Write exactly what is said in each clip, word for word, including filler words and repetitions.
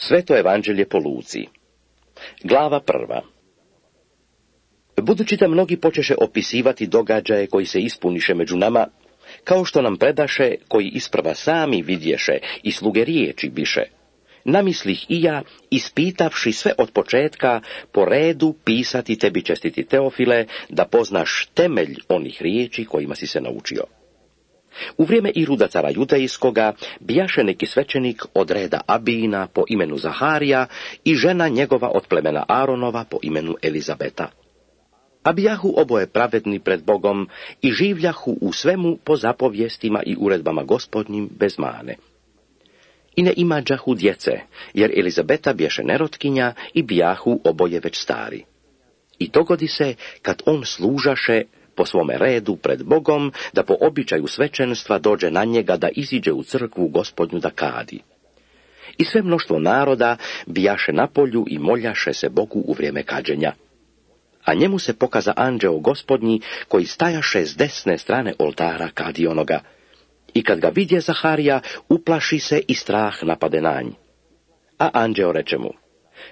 Sveto evanđelje po Luci. Glava prva. Budući da mnogi počeše opisivati događaje koji se ispuniše među nama, kao što nam predaše, koji isprva sami vidješe i sluge riječi biše, namislih i ja, ispitavši sve od početka, po redu pisati tebi, čestiti Teofile, da poznaš temelj onih riječi kojima si se naučio. U vrijeme Iruda cara judejskoga bijaše neki svećenik od reda Abijina po imenu Zaharija i žena njegova od plemena Aronova po imenu Elizabeta. A bijahu oboje pravedni pred Bogom i življahu u svemu po zapovjestima i uredbama Gospodnjim bez mane. I ne imađahu djece, jer Elizabeta bješe nerotkinja i bijahu oboje već stari. I dogodi se, kad on služaše po svome redu pred Bogom, da po običaju svećenstva dođe na njega da iziđe u crkvu Gospodnju da kadi. I sve mnoštvo naroda bijaše na polju i moljaše se Bogu u vrijeme kađenja. A njemu se pokaza anđeo Gospodnji, koji stajaše s desne strane oltara kadionoga. I kad ga vidje Zaharija, uplaši se i strah napade na nj. A anđeo reče mu: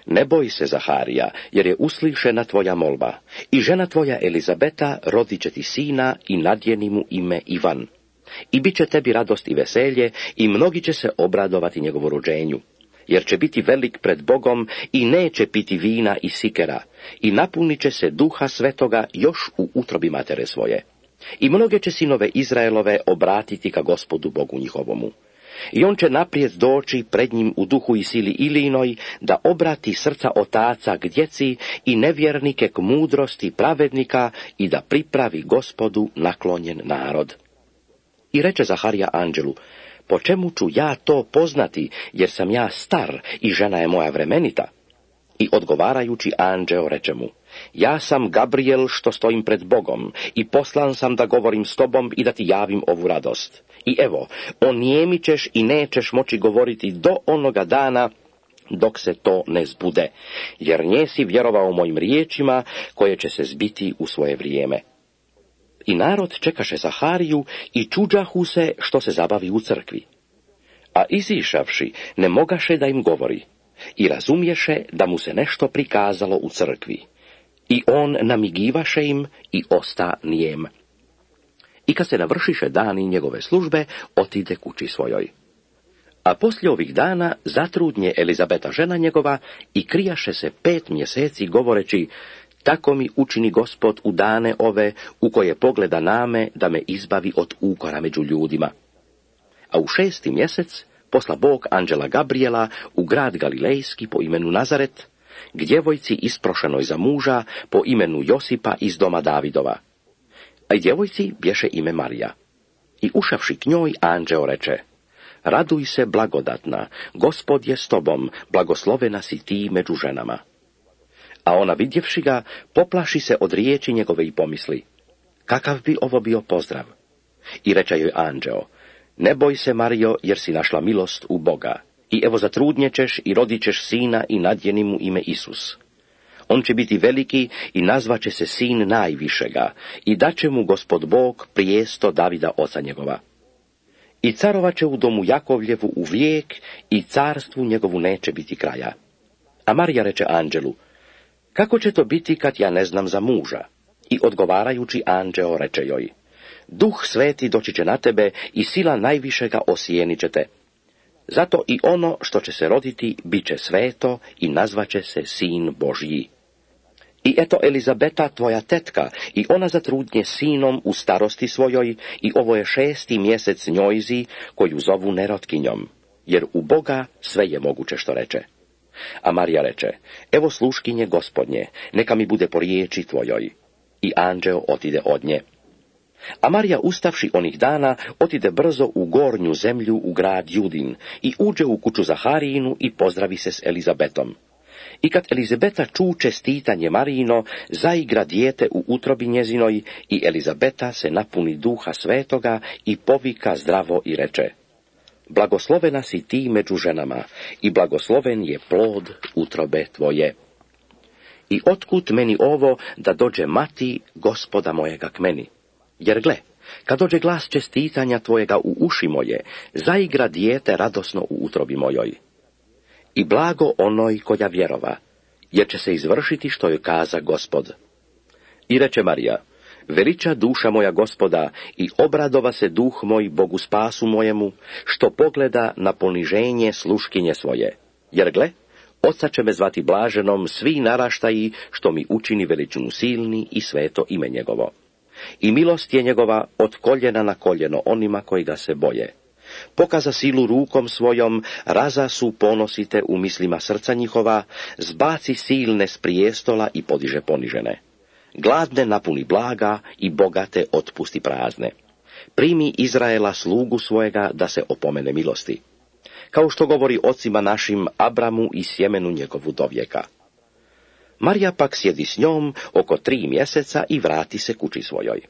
ne boj se, Zaharija, jer je uslišena tvoja molba, i žena tvoja Elizabeta rodit će ti sina i nadjeni mu ime Ivan. I bit će tebi radost i veselje, i mnogi će se obradovati njegovu rođenju, jer će biti velik pred Bogom i neće piti vina i sikera, i napunit će se duha svetoga još u utrobi matere svoje. I mnoge će sinove Izraelove obratiti ka Gospodu Bogu njihovomu. I on će naprijed doći pred njim u duhu i sili Ilijinoj, da obrati srca otaca k djeci i nevjernike k mudrosti pravednika i da pripravi Gospodu naklonjen narod. I reče Zaharija anđelu: po čemu ću ja to poznati, jer sam ja star i žena je moja vremenita? I odgovarajući anđeo reče mu: ja sam Gabriel što stojim pred Bogom i poslan sam da govorim s tobom i da ti javim ovu radost. I evo, onijemit ćeš i nećeš moći govoriti do onoga dana dok se to ne zbude, jer njesi vjerovao mojim riječima koje će se zbiti u svoje vrijeme. I narod čekaše Zahariju i čuđahu se što se zabavi u crkvi. A izišavši ne mogaše da im govori i razumješe da mu se nešto prikazalo u crkvi. I on namigivaše im i osta nijem. I kad se navršiše dani njegove službe, otide kući svojoj. A poslije ovih dana zatrudnje Elizabeta žena njegova i krijaše se pet mjeseci govoreći: tako mi učini Gospod u dane ove u koje pogleda name da me izbavi od ukora među ljudima. A u šesti mjesec posla Bog anđela Gabriela u grad Galilejski po imenu Nazaret, k djevojci isprošenoj za muža po imenu Josipa iz doma Davidova. A djevojci bješe ime Marija. I ušavši k njoj, anđeo reče: raduj se, blagodatna, Gospod je s tobom, blagoslovena si ti među ženama. A ona vidjevši ga, poplaši se od riječi njegove i pomisli: kakav bi ovo bio pozdrav? I reče joj anđeo: ne boj se, Marijo, jer si našla milost u Boga. I evo zatrudnjećeš i rodit ćeš sina i nadjeni mu ime Isus. On će biti veliki i nazvaće se sin najvišega i daće mu Gospod Bog prijesto Davida oca njegova. I carovat će u domu Jakovljevu u vijek i carstvu njegovu neće biti kraja. A Marija reče anđelu: kako će to biti kad ja ne znam za muža? I odgovarajući anđeo reče joj: Duh Sveti doći će na tebe i sila najvišega osijenit će te. Zato i ono što će se roditi bit će sveto i nazvaće se Sin Božji. I eto Elizabeta, tvoja tetka, i ona zatrudnje sinom u starosti svojoj, i ovo je šesti mjesec njojzi, koju zovu nerotkinjom, jer u Boga sve je moguće što reče. A Marija reče: evo sluškinje Gospodnje, neka mi bude po riječi tvojoj. I anđeo otide od nje. A Marija, ustavši onih dana, otide brzo u gornju zemlju u grad Judin i uđe u kuću Zaharijinu i pozdravi se s Elizabetom. I kad Elizabeta ču čestitanje Marijino, zaigra dijete u utrobi njezinoj i Elizabeta se napuni duha svetoga i povika zdravo i reče: blagoslovena si ti među ženama i blagosloven je plod utrobe tvoje. I otkud meni ovo da dođe mati Gospoda mojega k meni? Jer gle, kad dođe glas čestitanja tvojega u uši moje, zaigra dijete radosno u utrobi mojoj. I blago onoj koja vjerova, jer će se izvršiti što joj kaza Gospod. I reče Marija, veliča duša moja Gospoda i obradova se duh moj Bogu spasu mojemu, što pogleda na poniženje sluškinje svoje. Jer gle, oca će me zvati blaženom svi naraštaji, što mi učini veličinu silni i sveto ime njegovo. I milost je njegova od koljena na koljeno onima koji ga se boje. Pokaza silu rukom svojom, raza su ponosite u mislima srca njihova, zbaci silne s prijestola i podiže ponižene. Gladne napuni blaga i bogate otpusti prazne. Primi Izraela slugu svojega da se opomene milosti. Kao što govori ocima našim Abramu i sjemenu njegovu do vijeka. Marija pak sjedi s njom oko tri mjeseca i vrati se kući svojoj.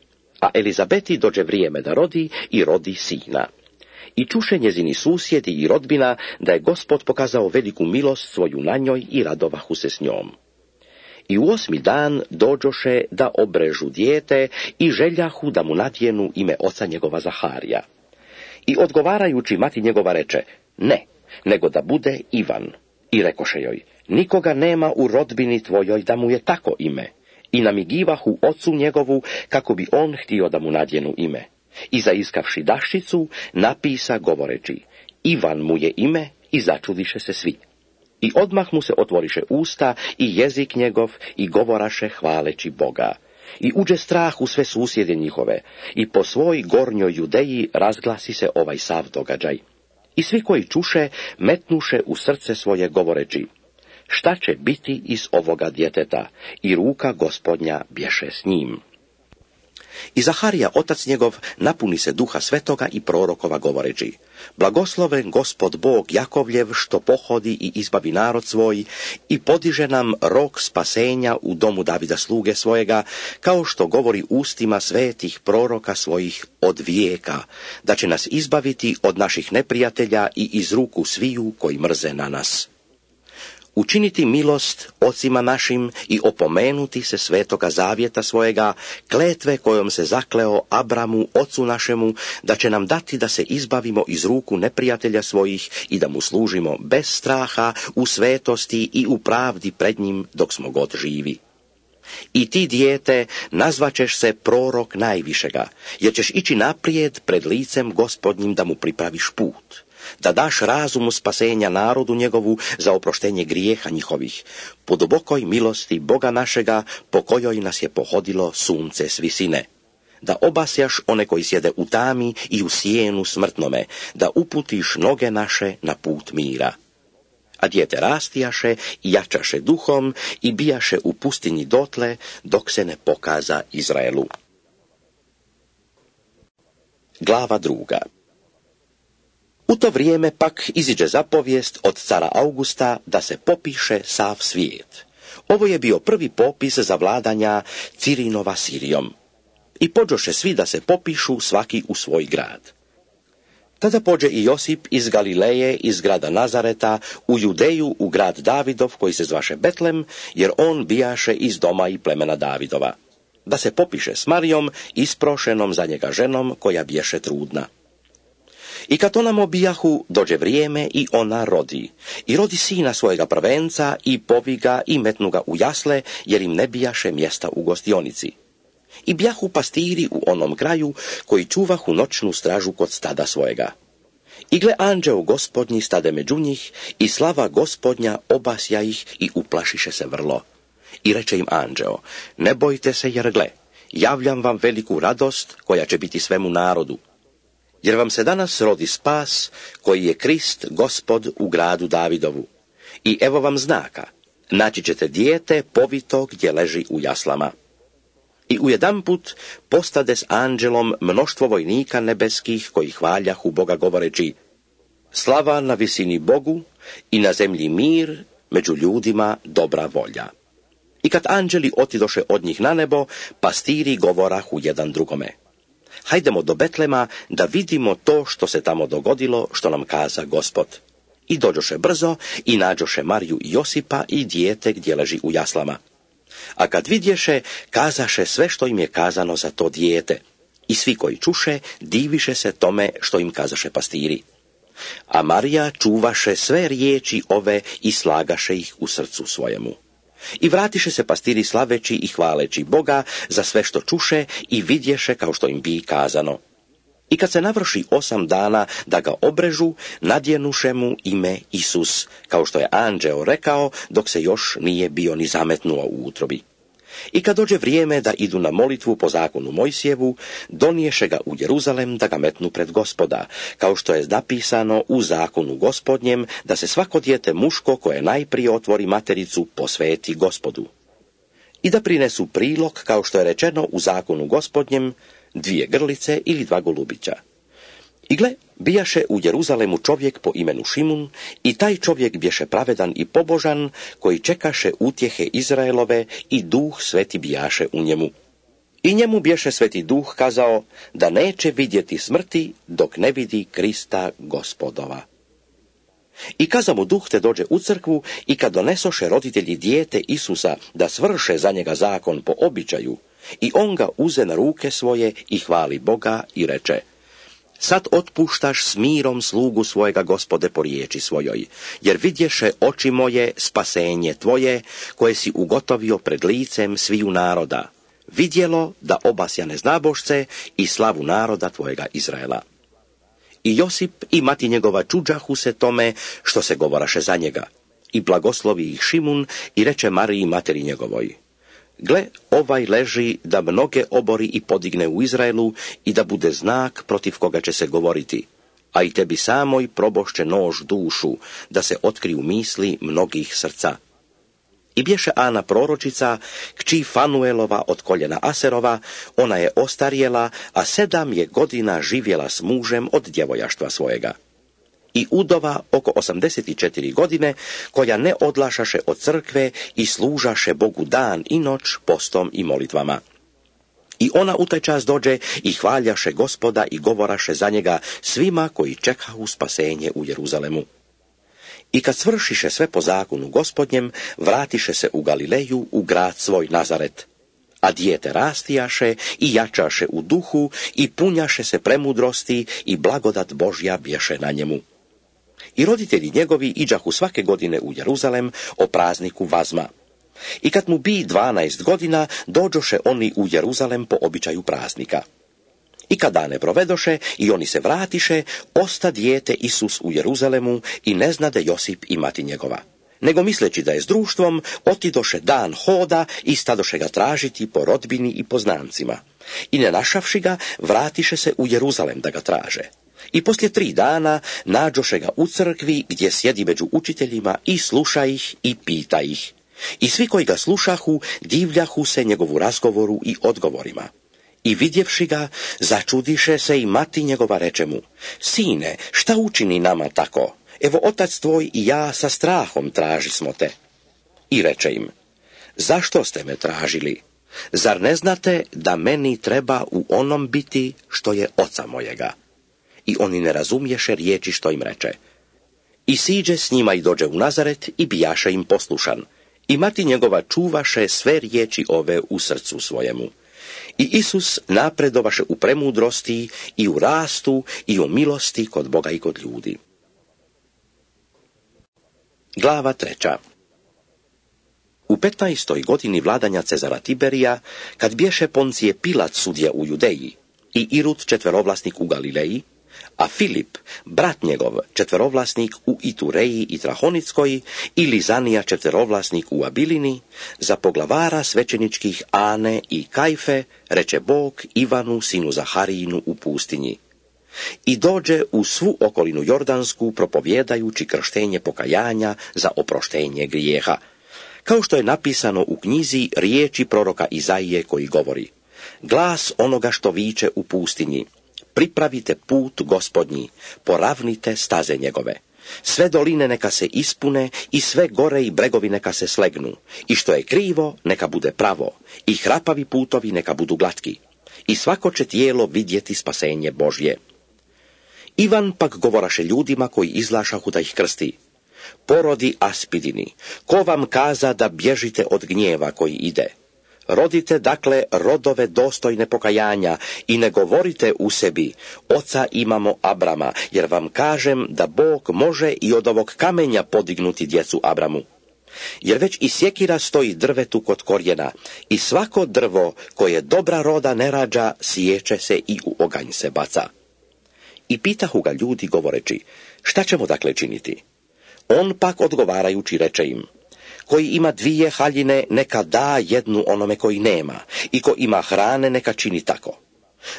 A Elizabeti dođe vrijeme da rodi i rodi sina. I čuše njezini susjedi i rodbina da je Gospod pokazao veliku milost svoju na njoj i radovahu se s njom. I u osmi dan dođoše da obrežu dijete i željahu da mu nadjenu ime oca njegova Zaharija. I odgovarajući mati njegova reče, ne, nego da bude Ivan. I rekoše joj, nikoga nema u rodbini tvojoj da mu je tako ime. I namigivahu ocu njegovu kako bi on htio da mu nadjenu ime. I zaiskavši daščicu, napisa govoreći, Ivan mu je ime, i začudiše se svi. I odmah mu se otvoriše usta i jezik njegov i govoraše hvaleći Boga. I uđe strah u sve susjede njihove, i po svoj gornjoj Judeji razglasi se ovaj sav događaj. I svi koji čuše, metnuše u srce svoje govoreći, šta će biti iz ovoga djeteta, i ruka Gospodnja bješe s njim. I Zaharija, otac njegov, napuni se duha svetoga i prorokova govoreći, blagosloven Gospod Bog Jakovljev, što pohodi i izbavi narod svoj i podiže nam rok spasenja u domu Davida sluge svojega, kao što govori ustima svetih proroka svojih od vijeka, da će nas izbaviti od naših neprijatelja i iz ruku sviju koji mrze na nas. Učiniti milost ocima našim i opomenuti se svetoga zavjeta svojega, kletve kojom se zakleo Abramu, ocu našemu, da će nam dati da se izbavimo iz ruku neprijatelja svojih i da mu služimo bez straha, u svetosti i u pravdi pred njim dok smo god živi. I ti, dijete, nazvaćeš se prorok najvišega, jer ćeš ići naprijed pred licem Gospodnjim da mu pripraviš put, da daš razumu spasenja narodu njegovu za oproštenje grijeha njihovih, po dubokoj milosti Boga našega, po kojoj nas je pohodilo sunce s visine. Da obasjaš one koji sjede u tami i u sjenu smrtnome, da uputiš noge naše na put mira. A dijete rastijaše i jačaše duhom i bijaše u pustinji dotle, dok se ne pokaza Izraelu. Glava druga. U to vrijeme pak iziđe zapovijest od cara Augusta da se popiše sav svijet. Ovo je bio prvi popis za vladanja Cirinova Sirijom. I pođoše svi da se popišu svaki u svoj grad. Tada pođe i Josip iz Galileje, iz grada Nazareta, u Judeju, u grad Davidov, koji se zvaše Betlem, jer on bijaše iz doma i plemena Davidova. Da se popiše s Marijom, isprošenom za njega ženom, koja biješe trudna. I kad ona obijahu, dođe vrijeme i ona rodi. I rodi sina svojega prvenca i povi ga i metnu ga u jasle, jer im ne bijaše mjesta u gostionici. I bjahu pastiri u onom kraju, koji čuvahu noćnu stražu kod stada svojega. I gle, anđeo Gospodnji stade među njih, i slava Gospodnja obasja ih i uplašiše se vrlo. I reče im anđeo, ne bojte se, jer gle, javljam vam veliku radost koja će biti svemu narodu. Jer vam se danas rodi spas, koji je Krist Gospod u gradu Davidovu. I evo vam znaka, naći ćete dijete povito gdje leži u jaslama. I ujedanput postade s anđelom mnoštvo vojnika nebeskih koji hvaljahu Boga govoreći, slava na visini Bogu i na zemlji mir, među ljudima dobra volja. I kad anđeli otidoše od njih na nebo, pastiri govorahu jedan drugome, hajdemo do Betlema da vidimo to što se tamo dogodilo, što nam kaza Gospod. I dođoše brzo i nađoše Mariju i Josipa i dijete gdje leži u jaslama. A kad vidješe, kazaše sve što im je kazano za to dijete. I svi koji čuše, diviše se tome što im kazaše pastiri. a Marija čuvaše sve riječi ove i slagaše ih u srcu svojemu. I vratiše se pastiri slaveći i hvaleći Boga za sve što čuše i vidješe kao što im bi kazano. I kad se navrši osam dana da ga obrežu, nadjenuše mu ime Isus, kao što je anđeo rekao, dok se još nije bio ni zametnuo u utrobi. I kad dođe vrijeme da idu na molitvu po zakonu Mojsijevu, doniješe ga u Jeruzalem da ga metnu pred Gospoda, kao što je napisano u zakonu Gospodnjem, da se svako dijete muško koje najprije otvori matericu posveti Gospodu. I da prinesu prilog, kao što je rečeno u zakonu Gospodnjem, dvije grlice ili dva golubića. I gle, bijaše u Jeruzalemu čovjek po imenu Šimun, i taj čovjek bješe pravedan i pobožan, koji čekaše utjehe Izraelove, i duh sveti bijaše u njemu. I njemu bješe sveti duh kazao da neće vidjeti smrti dok ne vidi Krista Gospodova. I kaza mu duh te dođe u crkvu, i kad donesoše roditelji dijete Isusa da svrše za njega zakon po običaju, i on ga uze na ruke svoje i hvali Boga i reče: Sad otpuštaš s mirom slugu svojega, Gospode, po riječi svojoj, jer vidješe oči moje spasenje tvoje, koje si ugotovio pred licem sviju naroda, vidjelo da obasja neznabošce i slavu naroda tvojega Izraela. I Josip i mati njegova čuđahu se tome što se govoraše za njega, i blagoslovi ih Šimun i reče Mariji materi njegovoj: Gle, ovaj leži da mnoge obori i podigne u Izraelu i da bude znak protiv koga će se govoriti, a i tebi samoj probošće nož dušu, da se otkriju misli mnogih srca. I bješe Ana proročica, kći Fanuelova od koljena Aserova, ona je ostarjela, a sedam je godina živjela s mužem od djevojaštva svojega. I udova oko osamdeset četiri godine, koja ne odlašaše od crkve i služaše Bogu dan i noć postom i molitvama. I ona u taj čas dođe i hvaljaše Gospoda i govoraše za njega svima koji čekahu spasenje u Jeruzalemu. I kad svršiše sve po zakonu Gospodnjem, vratiše se u Galileju, u grad svoj Nazaret. A dijete rastijaše i jačaše u duhu i punjaše se premudrosti i blagodat Božja bješe na njemu. I roditelji njegovi iđahu svake godine u Jeruzalem o prazniku Vazma. I kad mu bi dvanaest godina, dođoše oni u Jeruzalem po običaju praznika. I kad dane provedoše i oni se vratiše, osta dijete Isus u Jeruzalemu i ne znade Josip i mati njegova. Nego misleći da je s društvom, otidoše dan hoda i stadoše ga tražiti po rodbini i poznancima. I ne našavši ga, vratiše se u Jeruzalem da ga traže. I poslije tri dana nađoše ga u crkvi gdje sjedi među učiteljima i sluša ih i pita ih. I svi koji ga slušahu divljahu se njegovu razgovoru i odgovorima. I vidjevši ga, začudiše se i mati njegova reče mu: Sine, šta učini nama tako? Evo otac tvoj i ja sa strahom traži smo te. I reče im: Zašto ste me tražili? Zar ne znate da meni treba u onom biti što je oca mojega? I oni ne razumješe riječi što im reče. I siđe s njima i dođe u Nazaret i bijaše im poslušan. I mati njegova čuvaše sve riječi ove u srcu svojemu. I Isus napredovaše u premudrosti i u rastu i u milosti kod Boga i kod ljudi. Glava treća. U petnaestoj godini vladanja Cezara Tiberija, kad bješe Poncije Pilat sudija u Judeji i Irud četverovlasnik u Galileji, a Filip, brat njegov, četverovlasnik u Itureji i Trahonickoj, i Lizanija četverovlasnik u Abilini, za poglavara svećeničkih Ane i Kajfe reče Bog Ivanu sinu Zaharijinu u pustinji. I dođe u svu okolinu Jordansku propovjedajući krštenje pokajanja za oproštenje grijeha, kao što je napisano u knjizi riječi proroka Izaije koji govori: Glas onoga što viče u pustinji: Pripravite put Gospodnji, poravnite staze njegove. Sve doline neka se ispune i sve gore i bregovi neka se slegnu. I što je krivo, neka bude pravo. I hrapavi putovi neka budu glatki. I svako će tijelo vidjeti spasenje Božje. Ivan pak govoraše ljudima koji izlašahu da ih krsti: Porodi aspidini, ko vam kaza da bježite od gnjeva koji ide? Rodite dakle rodove dostojne pokajanja i ne govorite u sebi, oca imamo Abrama, jer vam kažem da Bog može i od ovog kamenja podignuti djecu Abramu. Jer već i sjekira stoji drvetu kod korijena, i svako drvo koje dobra roda ne rađa, siječe se i u oganj se baca. I pitahu ga ljudi govoreći, šta ćemo dakle činiti? On pak odgovarajući reče im, koji ima dvije haljine, neka da jednu onome koji nema, i ko ima hrane, neka čini tako.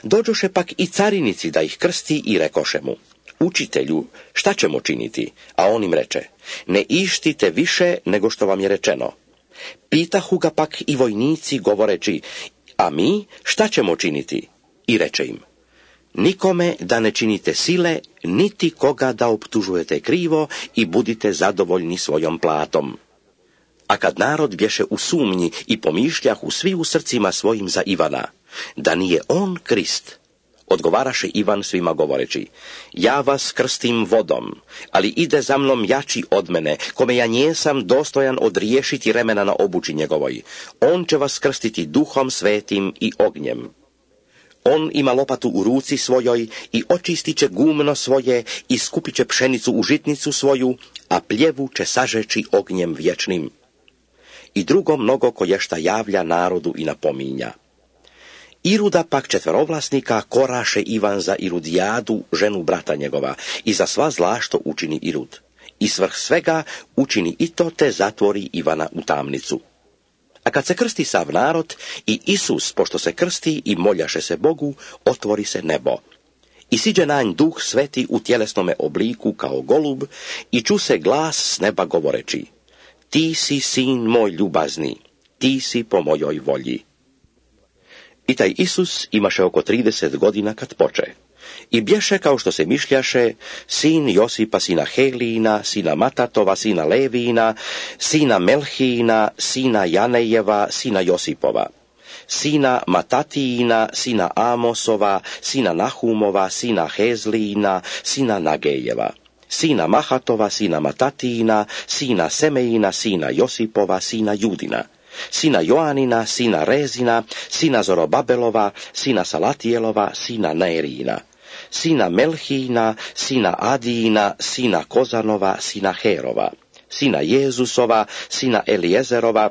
Dođoše pak i carinici da ih krsti i rekoše mu, učitelju, šta ćemo činiti? A on im reče, ne ištite više nego što vam je rečeno. Pitahu ga pak i vojnici govoreći, a mi šta ćemo činiti? I reče im, nikome da ne činite sile, niti koga da optužujete krivo i budite zadovoljni svojom platom. A kad narod bješe u sumnji i pomišljahu svi u srcima svojim za Ivana, da nije on Krist, odgovaraše Ivan svima govoreći, ja vas krstim vodom, ali ide za mnom jači od mene, kome ja njesam dostojan odriješiti remena na obući njegovoj. On će vas krstiti duhom svetim i ognjem. On ima lopatu u ruci svojoj i očistit će gumno svoje i skupit će pšenicu u žitnicu svoju, a pljevu će sažeći ognjem vječnim. I drugo mnogo koješta javlja narodu i napominja. Iruda pak četverovlasnika koraše Ivan za Irudijadu, ženu brata njegova, i za sva zla što učini Irud. I svrh svega učini i to te zatvori Ivana u tamnicu. A kad se krsti sav narod, i Isus, pošto se krsti i moljaše se Bogu, otvori se nebo. I siđe na nj duh sveti u tjelesnome obliku kao golub, i ču se glas s neba govoreći, ti si sin moj ljubazni, ti si po mojoj volji. I taj Isus imaše oko trideset godina kad poče. I bješe, kao što se mišljaše, sin Josipa, sina Helijina, sina Matatova, sina Levina, sina Melhijina, sina Janejeva, sina Josipova, sina Matatijina, sina Amosova, sina Nahumova, sina Hezlijina, sina Nagejeva, sina Mahatova, sina Matatijina, sina Semejina, sina Josipova, sina Judina, sina Joanina, sina Rezina, sina Zorobabelova, sina Salatijelova, sina Neerina, sina Melhijina, sina Adijina, sina Kozanova, sina Herova, sina Jezusova, sina Elijezerova,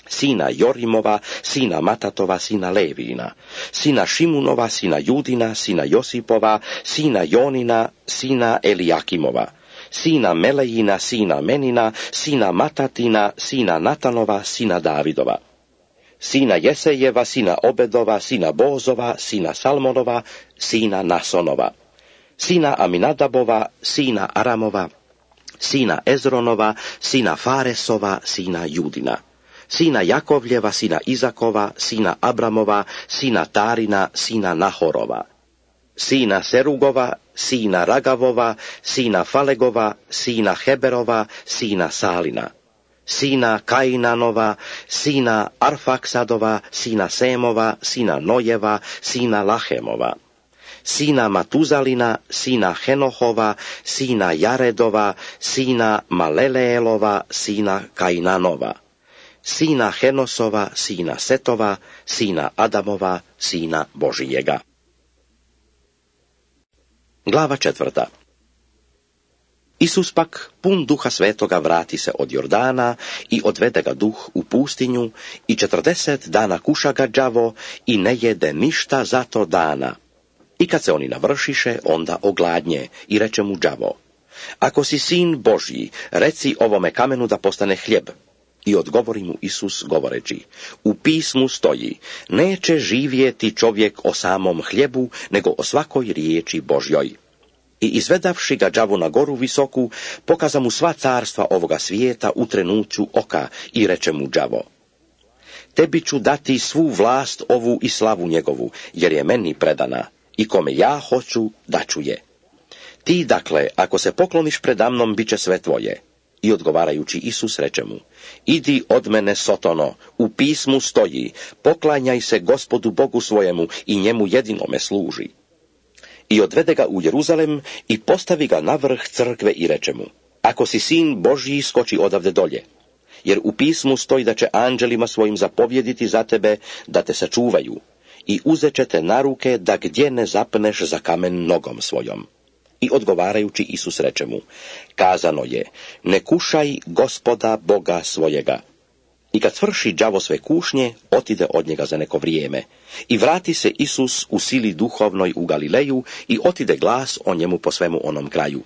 sina Jorimova, sina Matatova, sina Levina, sina Šimunova, sina Judina, sina Josipova, sina Jonina, sina Elijakimova, sina Melejina, sina Menina, sina Matatina, sina Natanova, sina Davidova, sina Jesejeva, sina Obedova, sina Bozova, sina Salmonova, sina Nasonova, sina Aminadabova, sina Aramova, sina Ezronova, sina Faresova, sina Judina, sina Jakovljeva, sina Izakova, sina Abramova, sina Tarina, sina Nahorova, sina Serugova, sina Ragavova, sina Falegova, sina Heberova, sina Salina, sina Kainanova, sina Arfaksadova, sina Semova, sina Nojeva, sina Lahemova, sina Matuzalina, sina Henohova, sina Jaredova, sina Maleleelova, sina Kainanova, sina Henosova, sina Setova, sina Adamova, sina Božijega. Glava četvrta. Isus pak, pun duha svetoga, vrati se od Jordana i odvede ga duh u pustinju i četrdeset dana kuša ga đavo i ne jede ništa za to dana. I kad se oni navršiše, onda ogladnje i reče mu đavo, ako si sin Božji, reci ovome kamenu da postane hljeb. I odgovori mu Isus govoreći, u pismu stoji, neće živjeti čovjek o samom hljebu, nego o svakoj riječi Božjoj. I izvedavši ga đavo na goru visoku, pokaza mu sva carstva ovoga svijeta u trenuću oka i reče mu đavo, tebi ću dati svu vlast ovu i slavu njegovu, jer je meni predana, i kome ja hoću, daću je. Ti dakle, ako se pokloniš predamnom, bit će sve tvoje. I odgovarajući Isus reče mu, idi od mene Sotono, u pismu stoji, poklanjaj se Gospodu Bogu svojemu i njemu jedinome služi. I odvede ga u Jeruzalem i postavi ga na vrh crkve i reče mu, ako si sin Božji, skoči odavde dolje. jer u pismu stoji da će anđelima svojim zapovjediti za tebe da te sačuvaju i uzet će te na ruke da gdje ne zapneš za kamen nogom svojom. I odgovarajući Isus reče mu, kazano je, ne kušaj Gospoda Boga svojega. I kad svrši đavo sve kušnje, otide od njega za neko vrijeme. I vrati se Isus u sili duhovnoj u Galileju i otide glas o njemu po svemu onom kraju.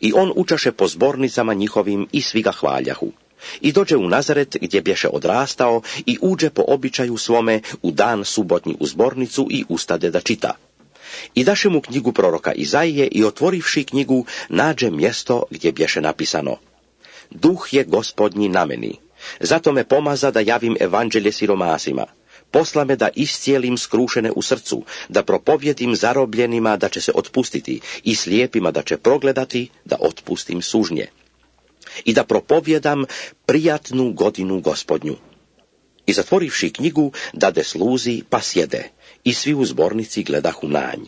I on učaše po zbornicama njihovim i svi ga hvaljahu. I dođe u Nazaret gdje bješe odrastao i uđe po običaju svome u dan subotnji u zbornicu i ustade da čita. I daše mu knjigu proroka Izaije i otvorivši knjigu nađe mjesto gdje bješe napisano, Duh je Gospodnji na meni, zato me pomaza da javim evanđelje siromasima, posla me da iscijelim skrušene u srcu, da propovjedim zarobljenima da će se otpustiti i slijepima da će progledati, da otpustim sužnje. I da propovjedam prijatnu godinu Gospodnju. I zatvorivši knjigu, dade sluzi, pa sjede, i svi u zbornici gledahu na nj.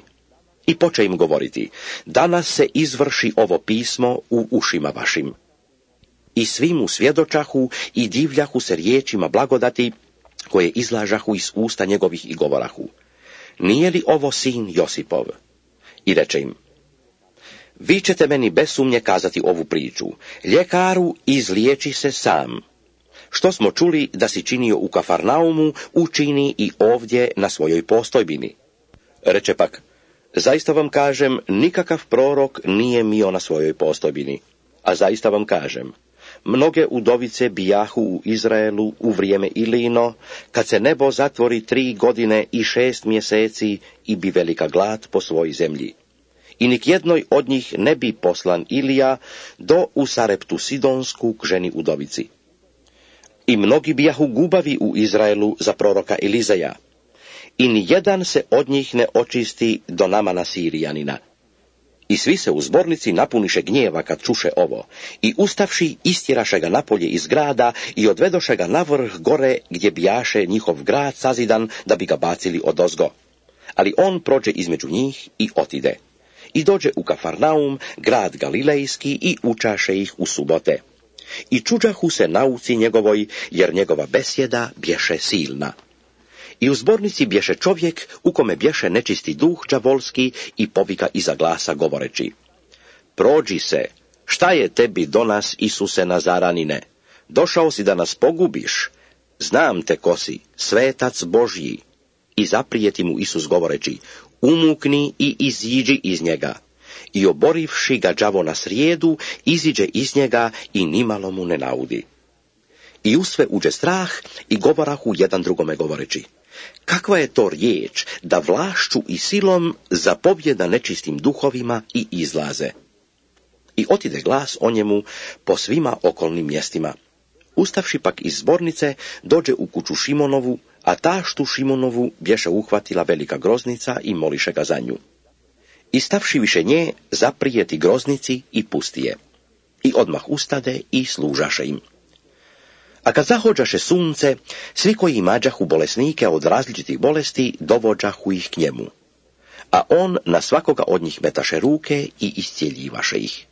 I poče im govoriti, danas se izvrši ovo pismo u ušima vašim. I svi mu svjedočahu i divljahu se riječima blagodati, koje izlažahu iz usta njegovih i govorahu, nije li ovo sin Josipov? I reče im, vi ćete meni bez sumnje kazati ovu priču, ljekaru, izliječi se sam. Što smo čuli da si činio u Kafarnaumu, učini i ovdje na svojoj postojbini. Reče pak, zaista vam kažem, nikakav prorok nije mio na svojoj postojbini. A zaista vam kažem, mnoge udovice bijahu u Izraelu u vrijeme Ilino, kad se nebo zatvori tri godine i šest mjeseci i bi velika glad po svoj zemlji. I nik jednoj od njih ne bi poslan Ilija do u Sareptu Sidonsku k ženi udovici. I mnogi bijahu gubavi u Izraelu za proroka Elizeja, i ni jedan se od njih ne očisti do Namana Sirijanina. I svi se u zbornici napuniše gnjeva kad čuše ovo, i ustavši istjeraše ga napolje iz grada i odvedoše ga na vrh gore gdje bijaše njihov grad sazidan da bi ga bacili odozgo. Ali on prođe između njih i otide. I dođe u Kafarnaum, grad Galilejski, i učaše ih u subote. I čuđahu se nauci njegovoj, jer njegova besjeda bješe silna. I u zbornici bješe čovjek u kome bješe nečisti duh đavolski i povika iza glasa govoreći, prođi se, šta je tebi do nas, Isuse Nazaranine? Došao si da nas pogubiš? Znam te ko si, svetac Božji. I zaprijeti mu Isus govoreći, umukni i iziđi iz njega. I oborivši ga đavo na srijedu, iziđe iz njega i nimalo mu ne naudi. I u sve uđe strah i govorahu jedan drugome govoreći, kakva je to riječ da vlašću i silom zapovjeda nečistim duhovima i izlaze. I otide glas o njemu po svima okolnim mjestima. Ustavši pak iz zbornice, dođe u kuću Šimonovu, a taštu Šimonovu bješe uhvatila velika groznica i moliše ga za nju. I stavši više nje, zaprijeti groznici i pusti je. I odmah ustade i služaše im. A kad zahođaše sunce, svi koji imađahu bolesnike od različitih bolesti, dovođahu ih k njemu. A on na svakoga od njih metaše ruke i iscijeljivaše ih.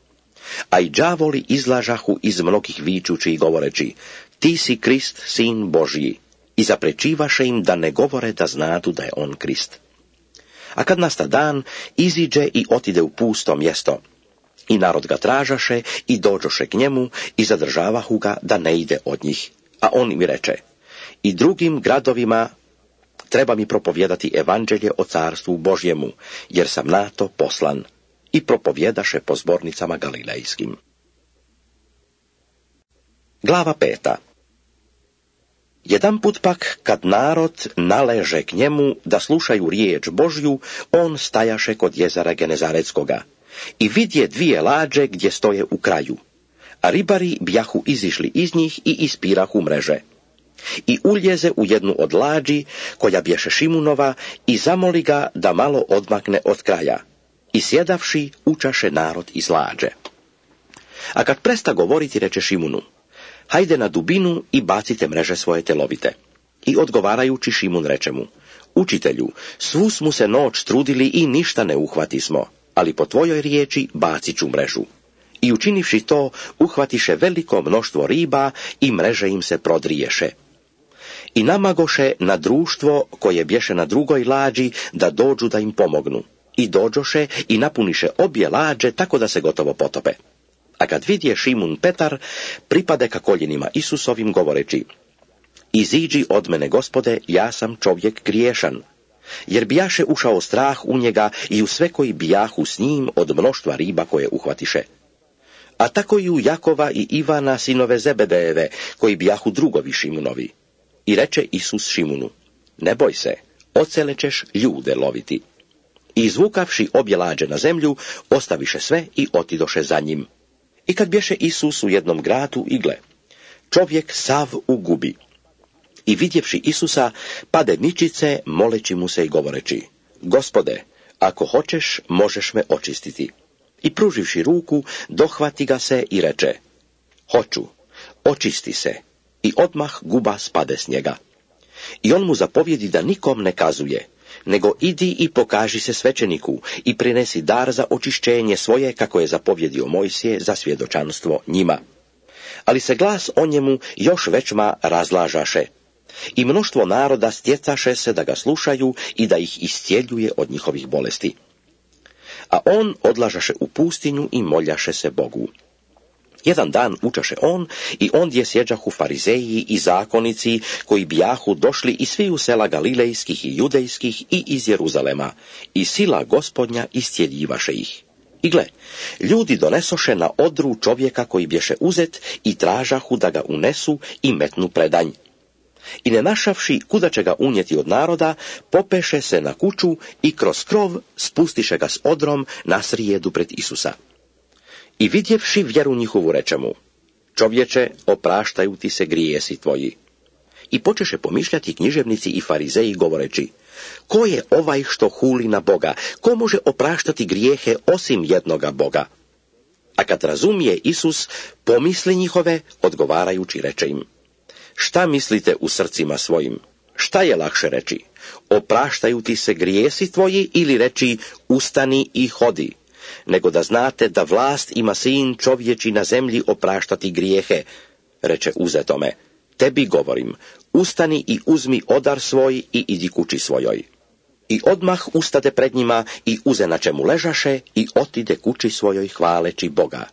A i đavoli izlažahu iz mnogih vičući i govoreći, ti si Krist, sin Božji, i zaprečivaše im da ne govore da znadu da je on Krist. A kad nasta dan, iziđe i otide u pusto mjesto. I narod ga tražaše i dođoše k njemu i zadržavahu ga da ne ide od njih. A on im reče, i drugim gradovima treba mi propovjedati evanđelje o carstvu Božjemu, jer sam na to poslan. I propovjedaše po zbornicama galilejskim. Glava peta. Jedanput pak, kad narod naleže k njemu da slušaju riječ Božju, on stajaše kod jezera Genezaretskoga. I vidje dvije lađe gdje stoje u kraju, a ribari bjahu izišli iz njih i ispirahu mreže. I uljeze u jednu od lađi, koja bješe Šimunova, i zamoli ga da malo odmakne od kraja. I sjedavši, učaše narod iz lađe. A kad presta govoriti, reče Šimunu, hajde na dubinu i bacite mreže svoje telovite. I odgovarajući Šimun reče mu, učitelju, svu smo se noć trudili i ništa ne uhvati smo, ali po tvojoj riječi bacit ću mrežu. I učinivši to, uhvatiše veliko mnoštvo riba i mreže im se prodriješe. I namagoše na društvo koje bješe na drugoj lađi da dođu da im pomognu. I dođoše i napuniše obje lađe tako da se gotovo potope. A kad vidje Šimun Petar, pripade ka koljenima Isusovim govoreći: Iziđi od mene, Gospode, ja sam čovjek griješan. Jer bijaše ušao strah u njega i u sve koji bijahu s njim od mnoštva riba koje uhvatiše. A tako i u Jakova i Ivana, sinove Zebedejeve, koji bijahu drugovi Šimunovi. I reče Isus Šimunu: Ne boj se, ocele ćeš ljude loviti. I izvukavši obje lađe na zemlju, ostaviše sve i otidoše za njim. I kad bješe Isus u jednom gradu, i gle, čovjek sav ugubi. I vidjevši Isusa, pade ničice, moleći mu se i govoreći: Gospode, ako hoćeš, možeš me očistiti. I pruživši ruku, dohvati ga se i reče: Hoću, očisti se. I odmah guba spade s njega. I on mu zapovjedi da nikom ne kazuje, nego idi i pokaži se svećeniku i prinesi dar za očišćenje svoje, kako je zapovjedio Mojsije za svjedočanstvo njima. Ali se glas o njemu još većma razlažaše. I mnoštvo naroda stjecaše se da ga slušaju i da ih iscijeljuje od njihovih bolesti. A on odlažaše u pustinju i moljaše se Bogu. Jedan dan učaše on i ondje sjeđahu farizeji i zakonici koji bijahu došli iz sviju sela galilejskih i judejskih i iz Jeruzalema, i sila Gospodnja iscijeljivaše ih. I gle, ljudi donesoše na odru čovjeka koji bješe uzet i tražahu da ga unesu i metnu predanj. I ne našavši kuda će ga unijeti od naroda, popeše se na kuću i kroz krov spustiše ga s odrom na srijedu pred Isusa. I vidjevši vjeru njihovu reče mu: Čovječe, opraštaju ti se grijesi tvoji. I počeše pomišljati književnici i farizeji govoreći: Ko je ovaj što huli na Boga? Ko može opraštati grijehe osim jednoga Boga? A kad razumije Isus pomisli njihove, odgovarajući reče im: Šta mislite u srcima svojim? Šta je lakše reći? Opraštaju ti se grijesi tvoji, ili reći: Ustani i hodi? Nego da znate da vlast ima sin čovječi na zemlji opraštati grijehe. Reče uzetome: Tebi govorim, ustani i uzmi odar svoj i idi kući svojoj. I odmah ustade pred njima i uze na čemu ležaše i otide kući svojoj hvaleći Boga.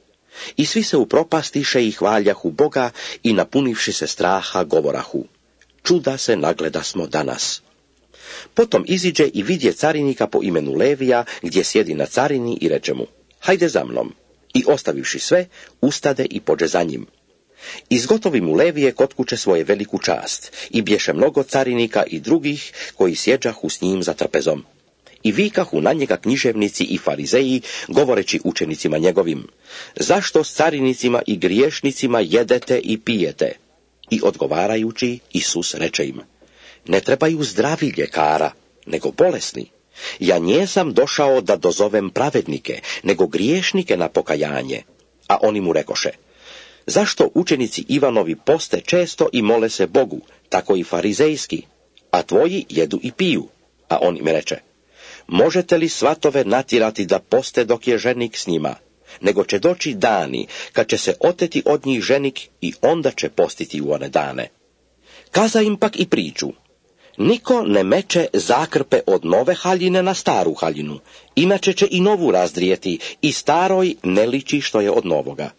I svi se upropastiše i hvaljahu Boga i napunivši se straha govorahu: Čuda se nagleda smo danas. Potom iziđe i vidje carinika po imenu Levija, gdje sjedi na carini, i reče mu: Hajde za mnom. I ostavivši sve, ustade i pođe za njim. Izgotovi mu Levije kod kuće svoje veliku čast, i bješe mnogo carinika i drugih koji sjeđahu s njim za trpezom. I vikahu na njega književnici i farizeji, govoreći učenicima njegovim: Zašto s carinicima i griješnicima jedete i pijete? I odgovarajući, Isus reče im: Ne trebaju zdravi ljekara, nego bolesni. Ja njesam došao da dozovem pravednike, nego griješnike na pokajanje. A oni mu rekoše: Zašto učenici Ivanovi poste često i mole se Bogu, tako i farizejski, a tvoji jedu i piju? A on im reče: Možete li svatove natjerati da poste dok je ženik s njima? Nego će doći dani kad će se oteti od njih ženik i onda će postiti u one dane. Kaza im pak i priču: Niko ne meče zakrpe od nove haljine na staru haljinu, inače će i novu razdrijeti i staroj ne liči što je od novoga.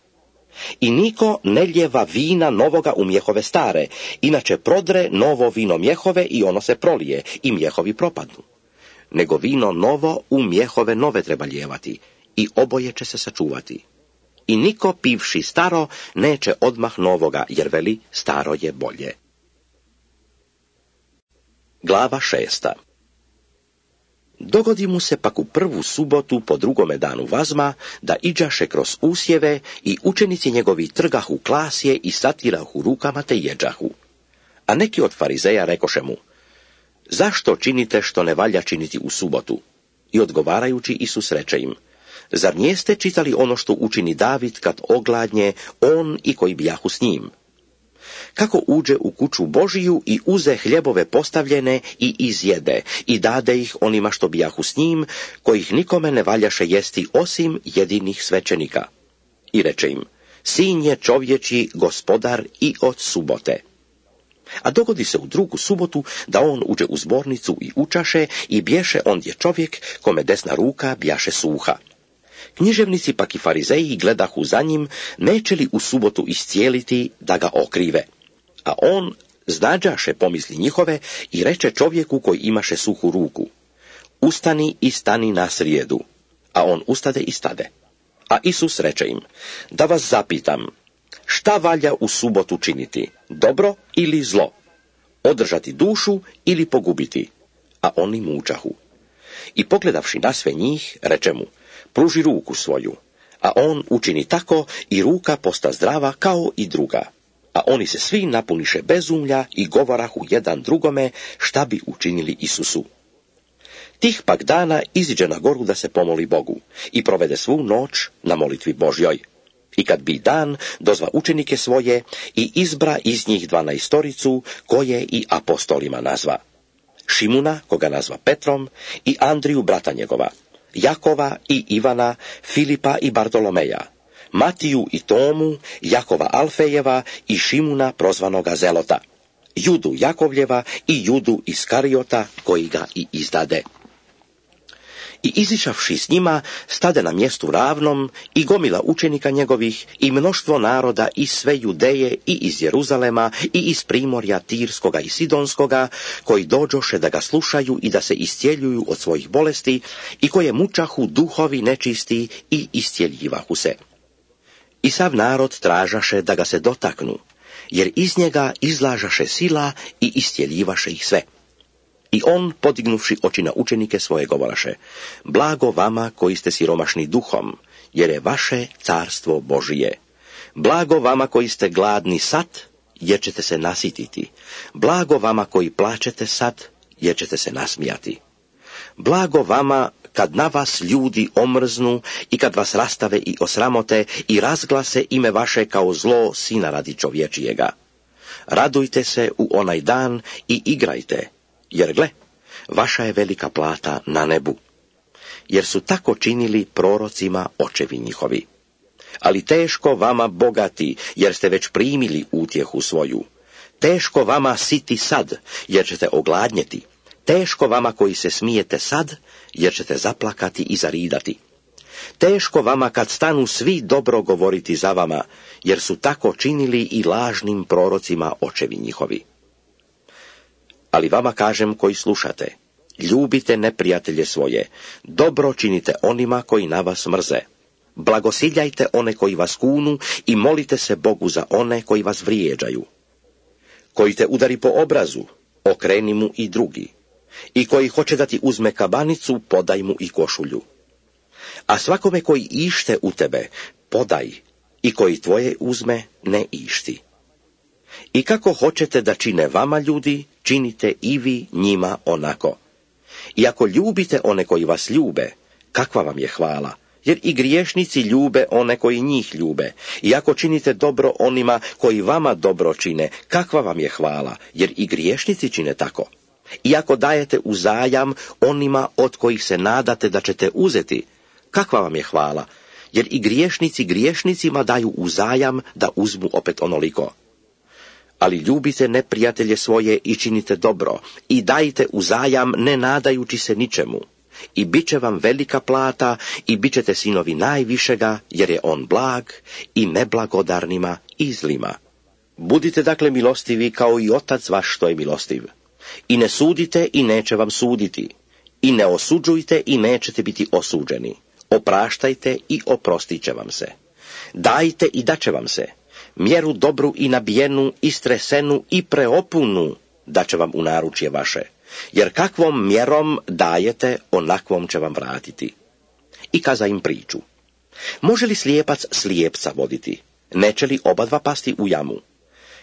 I niko ne ljeva vina novoga u mjehove stare, inače prodre novo vino mjehove i ono se prolije i mjehovi propadnu. Nego vino novo u mjehove nove treba lijevati i oboje će se sačuvati. I niko pivši staro neće odmah novoga, jer veli: staro je bolje. Glava šesta. Dogodi mu se pak u prvu subotu po drugome danu vazma da iđaše kroz usjeve i učenici njegovi trgahu klasje i satirahu rukama te jeđahu. A neki od farizeja rekoše mu: Zašto činite što ne valja činiti u subotu? I odgovarajući Isus reče im: Zar nijeste čitali ono što učini David kad ogladnje, on i koji bijahu s njim? Kako uđe u kuću Božiju i uze hljebove postavljene i izjede i dade ih onima što bijahu s njim, kojih nikome ne valjaše jesti osim jedinih svećenika. i reče im: Sin je čovječji gospodar i od subote. A dogodi se u drugu subotu da on uđe u zbornicu i učaše i bješe ondje čovjek kome desna ruka bjaše suha. Književnici pak i farizeji gledahu za njim, neće li u subotu iscijeliti da ga okrive. A on znađaše pomisli njihove i reče čovjeku koji imaše suhu ruku: Ustani i stani na srijedu. A on ustade i stade. A Isus reče im: Da vas zapitam, šta valja u subotu činiti, dobro ili zlo? Održati dušu ili pogubiti? A oni mučahu. I pogledavši na sve njih, reče mu: Pruži ruku svoju. A on učini tako i ruka posta zdrava kao i druga. A oni se svi napuniše bezumlja i govorahu jedan drugome šta bi učinili Isusu. Tih pak dana iziđe na goru da se pomoli Bogu i provede svu noć na molitvi Božjoj. I kad bi dan, dozva učenike svoje i izbra iz njih dvanaestoricu, koje i apostolima nazva: Šimuna, koga nazva Petrom, i Andriju brata njegova, Jakova i Ivana, Filipa i Bartolomeja, Matiju i Tomu, Jakova Alfejeva i Šimuna prozvanoga Zelota, Judu Jakovljeva i Judu Iskariota, koji ga i izdade. I izišavši s njima, stade na mjestu ravnom i gomila učenika njegovih i mnoštvo naroda iz sve Judeje i iz Jeruzalema i iz primorja Tirskoga i Sidonskoga, koji dođoše da ga slušaju i da se iscijeljuju od svojih bolesti i koje mučahu duhovi nečisti i iscijeljivahu se. I sav narod tražaše da ga se dotaknu, jer iz njega izlažaše sila i iscijeljivaše ih sve. I on, podignuvši oči na učenike svoje, govoraše: Blago vama koji ste siromašni duhom, jer je vaše carstvo Božije. Blago vama koji ste gladni sad, jer ćete se nasititi. Blago vama koji plačete sad, jer ćete se nasmijati. Blago vama kad na vas ljudi omrznu i kad vas rastave i osramote i razglase ime vaše kao zlo sina radi čovječijega. Radujte se u onaj dan i igrajte, jer gle, vaša je velika plata na nebu. Jer su tako činili prorocima očevi njihovi. Ali teško vama bogati, jer ste već primili utjehu svoju. Teško vama siti sad, jer ćete ogladnjeti. Teško vama koji se smijete sad, jer ćete zaplakati i zaridati. Teško vama kad stanu svi dobro govoriti za vama, jer su tako činili i lažnim prorocima očevi njihovi. Ali vama kažem koji slušate, ljubite neprijatelje svoje, dobro činite onima koji na vas mrze. Blagosiljajte one koji vas kunu i molite se Bogu za one koji vas vrijeđaju. Koji te udari po obrazu, okreni mu i drugi. I koji hoće da ti uzme kabanicu, podaj mu i košulju. A svakome koji ište u tebe, podaj, i koji tvoje uzme, ne išti. I kako hoćete da čine vama ljudi, činite i vi njima onako. I ako ljubite one koji vas ljube, kakva vam je hvala, jer i griješnici ljube one koji njih ljube. I ako činite dobro onima koji vama dobro čine, kakva vam je hvala, jer i griješnici čine tako. I ako dajete uzajam onima od kojih se nadate da ćete uzeti, kakva vam je hvala, jer i griješnici griješnicima daju uzajam da uzmu opet onoliko. Ali ljubite neprijatelje svoje i činite dobro, i dajte uzajam ne nadajući se ničemu. I bit će vam velika plata, i bit ćete sinovi najvišega, jer je on blag i neblagodarnima i zlima. Budite dakle milostivi kao i Otac vaš što je milostiv. I ne sudite i neće vam suditi. I ne osuđujte i nećete biti osuđeni. Opraštajte i oprostit će vam se. Dajte i daće vam se. Mjeru dobru i nabijenu, istresenu i preopunu daće vam u naručje vaše. Jer kakvom mjerom dajete, onakvom će vam vratiti. I kaza im priču. Može li slijepac slijepca voditi? Neće li oba dva pasti u jamu?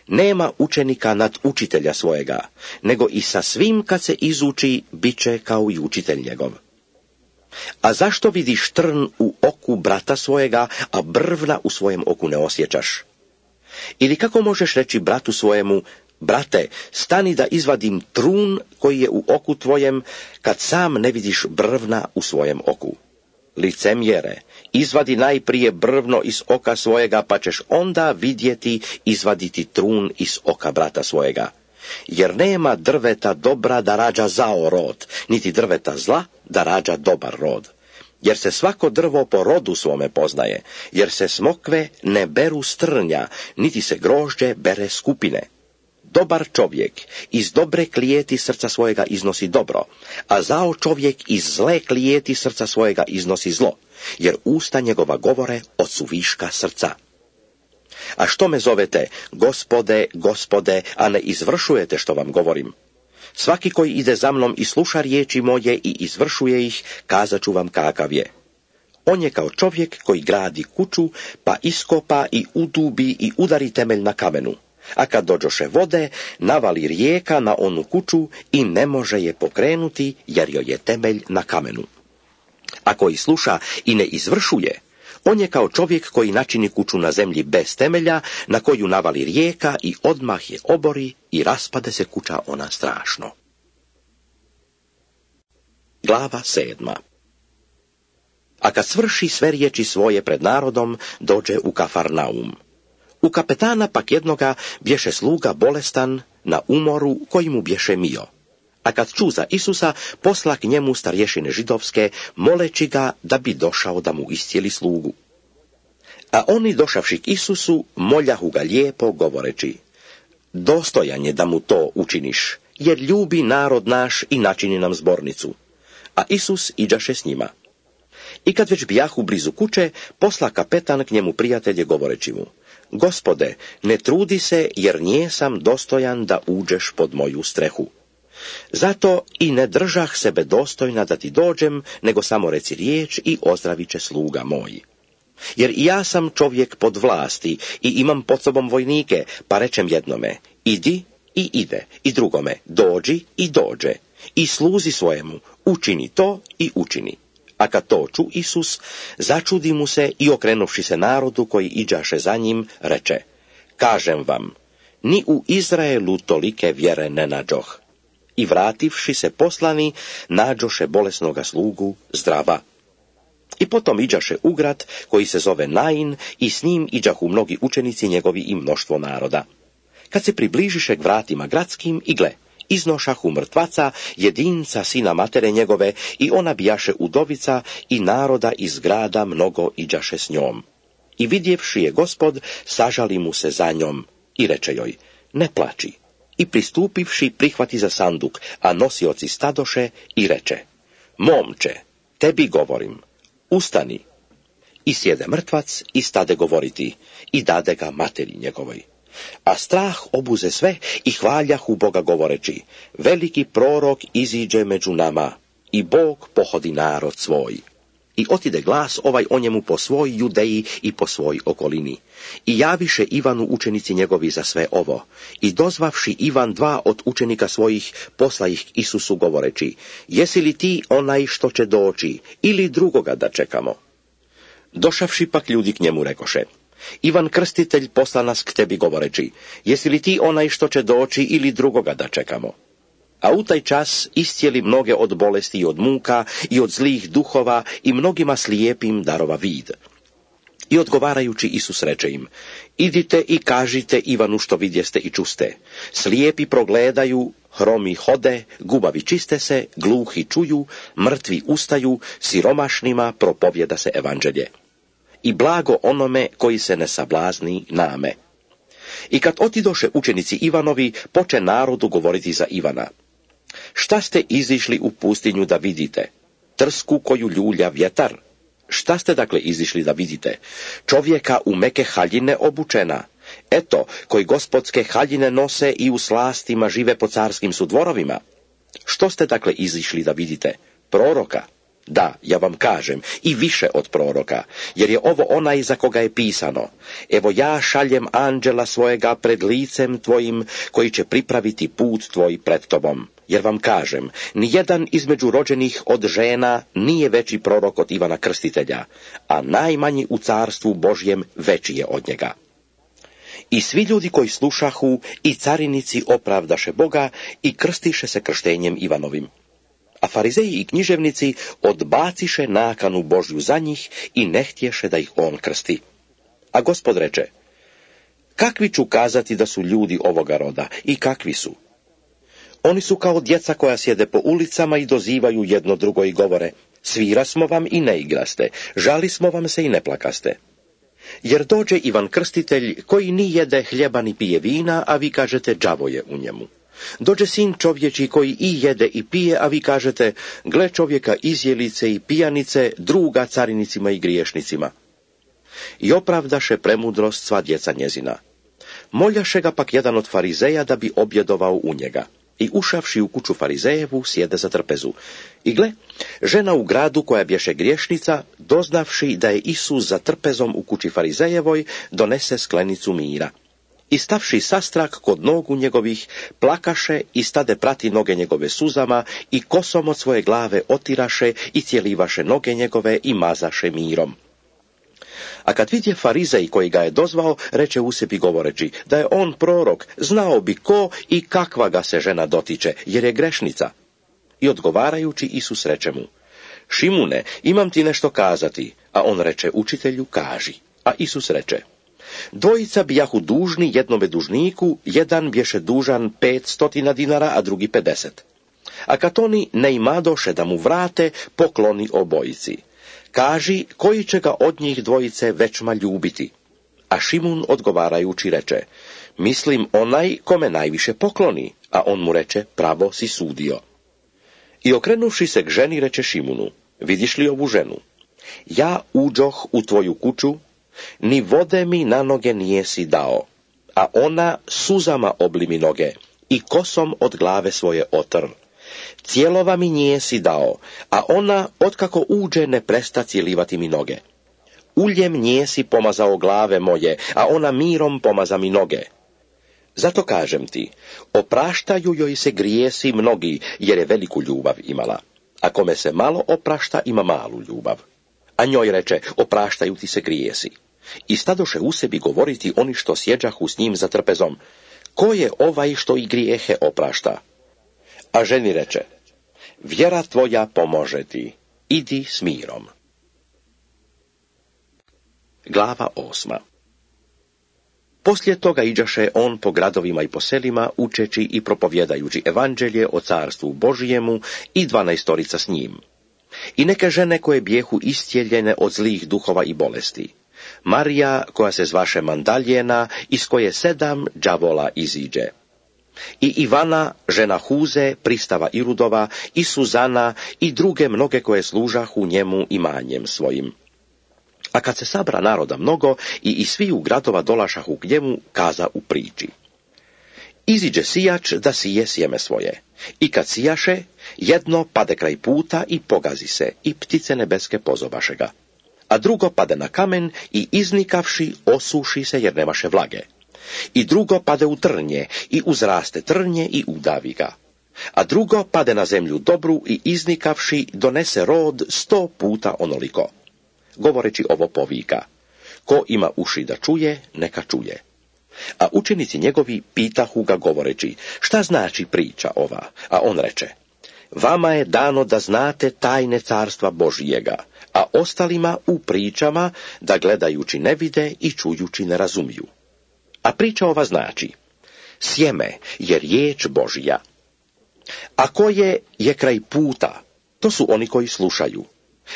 Nema učenika nad učitelja svojega, nego i sa svim kad se izuči, bit će kao i učitelj njegov. A zašto vidiš trn u oku brata svojega, a brvna u svojem oku ne osjećaš? Ili kako možeš reći bratu svojemu: brate, stani da izvadim trun koji je u oku tvojem, kad sam ne vidiš brvna u svojem oku? Licemjere, Izvadi najprije brvno iz oka svojega, pa ćeš onda vidjeti izvaditi trun iz oka brata svojega. Jer nema drveta dobra da rađa zao rod, niti drveta zla da rađa dobar rod. Jer se svako drvo po rodu svome poznaje, jer se smokve ne beru s trnja, niti se grožđe bere s kupine. Dobar čovjek iz dobre klijeti srca svojega iznosi dobro, a zao čovjek iz zle klijeti srca svojega iznosi zlo, jer usta njegova govore od suviška srca. A što me zovete, Gospode, Gospode, a ne izvršujete što vam govorim? Svaki koji ide za mnom i sluša riječi moje i izvršuje ih, kazat ću vam kakav je. On je kao čovjek koji gradi kuću, pa iskopa i udubi i udari temelj na kamenu. A kad dođoše vode, navali rijeka na onu kuću i ne može je pokrenuti, jer joj je temelj na kamenu. A koji sluša i ne izvršuje, on je kao čovjek koji načini kuću na zemlji bez temelja, na koju navali rijeka i odmah je obori i raspade se kuća ona strašno. Glava sedma. A kad svrši sve riječi svoje pred narodom, dođe u Kafarnaum. U kapetana pak jednoga bješe sluga bolestan na umoru koji mu bješe mio. A kad ču za Isusa, posla k njemu starješine židovske, moleći ga da bi došao da mu iscijeli slugu. A oni došavši k Isusu, moljahu ga lijepo govoreći: dostojan je da mu to učiniš, jer ljubi narod naš i načini nam zbornicu. A Isus iđaše s njima. I kad već bijahu blizu kuće, posla kapetan k njemu prijatelje govoreći mu: Gospode, ne trudi se, jer njesam dostojan da uđeš pod moju strehu. Zato i ne držah sebe dostojna da ti dođem, nego samo reci riječ i ozdravit će sluga moj. Jer i ja sam čovjek pod vlasti i imam pod sobom vojnike, pa rečem jednome: idi i ide, i drugome: dođi i dođe, i sluzi svojemu: učini to i učini. A kad to ču Isus, začudi mu se i okrenuvši se narodu koji iđaše za njim, reče: kažem vam, ni u Izraelu tolike vjere ne nađoh. I vrativši se poslani, nađoše bolesnoga slugu zdrava. I potom iđaše u grad koji se zove Nain, i s njim iđahu mnogi učenici njegovi i mnoštvo naroda. Kad se približiše k vratima gradskim, i gle, iznošahu mrtvaca, jedinca sina matere njegove, i ona bijaše udovica, i naroda iz grada mnogo iđaše s njom. I vidjevši je Gospod, sažali mu se za njom i reče joj: ne plači. I pristupivši prihvati za sanduk, a nosioci stadoše, i reče: momče, tebi govorim, ustani. I sjede mrtvac i stade govoriti, i dade ga materi njegovoj. A strah obuze sve i hvaljahu Boga govoreći: veliki prorok iziđe među nama, i Bog pohodi narod svoj. I otide glas ovaj o njemu po svoj Judeji i po svoj okolini. I javiše Ivanu učenici njegovi za sve ovo. I dozvavši Ivan dva od učenika svojih, posla ih k Isusu govoreći: jesi li ti onaj što će doći, ili drugoga da čekamo? Došavši pak ljudi k njemu rekoše: Ivan Krstitelj posla nas k tebi govoreći: jesi li ti onaj što će doći, ili drugoga da čekamo? A u taj čas iscijeli mnoge od bolesti i od muka i od zlih duhova, i mnogima slijepim darova vid. I odgovarajući Isus reče im: idite i kažite Ivanu što vidjeste i čuste. Slijepi progledaju, hromi hode, gubavi čiste se, gluhi čuju, mrtvi ustaju, siromašnima propovjeda se evanđelje. I blago onome koji se ne sablazni name. I kad otidoše učenici Ivanovi, poče narodu govoriti za Ivana: šta ste izišli u pustinju da vidite? Trsku koju ljulja vjetar? Šta ste dakle izišli da vidite? Čovjeka u meke haljine obučena? Eto, koji gospodske haljine nose i u slastima žive po carskim su dvorovima. Što ste dakle izišli da vidite? Proroka? Da, ja vam kažem, i više od proroka, jer je ovo onaj za koga je pisano: evo ja šaljem anđela svojega pred licem tvojim, koji će pripraviti put tvoj pred tobom. Jer vam kažem, nijedan između rođenih od žena nije veći prorok od Ivana Krstitelja, a najmanji u carstvu Božjem veći je od njega. I svi ljudi koji slušahu i carinici opravdaše Boga i krstiše se krštenjem Ivanovim. A farizeji i književnici odbaciše nakanu Božju za njih i ne htješe da ih on krsti. A Gospod reče, kakvi ću kazati da su ljudi ovoga roda i kakvi su? Oni su kao djeca koja sjede po ulicama i dozivaju jedno drugo i govore, svira smo vam i ne igraste, žali smo vam se i ne plakaste. Jer dođe Ivan Krstitelj koji ni jede hljeba ni pije vina, a vi kažete đavo je u njemu. Dođe sin čovječi koji i jede i pije, a vi kažete, gle čovjeka izjelice i pijanice, druga carinicima i griješnicima. I opravdaše premudrost sva djeca njezina. Moljaše ga pak jedan od farizeja da bi objedovao u njega. I ušavši u kuću farizejevu, sjede za trpezu. I gle, žena u gradu koja bješe griješnica, doznavši da je Isus za trpezom u kući farizejevoj, donese sklenicu mira. I stavši sastrak kod nogu njegovih, plakaše i stade prati noge njegove suzama i kosom od svoje glave otiraše i cijelivaše noge njegove i mazaše mirom. A kad vidje farizej koji ga je dozvao, reče u sebi govoreći, da je on prorok, znao bi ko i kakva ga se žena dotiče, jer je grešnica. I odgovarajući Isus reče mu, Šimune, imam ti nešto kazati, a on reče, učitelju, kaži. A Isus reče, dvojica bijahu dužni jednome dužniku, jedan bješe dužan pet stotina dinara, a drugi pedeset. A kad oni ne imadoše da mu vrate, pokloni obojici. Kaži, koji će ga od njih dvojice većma ljubiti? A Šimun odgovarajući reče, mislim onaj kome najviše pokloni, a on mu reče, pravo si sudio. I okrenuvši se k ženi reče Šimunu, vidiš li ovu ženu? Ja uđoh u tvoju kuću, ni vode mi na noge nijesi dao, a ona suzama obli mi noge i kosom od glave svoje otr. Cijelova mi nijesi dao, a ona, otkako uđe, ne presta cijelivati mi noge. Uljem nijesi pomazao glave moje, a ona mirom pomaza mi noge. Zato kažem ti, opraštaju joj se grijesi mnogi, jer je veliku ljubav imala. A kome se malo oprašta, ima malu ljubav. A njoj reče, opraštaju ti se grijesi. I stadoše u sebi govoriti oni što sjeđahu s njim za trpezom, ko je ovaj što i grijehe oprašta? A ženi reče, vjera tvoja pomože ti, idi s mirom. Glava osma. Poslije toga iđaše on po gradovima i po selima, učeći i propovjedajući evanđelje o carstvu Božijemu i dvanaestorica s njim. I neke žene koje bijehu istjeljene od zlih duhova i bolesti. Marija, koja se zvaše Mandaljena, iz koje sedam đavola iziđe. I Ivana, žena Huze, pristava Irudova, i Suzana, i druge mnoge koje služahu njemu imanjem svojim. A kad se sabra naroda mnogo, i iz sviju gradova dolašahu k njemu, kaza u priči. Iziđe sijač da sije sjeme svoje. I kad sijaše, jedno pade kraj puta i pogazi se, i ptice nebeske pozobaše ga. A drugo pade na kamen i iznikavši osuši se jer nemaše vlage. I drugo pade u trnje i uzraste trnje i udavi ga. A drugo pade na zemlju dobru i iznikavši donese rod sto puta onoliko. Govoreći ovo povika, ko ima uši da čuje, neka čuje. A učenici njegovi pitahu ga govoreći, šta znači priča ova? A on reče, vama je dano da znate tajne carstva Božijega, a ostalima u pričama da gledajući ne vide i čujući ne razumiju. A priča ova znači, sjeme je riječ Božija. A koje je kraj puta, to su oni koji slušaju.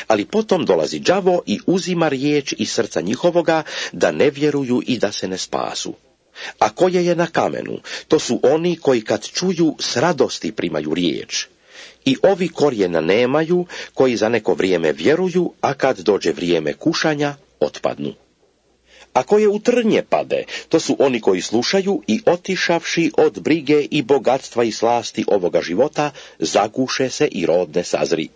Ali potom dolazi đavo i uzima riječ iz srca njihovoga, da ne vjeruju i da se ne spasu. A koje je na kamenu, to su oni koji kad čuju s radosti primaju riječ. I ovi korijena nemaju, koji za neko vrijeme vjeruju, a kad dođe vrijeme kušanja, otpadnu. A koje u trnje pade, to su oni koji slušaju i otišavši od brige i bogatstva i slasti ovoga života, zaguše se i rod ne sazri.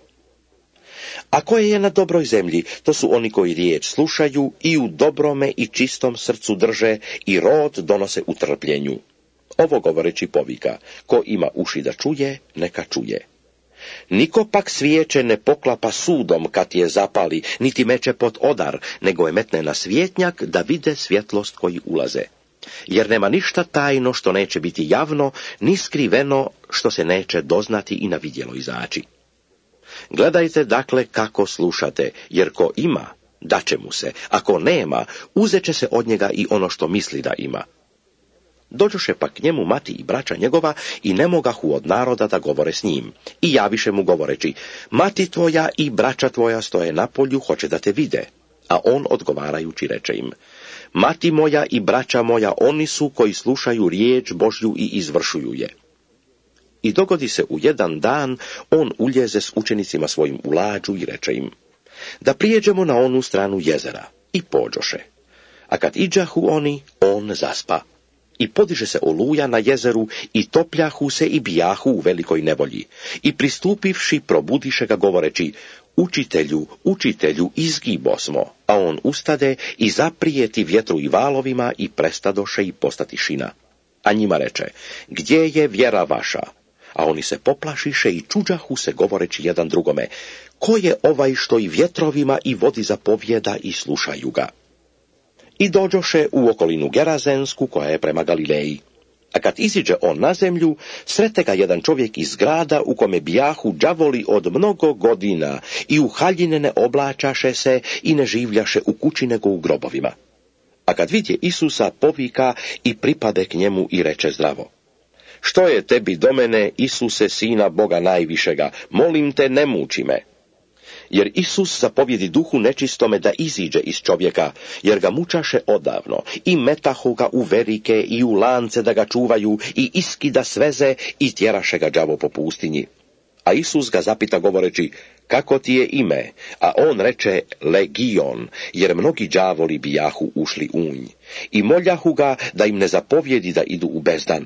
A koje je na dobroj zemlji, to su oni koji riječ slušaju i u dobrome i čistom srcu drže i rod donose u trpljenju. Ovo govoreći povika, ko ima uši da čuje, neka čuje. Niko pak svijeće ne poklapa sudom kad je zapali, niti meče pod odar, nego je metne na svjetnjak da vide svjetlost koji ulaze. Jer nema ništa tajno što neće biti javno, ni skriveno što se neće doznati i na vidjelo izaći. Gledajte dakle kako slušate, jer ko ima, daće mu se, ako nema, uzet će se od njega i ono što misli da ima. Dođoše pak k njemu mati i braća njegova i ne mogahu od naroda da govore s njim. I javiše mu govoreći, mati tvoja i braća tvoja stoje na polju, hoće da te vide. A on odgovarajući reče im, mati moja i braća moja oni su koji slušaju riječ Božju i izvršuju je. I dogodi se u jedan dan, on uljeze s učenicima svojim u lađu i reče im, da prijeđemo na onu stranu jezera. I pođoše. A kad iđahu oni, on zaspa. I podiže se oluja na jezeru i topljahu se i bijahu u velikoj nevolji. I pristupivši probudiše ga govoreći, učitelju, učitelju, izgibo smo. A on ustade i zaprijeti vjetru i valovima i prestadoše i posta tišina. A njima reče, gdje je vjera vaša? A oni se poplašiše i čuđahu se govoreći jedan drugome, ko je ovaj što i vjetrovima i vodi zapovjeda i slušaju ga? I dođoše u okolinu Gerazensku koja je prema Galileji. A kad iziđe on na zemlju, srete ga jedan čovjek iz grada u kome bijahu đavoli od mnogo godina i u haljine ne oblačaše se i ne življaše u kući nego u grobovima. A kad vidje Isusa, povika i pripade k njemu i reče zdravo. Što je tebi do mene, Isuse, sina Boga najvišega, molim te, ne muči me. Jer Isus zapovjedi duhu nečistome da iziđe iz čovjeka, jer ga mučaše odavno, i metahu ga u verike i u lance da ga čuvaju, i iskida sveze i tjeraše ga đavo po pustinji. A Isus ga zapita govoreći, kako ti je ime? A on reče, Legion, jer mnogi đavoli bijahu ušli u nj. I moljahu ga da im ne zapovjedi da idu u bezdan.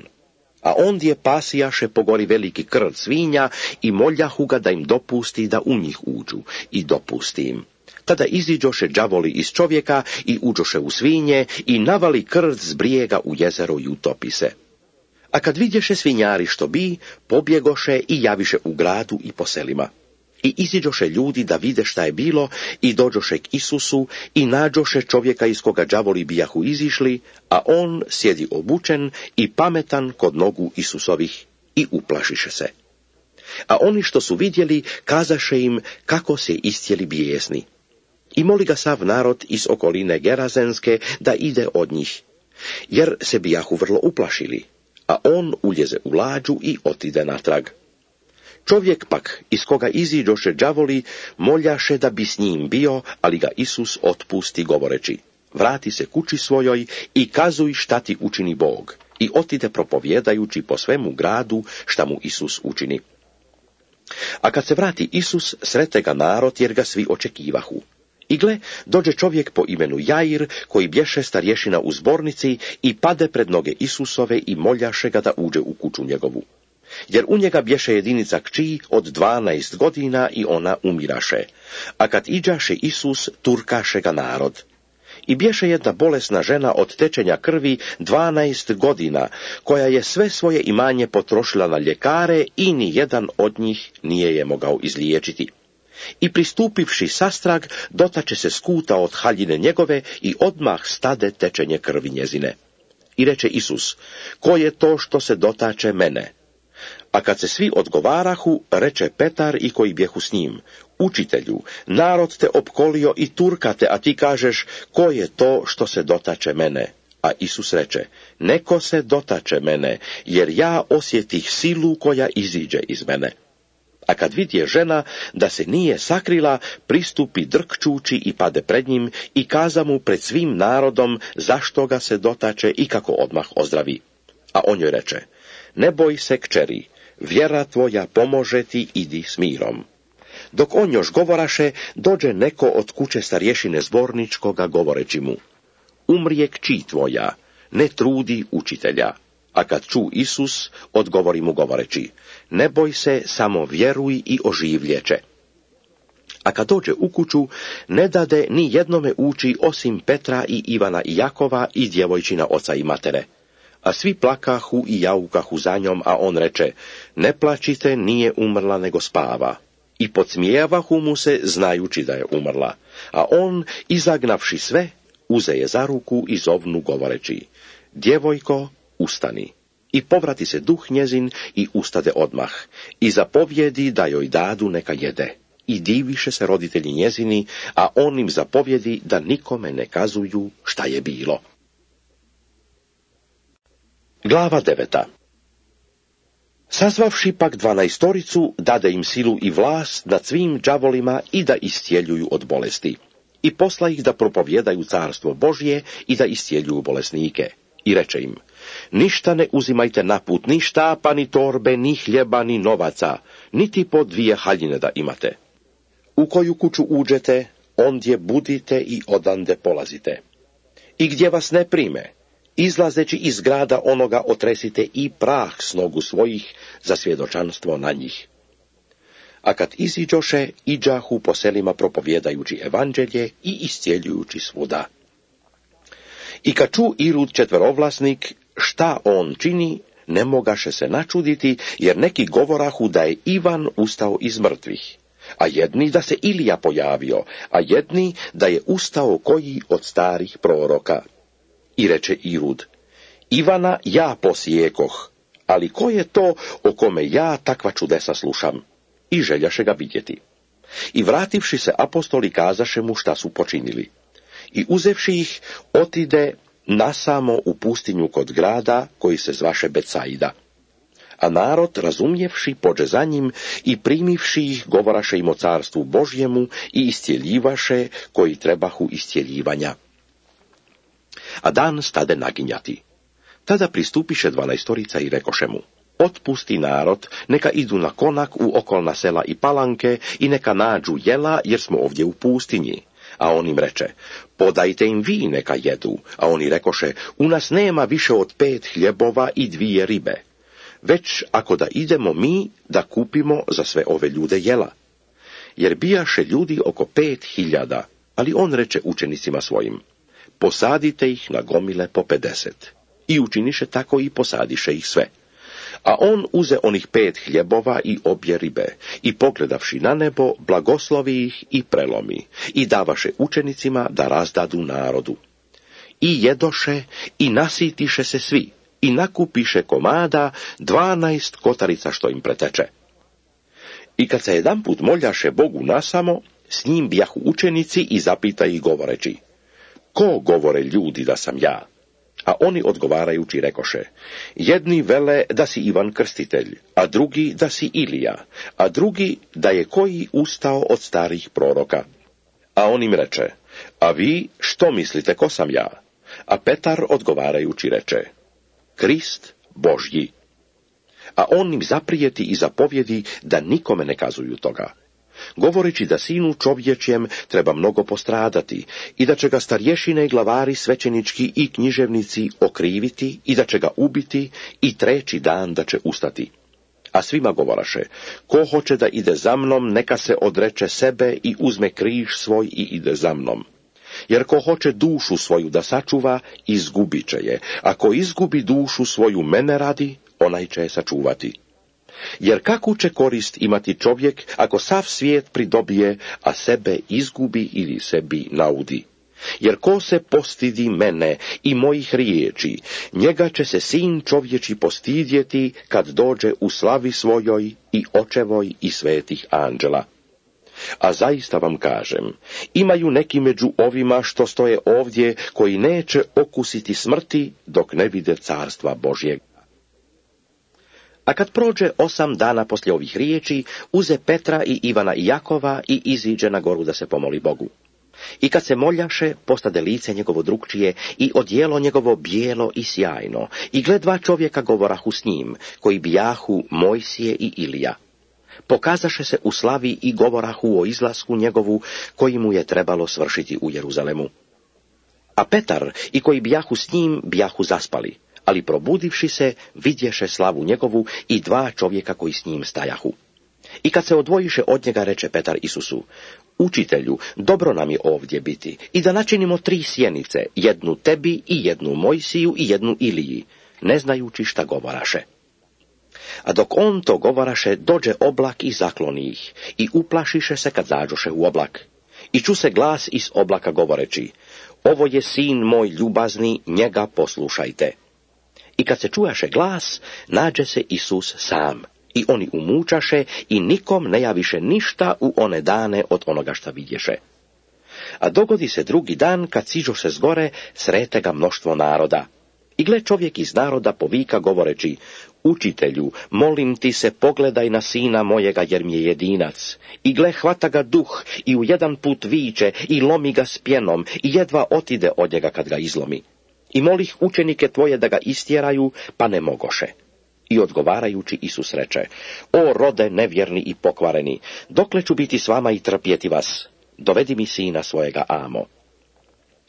A ondje pasijaše po gori veliki krv svinja i moljahu ga da im dopusti da u njih uđu, i dopusti im. Tada iziđoše đavoli iz čovjeka i uđoše u svinje i navali krv s brijega u jezero i utopi se. A kad vidješe svinjari što bi, pobjegoše i javiše u gradu i po selima. I iziđoše ljudi da vide šta je bilo i dođoše k Isusu i nađoše čovjeka iz koga đavoli bijahu izišli, a on sjedi obučen i pametan kod nogu Isusovih i uplašiše se. A oni što su vidjeli, kazaše im kako se istjeli bijesni. I moli ga sav narod iz okoline Gerazenske da ide od njih, jer se bijahu vrlo uplašili, a on uljeze u lađu i otide natrag. Čovjek pak, iz koga iziđoše đavoli, moljaše da bi s njim bio, ali ga Isus otpusti govoreći, vrati se kući svojoj i kazuj šta ti učini Bog, i otide propovjedajući po svemu gradu šta mu Isus učini. A kad se vrati Isus, srete ga narod jer ga svi očekivahu. I gle, dođe čovjek po imenu Jair, koji bješe starješina u zbornici i pade pred noge Isusove i moljaše ga da uđe u kuću njegovu. Jer u njega bješe jedinica kći od dvanaest godina i ona umiraše. A kad iđaše Isus, turkaše ga narod. I bješe jedna bolesna žena od tečenja krvi dvanaest godina, koja je sve svoje imanje potrošila na ljekare i ni jedan od njih nije je mogao izliječiti. I pristupivši sastrag, dotače se skuta od haljine njegove i odmah stade tečenje krvi njezine. I reče Isus, ko je to što se dotače mene? A kad se svi odgovarahu, reče Petar i koji bjehu s njim, učitelju, narod te opkolio i turkate, a ti kažeš, ko je to što se dotače mene? A Isus reče, neko se dotače mene, jer ja osjetih silu koja iziđe iz mene. A kad vidje žena da se nije sakrila, pristupi drkčući i pade pred njim i kaza mu pred svim narodom zašto ga se dotače i kako odmah ozdravi. A on joj reče, ne boj se, kćeri, vjera tvoja pomože ti, idi s mirom. Dok on još govoraše, dođe neko od kuće starješine zborničkoga govoreći mu, umrije kći tvoja, ne trudi učitelja. A kad ču Isus, odgovori mu govoreći, ne boj se, samo vjeruj i oživljeće. A kad dođe u kuću, ne dade ni jednome ući osim Petra i Ivana i Jakova i djevojčina oca i matere. A svi plakahu i jaukahu za njom, a on reče, ne plačite, nije umrla nego spava. I podsmijavahu mu se, znajući da je umrla. A on, izagnavši sve, uze je za ruku i zovnu govoreći, djevojko, ustani. I povrati se duh njezin i ustade odmah. I zapovjedi da joj dadu neka jede. i diviše se roditelji njezini, a on im zapovjedi da nikome ne kazuju šta je bilo. Glava deveta. Sazvavši pak dvanaestoricu, dade im silu i vlast nad svim đavolima i da iscijeljuju od bolesti. I posla ih da propovjedaju carstvo Božje i da iscijeljuju bolesnike. I reče im, ništa ne uzimajte na put, ni štapa, ni torbe, ni hljeba, ni novaca, niti po dvije haljine da imate. U koju kuću uđete, ondje budite i odande polazite. I gdje vas ne prime, izlazeći iz grada onoga otresite i prah s nogu svojih za svjedočanstvo na njih. A kad iziđoše, iđahu po selima propovjedajući evanđelje i iscijeljujući svuda. I kad ču Irud četverovlasnik šta on čini, ne mogaše se načuditi, jer neki govorahu da je Ivan ustao iz mrtvih, a jedni da se Ilija pojavio, a jedni da je ustao koji od starih proroka. I reče Irud, Ivana ja posijekoh, ali ko je to o kome ja takva čudesa slušam? I željaše ga vidjeti. I vrativši se apostoli kazaše mu šta su počinili. I uzevši ih, otide nasamo u pustinju kod grada koji se zvaše Betsaida. A narod, razumjevši, pođe za njim i primivši ih, govoraše im o carstvu Božjemu i iscijeljivaše koji trebahu iscijeljivanja. A dan stade naginjati. Tada pristupiše dvanaestorica i rekoše mu, otpusti narod, neka idu na konak u okolna sela i palanke i neka nađu jela, jer smo ovdje u pustinji. A on im reče, podajte im vi neka jedu. A oni rekoše, u nas nema više od pet hljebova i dvije ribe. Već ako da idemo mi da kupimo za sve ove ljude jela. Jer bijaše ljudi oko pet hiljada, ali on reče učenicima svojim, posadite ih na gomile po pedeset. I učiniše tako i posadiše ih sve. A on uze onih pet hljebova i obje ribe, i pogledavši na nebo, blagoslovi ih i prelomi, i davaše učenicima da razdadu narodu. I jedoše, i nasitiše se svi, i nakupiše komada dvanaest kotarica što im preteče. I kad se jedanput moljaše Bogu nasamo, s njim bijahu učenici i zapita ih govoreći, ko govore ljudi da sam ja? A oni odgovarajući rekoše, jedni vele da si Ivan Krstitelj, a drugi da si Ilija, a drugi da je koji ustao od starih proroka. A on im reče, a vi što mislite ko sam ja? A Petar odgovarajući reče, Krist Božji. A on im zaprijeti i zapovjedi da nikome ne kazuju toga, govoreći da sinu čovječjem treba mnogo postradati i da će ga starješine, glavari, svećenički i književnici okriviti i da će ga ubiti i treći dan da će ustati. A svima govoraše, ko hoće da ide za mnom, neka se odreče sebe i uzme križ svoj i ide za mnom. Jer ko hoće dušu svoju da sačuva, izgubit će je, a ko izgubi dušu svoju mene radi, onaj će je sačuvati. Jer kakvu će korist imati čovjek ako sav svijet pridobije, a sebe izgubi ili sebi naudi? Jer ko se postidi mene i mojih riječi, njega će se sin čovječi postidjeti kad dođe u slavi svojoj i očevoj i svetih anđela. A zaista vam kažem, imaju neki među ovima što stoje ovdje, koji neće okusiti smrti dok ne vide carstva Božjeg. A kad prođe osam dana poslije ovih riječi, uze Petra i Ivana i Jakova i iziđe na goru da se pomoli Bogu. I kad se moljaše, postade lice njegovo drukčije i odjelo njegovo bijelo i sjajno, i gle dva čovjeka govorahu s njim, koji bijahu Mojsije i Ilija. Pokazaše se u slavi i govorahu o izlasku njegovu, koji mu je trebalo svršiti u Jeruzalemu. A Petar i koji bijahu s njim, bijahu zaspali, ali probudivši se, vidješe slavu njegovu i dva čovjeka koji s njim stajahu. I kad se odvojiše od njega, reče Petar Isusu, učitelju, dobro nam je ovdje biti, i da načinimo tri sjenice, jednu tebi i jednu Mojsiju i jednu Iliji, ne znajući šta govoraše. A dok on to govoraše, dođe oblak i zakloni ih, i uplašiše se kad zađoše u oblak. I ču se glas iz oblaka govoreći, ovo je sin moj ljubazni, njega poslušajte. I kad se čujaše glas, nađe se Isus sam, I oni umučaše i nikom ne javiše ništa u one dane od onoga šta vidješe. A dogodi se drugi dan, kad siđoše s gore, srete ga mnoštvo naroda. I gle, čovjek iz naroda povika govoreći: Učitelju, molim ti se, pogledaj na sina mojega, jer mi je jedinac. I gle, hvata ga duh i u jedan put viče i lomi ga s pjenom i jedva otide od njega kad ga izlomi. I molih učenike tvoje da ga istjeraju, pa ne mogoše. I odgovarajući Isus reče: O rode nevjerni i pokvareni, dokle ću biti s vama i trpjeti vas? Dovedi mi sina svojega amo.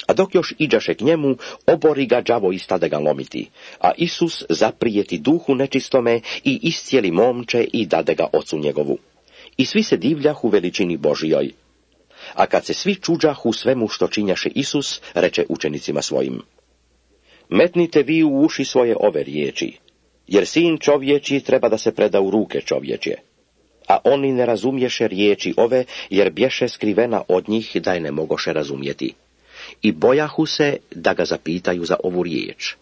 A dok još iđaše k njemu, obori ga đavo i stade ga lomiti. A Isus zaprijeti duhu nečistome i iscijeli momče i dade ga ocu njegovu. I svi se divljahu veličini Božijoj. A kad se svi čuđahu svemu što činjaše Isus, reče učenicima svojim: Metnite vi u uši svoje ove riječi, jer sin čovječji treba da se preda u ruke čovječje. A oni ne razumješe riječi ove, jer bješe skrivena od njih da je ne mogoše razumjeti. I bojahu se da ga zapitaju za ovu riječ.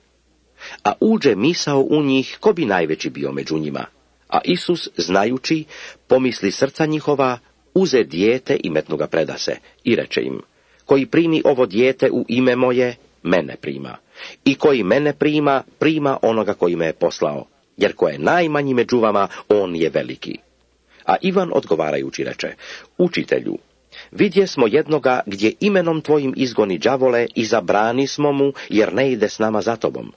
A uđe misao u njih, ko bi najveći bio među njima. A Isus, znajući, pomisli srca njihova, uze dijete i metnu ga predase. I reče im: Koji primi ovo dijete u ime moje, mene prima. I koji mene prima, prima onoga koji me je poslao. Jer ko je najmanji među vama, on je veliki. A Ivan odgovarajući reče: Učitelju, vidje smo jednoga gdje imenom tvojim izgoni đavole i zabrani smo mu, jer ne ide s nama za tobom.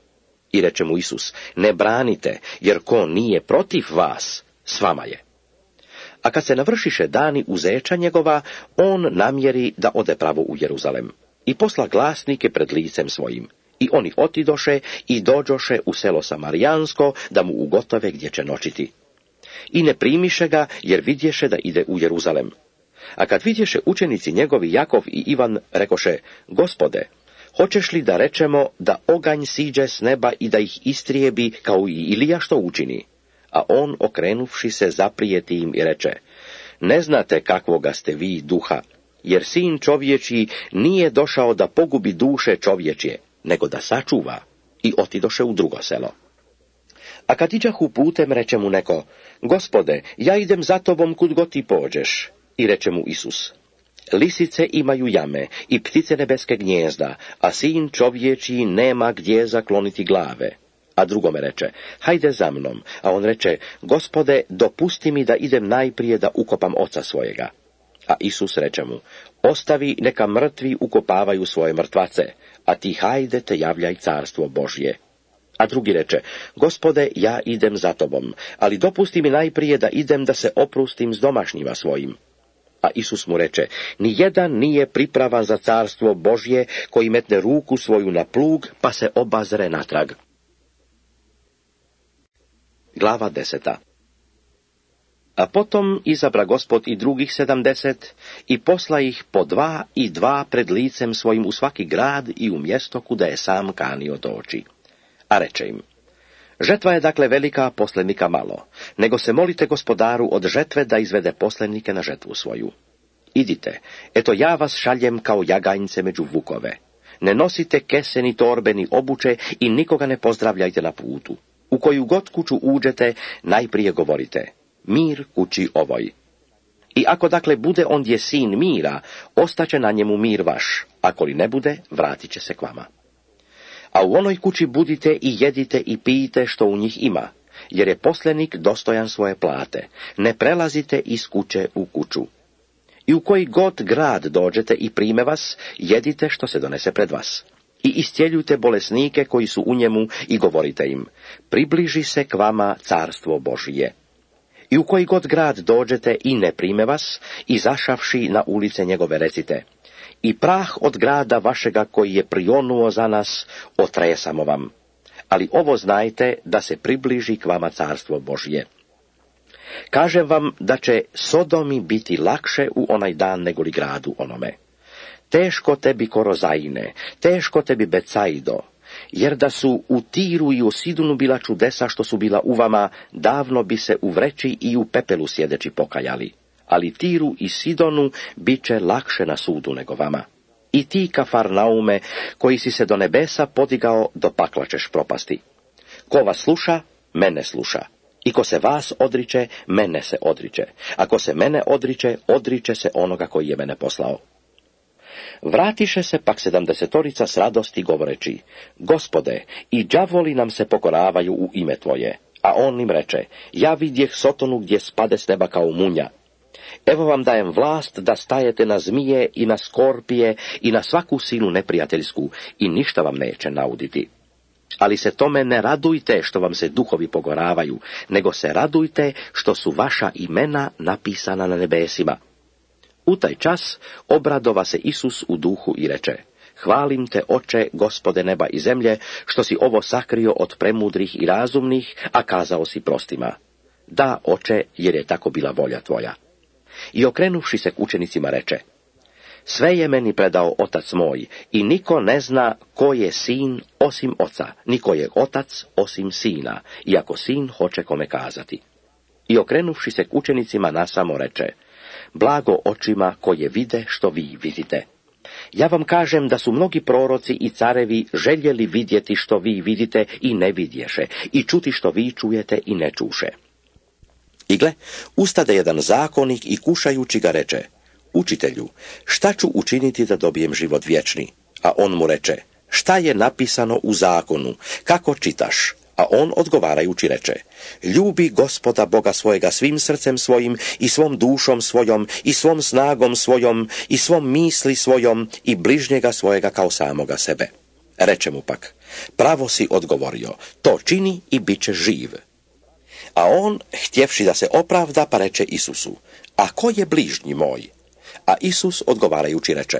I reče mu Isus: Ne branite, jer ko nije protiv vas, s vama je. A kad se navršiše dani uzeća njegova, on namjeri da ode pravo u Jeruzalem. I posla glasnike pred licem svojim. I oni otidoše i dođoše u selo Samarijansko, da mu ugotove gdje će noćiti. I ne primiše ga, jer vidješe da ide u Jeruzalem. A kad vidješe učenici njegovi Jakov i Ivan, rekoše: Gospode, hoćeš li da rečemo da oganj siđe s neba i da ih istrijebi, kao i Ilija što učini? A on, okrenuvši se, zaprijeti im i reče: Ne znate kakvoga ste vi duha, jer sin čovječji nije došao da pogubi duše čovječje, nego da sačuva. I otidoše u drugo selo. A kad iđahu putem, reče mu neko: Gospode, ja idem za tobom kud god ti pođeš. I reče mu Isus: Lisice imaju jame i ptice nebeske gnjezda, a sin čovječji nema gdje zakloniti glave. A drugome reče: Hajde za mnom. A on reče: Gospode, dopusti mi da idem najprije da ukopam oca svojega. A Isus reče mu: Ostavi, neka mrtvi ukopavaju svoje mrtvace, a ti hajde te javljaj carstvo Božje. A drugi reče: Gospode, ja idem za tobom, ali dopusti mi najprije da idem da se oprustim s domašnjima svojim. A Isus mu reče: Ni jedan nije pripravan za carstvo Božje koji metne ruku svoju na plug pa se obazre natrag. Glava deseta. A potom izabra Gospod i drugih sedamdeset i posla ih po dva i dva pred licem svojim u svaki grad i u mjesto kuda je sam kanio doći. A reče im: Žetva je dakle velika, poslenika malo, nego se molite Gospodaru od žetve da izvede poslenike na žetvu svoju. Idite, eto ja vas šaljem kao jaganjce među vukove. Ne nosite kese ni torbe ni obuče i nikoga ne pozdravljajte na putu. U koju god kuću uđete, najprije govorite: Mir kući ovoj. I ako dakle bude ondje sin mira, ostaće na njemu mir vaš, ako li ne bude, vratit će se k vama. A u onoj kući budite i jedite i pijite što u njih ima, jer je poslenik dostojan svoje plate. Ne prelazite iz kuće u kuću. I u koji god grad dođete i prime vas, jedite što se donese pred vas. I iscijeljujte bolesnike koji su u njemu i govorite im: Približi se k vama carstvo Božije. I u koji god grad dođete i ne prime vas, izašavši na ulice njegove recite: I prah od grada vašega koji je prionuo za nas, otresamo vam. Ali ovo znajte, da se približi k vama carstvo Božje. Kažem vam da će Sodomi biti lakše u onaj dan nego li gradu onome. Teško tebi Korozajine, teško tebi Becajdo, jer da su u Tiru i u Sidonu bila čudesa što su bila u vama, davno bi se u vreći i u pepelu sjedeći pokajali. Ali Tiru i Sidonu bit će lakše na sudu nego vama. I ti, Kafarnaume, koji si se do nebesa podigao, do pakla ćeš propasti. Ko vas sluša, mene sluša. I ko se vas odriče, mene se odriče. Ako se mene odriče, odriče se onoga koji je mene poslao. Vratiše se pak sedamdesetorica s radosti govoreći: Gospode, i đavoli nam se pokoravaju u ime tvoje. A on im reče: Ja vidjeh Sotonu gdje spade s neba kao munja. Evo vam dajem vlast da stajete na zmije i na skorpije i na svaku silu neprijateljsku i ništa vam neće nauditi. Ali se tome ne radujte što vam se duhovi pokoravaju, nego se radujte što su vaša imena napisana na nebesima. U taj čas obradova se Isus u duhu i reče: Hvalim te, Oče, Gospode neba i zemlje, što si ovo sakrio od premudrih i razumnih, a kazao si prostima. Da, Oče, jer je tako bila volja tvoja. I okrenuvši se k učenicima reče: Sve je meni predao Otac moj, i niko ne zna ko je sin osim Oca, niko je Otac osim Sina, iako Sin hoće kome kazati. I okrenuvši se k učenicima nasamo reče: Blago očima koje vide što vi vidite. Ja vam kažem da su mnogi proroci i carevi željeli vidjeti što vi vidite i ne vidješe, i čuti što vi čujete i ne čuše. I gle, ustade jedan zakonik i kušajući ga reče: Učitelju, šta ću učiniti da dobijem život vječni? A on mu reče: Šta je napisano u zakonu, kako čitaš? A on odgovarajući reče: Ljubi Gospoda Boga svojega svim srcem svojim i svom dušom svojom i svom snagom svojom i svom misli svojom i bližnjega svojega kao samoga sebe. Reče mu pak: Pravo si odgovorio, to čini i bit će živ. A on, htjevši da se opravda, pa reče Isusu: A ko je bližnji moj? A Isus odgovarajući reče: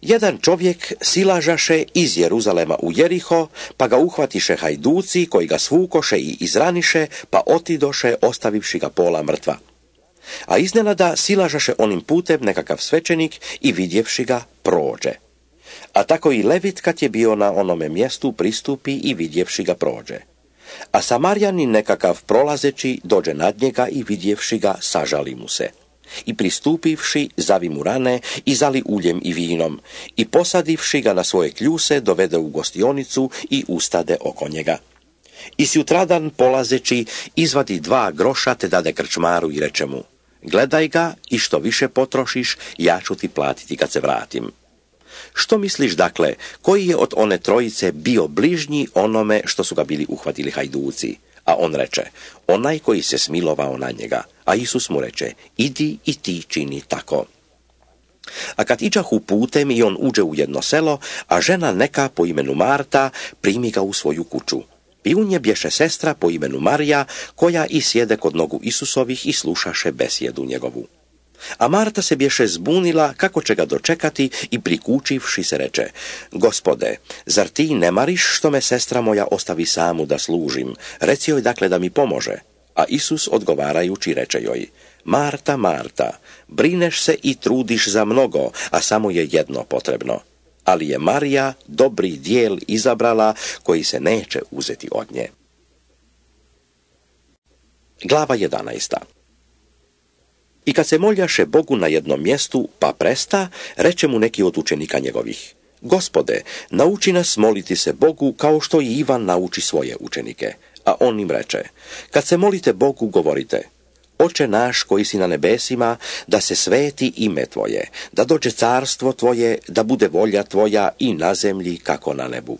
Jedan čovjek silažaše iz Jeruzalema u Jeriho, pa ga uhvatiše hajduci koji ga svukoše i izraniše, pa otidoše ostavivši ga pola mrtva. A iznenada silažaše onim putem nekakav svećenik i vidjevši ga prođe. A tako i Levit kad je bio na onome mjestu pristupi i vidjevši ga prođe. A Samarjanin nekakav prolazeći dođe nad njega i vidjevši ga sažali mu se. I pristupivši, zavi mu rane i zali uljem i vinom, i posadivši ga na svoje kljuse, dovede u gostionicu i ustade oko njega. I sutradan polazeći, izvadi dva groša te dade krčmaru i reče mu: Gledaj ga i što više potrošiš, ja ću ti platiti kad se vratim. Što misliš dakle, koji je od one trojice bio bližnji onome što su ga bili uhvatili hajduci? A on reče: Onaj koji se smilovao na njega. A Isus mu reče: Idi i ti čini tako. A kad iđahu putem i on uđe u jedno selo, a žena neka po imenu Marta primi ga u svoju kuću. I u nje bješe sestra po imenu Marija, koja i sjede kod nogu Isusovih i slušaše besjedu njegovu. A Marta se bješe zbunila kako će ga dočekati i prikučivši se reče: Gospode, zar ti ne mariš što me sestra moja ostavi samu da služim? Reci joj dakle da mi pomože. A Isus odgovarajući reče joj: Marta, Marta, brineš se i trudiš za mnogo, a samo je jedno potrebno. Ali je Marija dobri dijel izabrala koji se neće uzeti od nje. Glava jedanaesta. I kad se moljaše Bogu na jednom mjestu, pa presta, reče mu neki od učenika njegovih: Gospode, nauči nas moliti se Bogu kao što i Ivan nauči svoje učenike. A on im reče: Kad se molite Bogu, govorite: Oče naš koji si na nebesima, da se sveti ime tvoje, da dođe carstvo tvoje, da bude volja tvoja i na zemlji kako na nebu.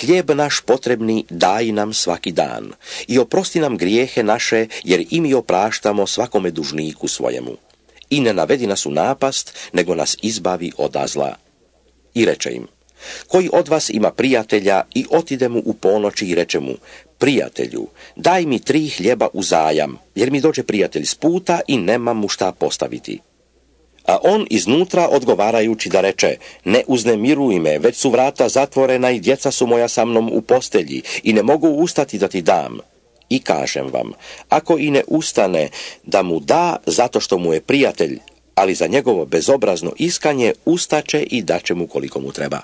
Hljeb naš potrebni daj nam svaki dan i oprosti nam grijehe naše, jer i mi opraštamo svakome dužniku svojemu. I ne navedi nas u napast, nego nas izbavi od zla. I reče im: Koji od vas ima prijatelja i otide mu u ponoći i reče mu: Prijatelju, daj mi tri hljeba uzajam, jer mi dođe prijatelj s puta i nemam mu šta postaviti. A on iznutra odgovarajući da reče: Ne uznemiruj me, već su vrata zatvorena i djeca su moja sa mnom u postelji i ne mogu ustati da ti dam. I kažem vam, ako i ne ustane da mu da zato što mu je prijatelj, ali za njegovo bezobrazno iskanje ustaće i daće mu koliko mu treba.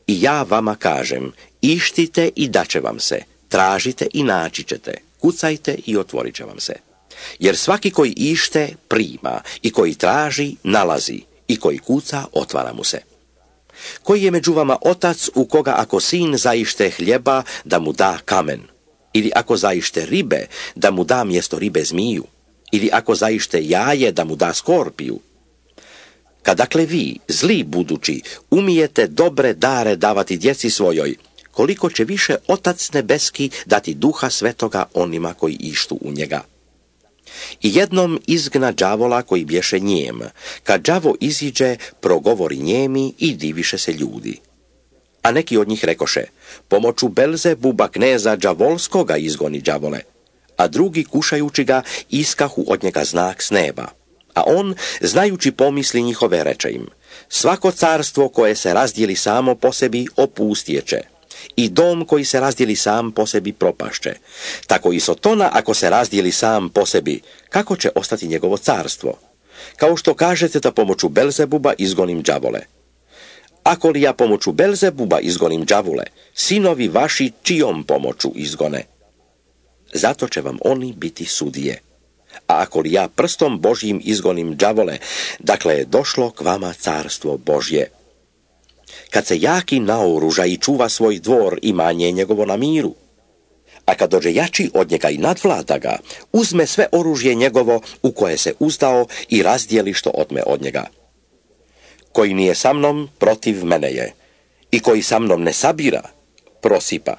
I ja vama kažem, ištite i daće vam se, tražite i naći ćete, kucajte i otvorit će vam se. Jer svaki koji ište, prima, i koji traži, nalazi, i koji kuca, otvara mu se. Koji je među vama otac u koga ako sin zaište hljeba, da mu da kamen? Ili ako zaište ribe, da mu da mjesto ribe zmiju? Ili ako zaište jaje, da mu da skorpiju? Kad dakle vi, zli budući, umijete dobre dare davati djeci svojoj, koliko će više Otac nebeski dati Duha Svetoga onima koji ištu u njega. I jednom izgna đavola koji bješe njem. Kad đavo iziđe, progovori njemi i diviše se ljudi. A neki od njih rekoše, pomoću Belzebuba kneza đavolskoga izgoni đavole. A drugi, kušajući ga, iskahu od njega znak s neba. A on, znajući pomisli njihove, reče im, svako carstvo koje se razdijeli samo po sebi opustjeće, i dom koji se razdijeli sam po sebi propašće. Tako i Sotona, ako se razdijeli sam po sebi, kako će ostati njegovo carstvo? Kao što kažete da pomoću Belzebuba izgonim đavole. Ako li ja pomoću Belzebuba izgonim đavole, sinovi vaši čijom pomoću izgone? Zato će vam oni biti sudije. A ako li ja prstom Božjim izgonim đavole, dakle je došlo k vama carstvo Božje. Kad se jaki naoruža i čuva svoj dvor, imanje njegovo na miru. A kad dođe jači od njega i nadvlada ga, uzme sve oružje njegovo u koje se uzdao i razdijeli što otme od njega. Koji nije sa mnom, protiv mene je. I koji sa mnom ne sabira, prosipa.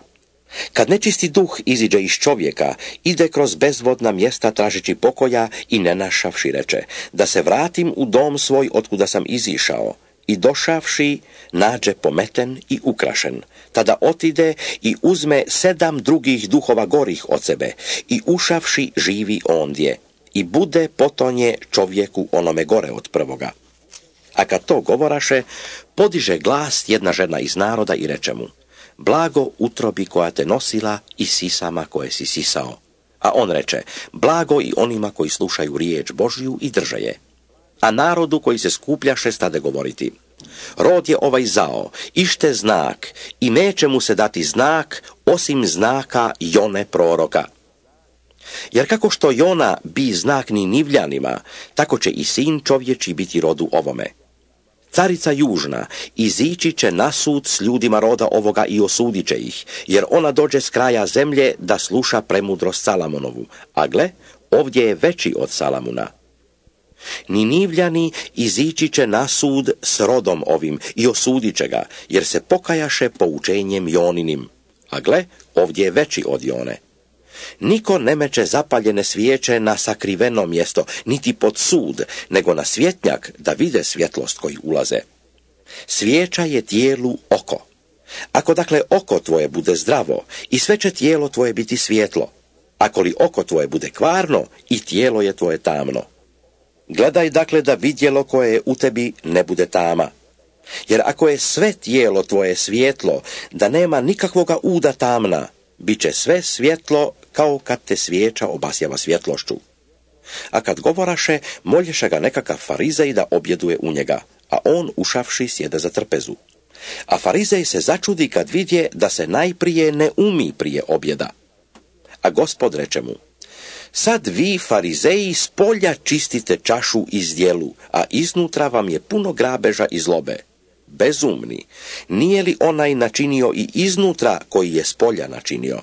Kad nečisti duh iziđe iz čovjeka, ide kroz bezvodna mjesta tražeći pokoja i ne našavši reče, da se vratim u dom svoj otkuda sam izišao. I došavši, nađe pometen i ukrašen. Tada otide i uzme sedam drugih duhova gorih od sebe i ušavši živi ondje. I bude potonje čovjeku onome gore od prvoga. A kad to govoraše, podiže glas jedna žena iz naroda i reče mu, blago utrobi koja te nosila i sisama koje si sisao. A on reče, blago i onima koji slušaju riječ Božju i drže je. A narodu koji se skupljaše stade govoriti, rod je ovaj zao, ište znak, i neće mu se dati znak, osim znaka Jone proroka. Jer kako što Jona bi znak Ninivljanima, tako će i sin čovječi biti rodu ovome. Carica južna izići će na sud s ljudima roda ovoga i osudit će ih, jer ona dođe s kraja zemlje da sluša premudrost Salamonovu, a gle, ovdje je veći od Salamuna. Ninivljani izići će na sud s rodom ovim i osudit će ga, jer se pokajaše poučenjem Joninim, a gle, ovdje je veći od Jone. Niko ne meće zapaljene svijeće na sakriveno mjesto, niti pod sud, nego na svjetnjak da vide svjetlost koji ulaze. Svijeća je tijelu oko. Ako dakle oko tvoje bude zdravo, i sve će tijelo tvoje biti svjetlo. Ako li oko tvoje bude kvarno, i tijelo je tvoje tamno. Gledaj dakle da vidjelo koje je u tebi ne bude tama. Jer ako je sve tijelo tvoje svjetlo, da nema nikakvoga uda tamna, bit će sve svjetlo kao kad te svijeća obasjava svjetlošću. A kad govoraše, molješe ga nekakav farizej da objeduje u njega, a on ušavši sjede za trpezu. A farizej se začudi kad vidje da se najprije ne umi prije objeda. A Gospod reče mu, sad vi, farizeji, s polja čistite čašu iz djelu, a iznutra vam je puno grabeža i zlobe. Bezumni, nije li onaj načinio i iznutra koji je s polja načinio?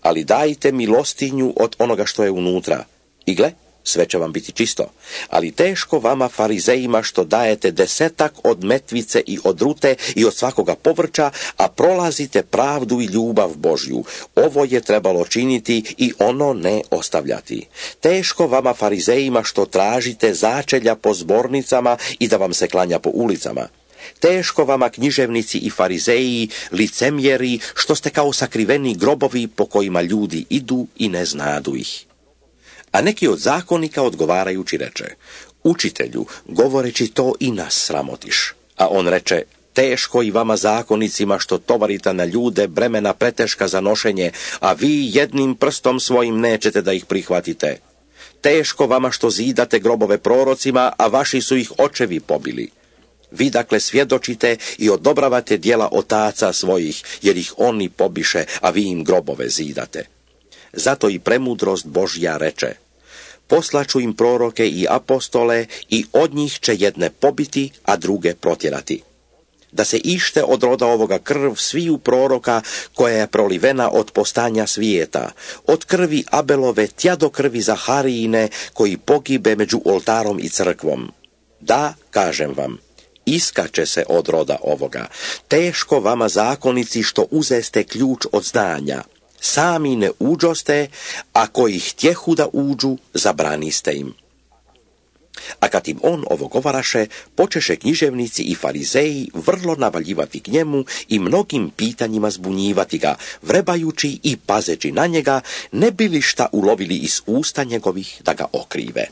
Ali dajte milostinju od onoga što je unutra. I gle, sve će vam biti čisto. Ali teško vama, farizejima, što dajete desetak od metvice i od rute i od svakoga povrća, a prolazite pravdu i ljubav Božju. Ovo je trebalo činiti i ono ne ostavljati. Teško vama, farizejima, što tražite začelja po zbornicama i da vam se klanja po ulicama. Teško vama, književnici i farizeji, licemjeri, što ste kao sakriveni grobovi po kojima ljudi idu i ne znadu ih. A neki od zakonika odgovarajući reče, učitelju, govoreći to i nas sramotiš. A on reče, teško i vama zakonicima što tovarite na ljude bremena preteška za nošenje, a vi jednim prstom svojim nećete da ih prihvatite. Teško vama što zidate grobove prorocima, a vaši su ih očevi pobili. Vi dakle svjedočite i odobravate djela otaca svojih, jer ih oni pobiše, a vi im grobove zidate. Zato i premudrost Božja reče, poslaću im proroke i apostole i od njih će jedne pobiti, a druge protjerati. da se ište od roda ovoga krv sviju proroka koja je prolivena od postanja svijeta, od krvi Abelove tja do krvi Zaharijine koji pogibe među oltarom i crkvom. Da, kažem vam, iskače se od roda ovoga. Teško vama zakonici što uzeste ključ od znanja. Sami ne uđoste, a koji htjehu da uđu, zabraniste im. A kad im on ovo govaraše, počeše književnici i farizeji vrlo navaljivati k njemu i mnogim pitanjima zbunjivati ga, vrebajući i pazeći na njega, ne bi li šta ulovili iz usta njegovih da ga okrive.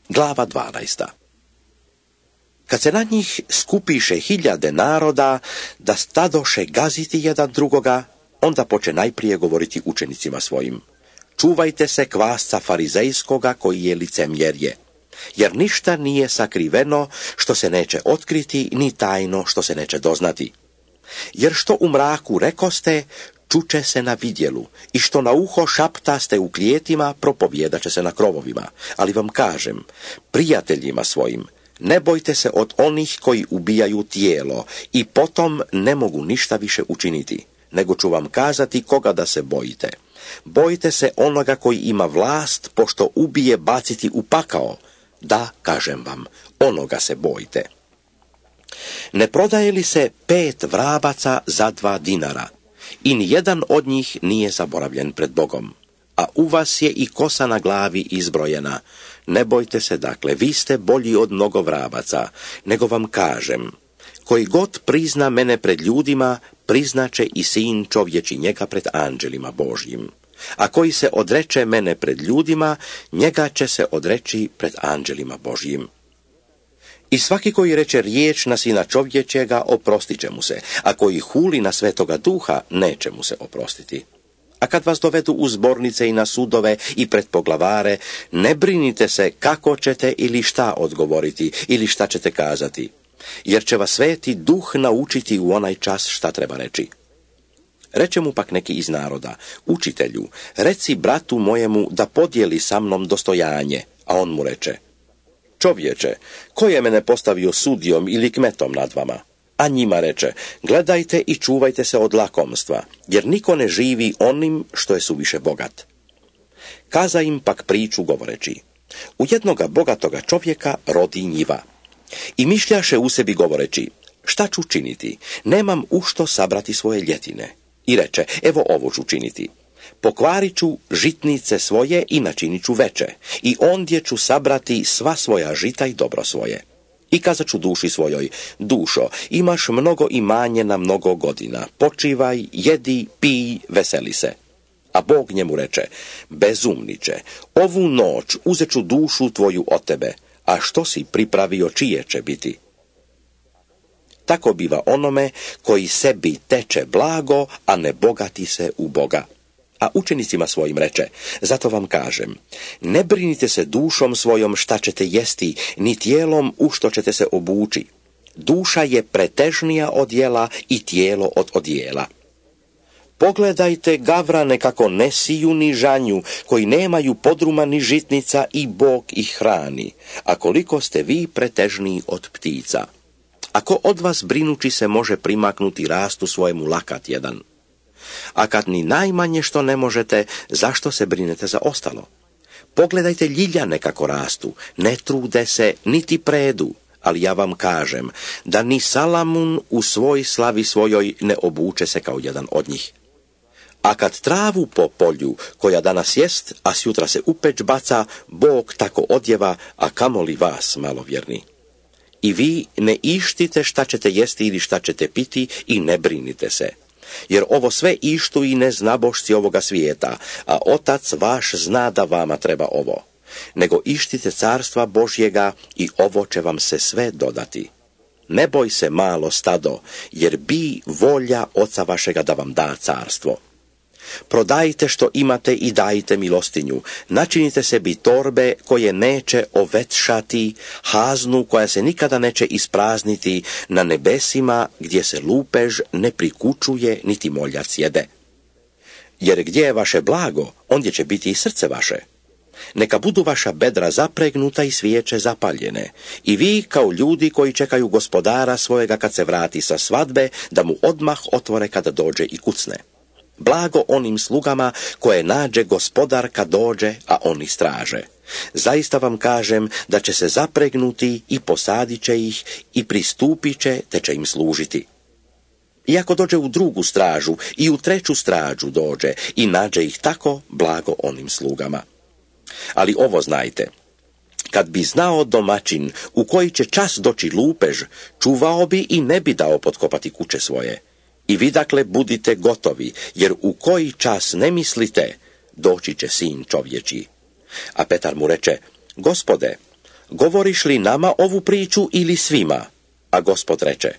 Glava dvanaesta. Kad se na njih skupiše hiljade naroda da stadoše gaziti jedan drugoga, onda poče najprije govoriti učenicima svojim. Čuvajte se kvasca farizejskoga koji je licemjerje, jer ništa nije sakriveno što se neće otkriti, ni tajno što se neće doznati. Jer što u mraku rekoste, čuče se na vidjelu, i što na uho šaptaste u klijetima, propovjedaće se na krovovima. Ali vam kažem, prijateljima svojim, ne bojte se od onih koji ubijaju tijelo i potom ne mogu ništa više učiniti, nego ću vam kazati koga da se bojite. Bojite se onoga koji ima vlast, pošto ubije baciti u pakao. Da, kažem vam, onoga se bojite. Ne prodaje li se pet vrabaca za dva dinara? I nijedan od njih nije zaboravljen pred Bogom. A u vas je i kosa na glavi izbrojena. Ne bojte se, dakle, vi ste bolji od mnogo vrabaca, nego vam kažem, koji god prizna mene pred ljudima, priznaće i sin čovječi njega pred anđelima Božjim. A koji se odreče mene pred ljudima, njega će se odreći pred anđelima Božjim. I svaki koji reče riječ na sina čovječega, oprostit će mu se, a koji huli na Svetoga Duha, neće mu se oprostiti. A kad vas dovedu u zbornice i na sudove i pred poglavare, ne brinite se kako ćete ili šta odgovoriti ili šta ćete kazati, jer će vas Sveti Duh naučiti u onaj čas šta treba reći. Reče mu pak neki iz naroda, učitelju, reci bratu mojemu da podijeli sa mnom dostojanje, a on mu reče, čovječe, ko je mene postavio sudijom ili kmetom nad vama? A njima reče, gledajte i čuvajte se od lakomstva, jer niko ne živi onim što je suviše bogat. Kaza im pak priču govoreći, u jednoga bogatoga čovjeka rodi njiva. I mišljaše u sebi govoreći, šta ću činiti, nemam u što sabrati svoje ljetine. I reče, evo ovo ću činiti. Pokvarit ću žitnice svoje i načinit ću veće, i ondje ću sabrati sva svoja žita i dobro svoje. I kazat ću duši svojoj, dušo, imaš mnogo imanje na mnogo godina, počivaj, jedi, pij, veseli se. A Bog njemu reče, bezumniče, ovu noć uzet ću dušu tvoju od tebe, a što si pripravio čije će biti? Tako biva onome koji sebi teče blago, a ne bogati se u Boga. A učenicima svojim reče, zato vam kažem, ne brinite se dušom svojom šta ćete jesti, ni tijelom u što ćete se obući. Duša je pretežnija od jela i tijelo od odjela. Pogledajte gavrane kako ne siju ni žanju, koji nemaju podruma ni žitnica i Bog ih hrani, a koliko ste vi pretežniji od ptica. Ako od vas brinući se može primaknuti rastu svojemu lakat jedan? A kad ni najmanje što ne možete, zašto se brinete za ostalo? Pogledajte ljiljane kako rastu, ne trude se, niti predu, ali ja vam kažem, da ni Salamun u svoj slavi svojoj ne obuče se kao jedan od njih. A kad travu po polju, koja danas jest, a sjutra se u peć baca, Bog tako odjeva, a kamoli vas, malovjerni. I vi ne ištite šta ćete jesti ili šta ćete piti i ne brinite se. Jer ovo sve ištu i neznabošci ovoga svijeta, a Otac vaš zna da vama treba ovo. Nego ištite carstva Božjega i ovo će vam se sve dodati. Ne boj se malo stado, jer bi volja Oca vašega da vam da carstvo. Prodajte što imate i dajte milostinju, načinite sebi torbe koje neće ovetšati, haznu koja se nikada neće isprazniti, na nebesima gdje se lupež ne prikučuje niti moljac jede. Jer gdje je vaše blago, ondje će biti i srce vaše. Neka budu vaša bedra zapregnuta i svijeće zapaljene. I vi kao ljudi koji čekaju gospodara svojega kad se vrati sa svadbe, da mu odmah otvore kada dođe i kucne. Blago onim slugama koje nađe gospodar kad dođe, a oni straže. Zaista vam kažem da će se zapregnuti i posadit će ih i pristupit će te će im služiti. I ako dođe u drugu stražu i u treću stražu dođe i nađe ih tako, blago onim slugama. Ali ovo znajte, kad bi znao domaćin u koji će čas doći lupež, čuvao bi i ne bi dao potkopati kuće svoje. I vi dakle budite gotovi, jer u koji čas ne mislite, doći će sin čovječji. A Petar mu reče, Gospode, govoriš li nama ovu priču ili svima? A Gospod reče,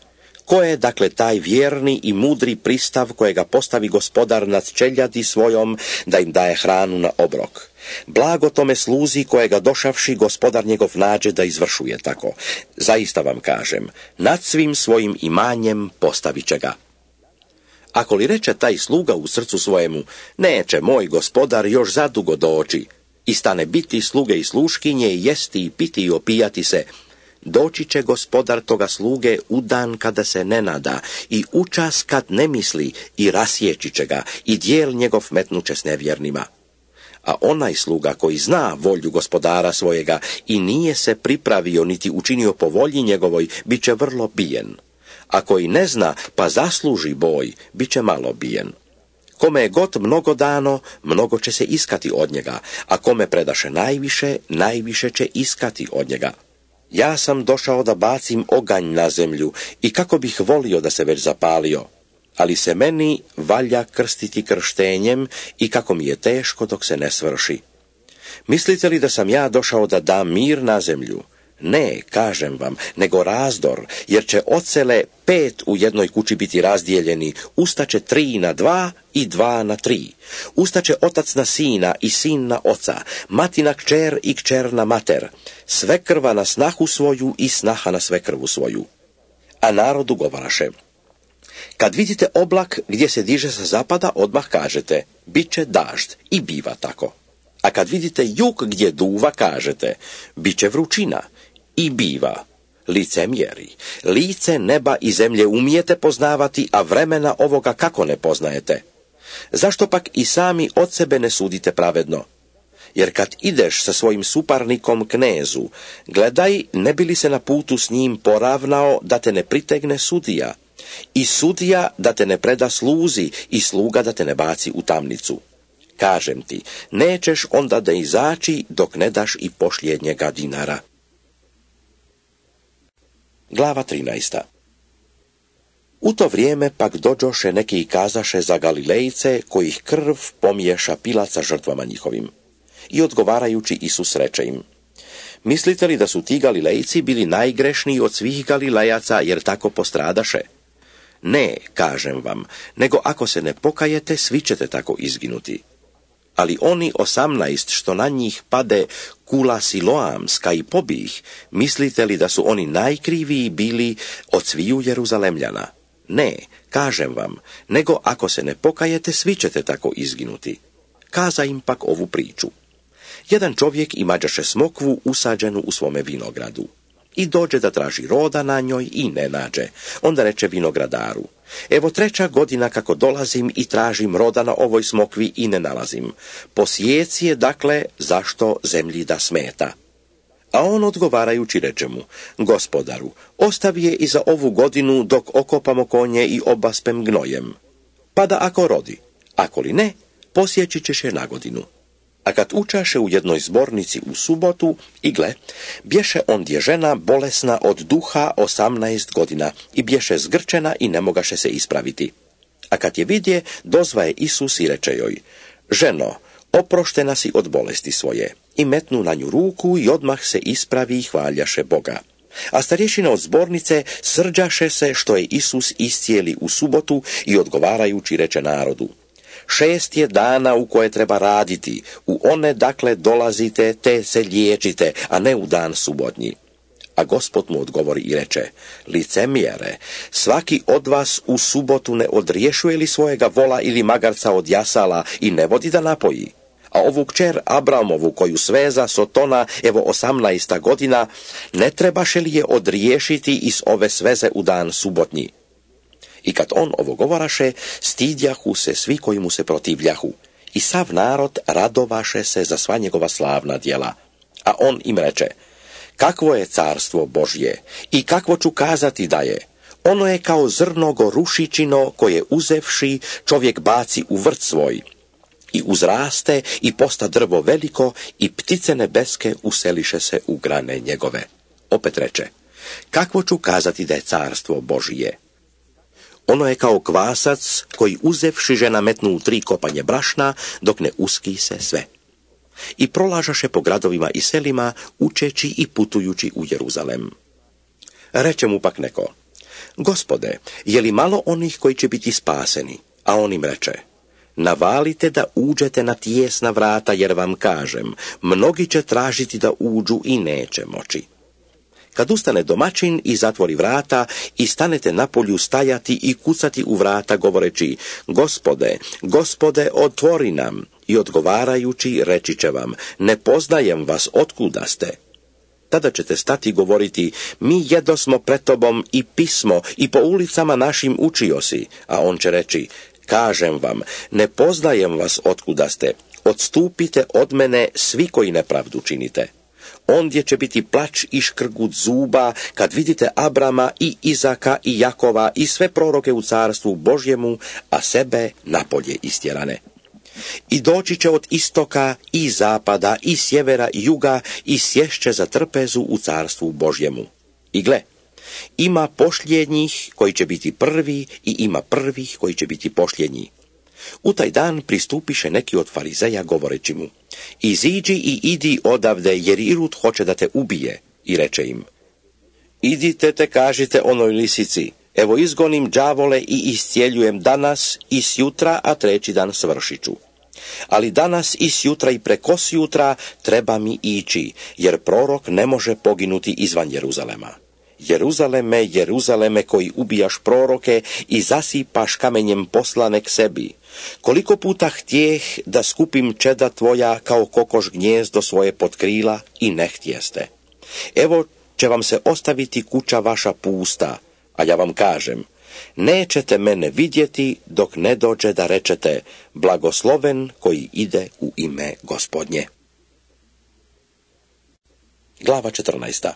ko je dakle taj vjerni i mudri pristav kojega postavi gospodar nad čeljadi svojom da im daje hranu na obrok? Blago tome sluzi kojega došavši gospodar njegov nađe da izvršuje tako. Zaista vam kažem, nad svim svojim imanjem postavit će ga. Ako li reče taj sluga u srcu svojemu, neće moj gospodar još zadugo doći, i stane biti sluge i sluškinje, jesti i piti i opijati se, doći će gospodar toga sluge u dan kada se ne nada i u čas kad ne misli i rasjeći će ga i dijel njegov metnuće s nevjernima. A onaj sluga koji zna volju gospodara svojega i nije se pripravio niti učinio po volji njegovoj, bit će vrlo bijen. A koji ne zna pa zasluži boj, bit će malo bijen. Kome je god mnogo dano, mnogo će se iskati od njega, a kome predaše najviše, najviše će iskati od njega. Ja sam došao da bacim oganj na zemlju i kako bih volio da se već zapalio, ali se meni valja krstiti krštenjem i kako mi je teško dok se ne svrši. Mislite li da sam ja došao da dam mir na zemlju? Ne, kažem vam, nego razdor, jer će ocele pet u jednoj kući biti razdijeljeni, ustaće tri na dva i dva na tri. Ustaće otac na sina i sin na oca, mati na kćer i kćer na mater, svekrva na snahu svoju i snaha na svekrvu svoju. A narodu govaraše, kad vidite oblak gdje se diže sa zapada, odmah kažete, bit će dažd, i biva tako. A kad vidite jug gdje duva, kažete, bit će vrućina, i biva. Licemjeri, lice neba i zemlje umijete poznavati, a vremena ovoga kako ne poznajete? Zašto pak i sami od sebe ne sudite pravedno? Jer kad ideš sa svojim suparnikom knezu, gledaj ne bi li se na putu s njim poravnao da te ne pritegne sudija, i sudija da te ne preda sluzi i sluga da te ne baci u tamnicu. Kažem ti, nećeš onda da izaći dok ne daš i posljednjega dinara. Glava trinaesta. U to vrijeme pak dođoše neki i kazaše za Galilejce, kojih krv pomiješa Pilat sa žrtvama njihovim. I odgovarajući Isus reče im, mislite li da su ti Galilejci bili najgrešniji od svih Galilejaca jer tako postradaše? Ne, kažem vam, nego ako se ne pokajete, svi ćete tako izginuti. Ali oni osamnaest što na njih pade kula siloamska i pobih, mislite li da su oni najkriviji bili od sviju Jeruzalemljana? Ne, kažem vam, nego ako se ne pokajete, svi ćete tako izginuti. Kaza im pak ovu priču. Jedan čovjek imađaše smokvu usađenu u svome vinogradu. I dođe da traži roda na njoj i ne nađe. Onda reče vinogradaru, evo treća godina kako dolazim i tražim roda na ovoj smokvi i ne nalazim. Posijeci je dakle zašto zemlji da smeta. A on odgovarajući reče mu, gospodaru, ostavi je i za ovu godinu dok okopamo konje i obaspem gnojem. Pa da ako rodi, ako li ne, posjeći ćeš je na godinu. A kad učaše u jednoj zbornici u subotu, i gle, bješe ondje žena bolesna od duha osamnaest godina i bješe zgrčena i ne mogaše se ispraviti. A kad je vidje, dozvaje Isus i reče joj, ženo, oproštena si od bolesti svoje. I metnu na nju ruku i odmah se ispravi i hvaljaše Boga. A starješina od zbornice srđaše se što je Isus iscijeli u subotu i odgovarajući reče narodu, šest je dana u koje treba raditi, u one dakle dolazite te se liječite, a ne u dan subotnji. A Gospod mu odgovori i reče, licemjere, svaki od vas u subotu ne odriješuje li svojega vola ili magarca od jasala i ne vodi da napoji? A ovu kćer Abramovu, koju sveza Sotona, evo osamnaesta godina, ne trebaše li je odriješiti iz ove sveze u dan subotnji? I kad on ovo govoraše, stidjahu se svi koji mu se protivljahu. I sav narod radovaše se za sva njegova slavna djela. A on im reče, kakvo je carstvo Božje i kakvo ću kazati da je? Ono je kao zrno gorušičino koje uzevši čovjek baci u vrt svoj. I uzraste i posta drvo veliko i ptice nebeske useliše se u grane njegove. Opet reče, kakvo ću kazati da je carstvo Božije? Ono je kao kvasac koji uzevši žena metnu u tri kopanje brašna dok ne uski se sve. I prolažaše po gradovima i selima, učeći i putujući u Jeruzalem. Reče mu pak neko, Gospode, je li malo onih koji će biti spaseni? A on im reče, navalite da uđete na tijesna vrata, jer vam kažem, mnogi će tražiti da uđu i neće moći. Kad ustane domaćin i zatvori vrata i stanete na polju stajati i kucati u vrata govoreći, Gospode, Gospode, otvori nam, i odgovarajući reći će vam, ne poznajem vas, otkuda ste. Tada ćete stati govoriti, mi jedosmo pred tobom i pismo i po ulicama našim učio si, a on će reći, kažem vam, ne poznajem vas otkuda ste, odstupite od mene svi koji nepravdu činite. Ondje će biti plač i škrgut zuba kad vidite Abrama i Izaka i Jakova i sve proroke u carstvu Božjemu, a sebe napolje istjerane. I doći će od istoka i zapada i sjevera i juga i sješće za trpezu u carstvu Božjemu. I gle, ima pošljednjih koji će biti prvi i ima prvih koji će biti pošljednji. U taj dan pristupiše neki od farizeja govoreći mu, iziđi i idi odavde, jer Irod hoće da te ubije. I reče im, idite te kažite onoj lisici, evo izgonim đavole i iscijeljujem danas i sjutra, a treći dan svršit ću. Ali danas i sjutra i prekosjutra treba mi ići, jer prorok ne može poginuti izvan Jeruzalema. Jeruzaleme, Jeruzaleme, koji ubijaš proroke i zasipaš kamenjem poslane k sebi. Koliko puta htjeh da skupim čeda tvoja kao kokoš gnjezdo svoje pod krila i ne htjeste. Evo će vam se ostaviti kuća vaša pusta, a ja vam kažem, nećete mene vidjeti dok ne dođe da rečete, blagosloven koji ide u ime Gospodnje. Glava četrnaesta.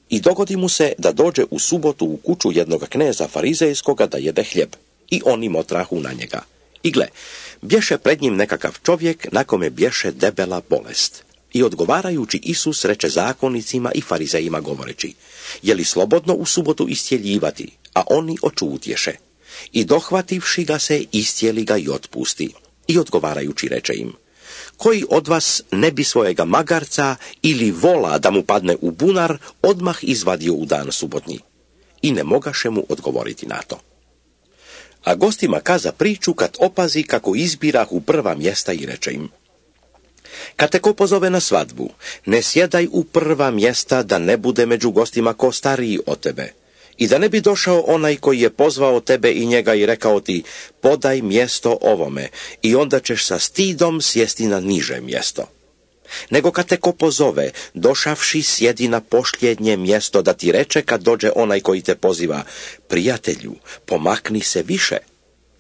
I dogodi mu se da dođe u subotu u kuću jednog kneza farizejskoga da jede hljeb. I oni motrahu na njega. I gle, bješe pred njim nekakav čovjek na kome bješe debela bolest. I odgovarajući Isus reče zakonicima i farizejima govoreći, je li slobodno u subotu iscijeljivati? A oni očutješe. I dohvativši ga se, iscijeli ga i otpusti. I odgovarajući reče im, koji od vas ne bi svojega magarca ili vola da mu padne u bunar odmah izvadio u dan subotnji? I ne mogaše mu odgovoriti na to. A gostima kaza priču kad opazi kako izbirah u prva mjesta i reče im, kad te ko pozove na svadbu, ne sjedaj u prva mjesta da ne bude među gostima ko stariji od tebe. I da ne bi došao onaj koji je pozvao tebe i njega i rekao ti, podaj mjesto ovome, i onda ćeš sa stidom sjesti na niže mjesto. Nego kad te ko pozove, došavši sjedi na pošljednje mjesto da ti reče kad dođe onaj koji te poziva, prijatelju, pomakni se više.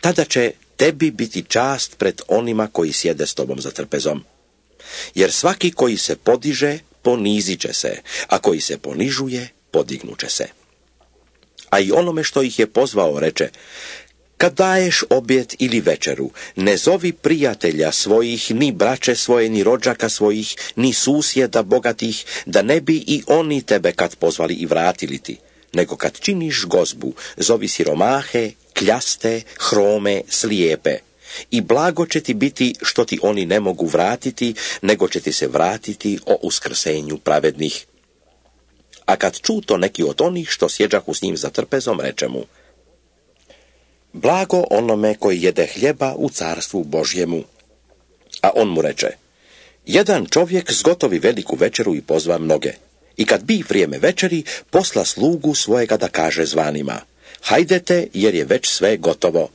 Tada će tebi biti čast pred onima koji sjede s tobom za trpezom. Jer svaki koji se podiže, ponizit će se, a koji se ponižuje, podignuće se. A i onome što ih je pozvao reče, kad daješ objet ili večeru, ne zovi prijatelja svojih, ni braće svoje, ni rođaka svojih, ni susjeda bogatih, da ne bi i oni tebe kad pozvali i vratili ti. Nego kad činiš gozbu, zovi siromahe, kljaste, hrome, slijepe. I blago će ti biti što ti oni ne mogu vratiti, nego će ti se vratiti o uskrsenju pravednih. A kad ču to neki od onih što sjeđahu s njim za trpezom, reče mu, blago onome koji jede hljeba u carstvu Božjemu. A on mu reče, jedan čovjek zgotovi veliku večeru i pozva mnoge. I kad bi vrijeme večeri, posla slugu svojega da kaže zvanima, hajdete jer je već sve gotovo.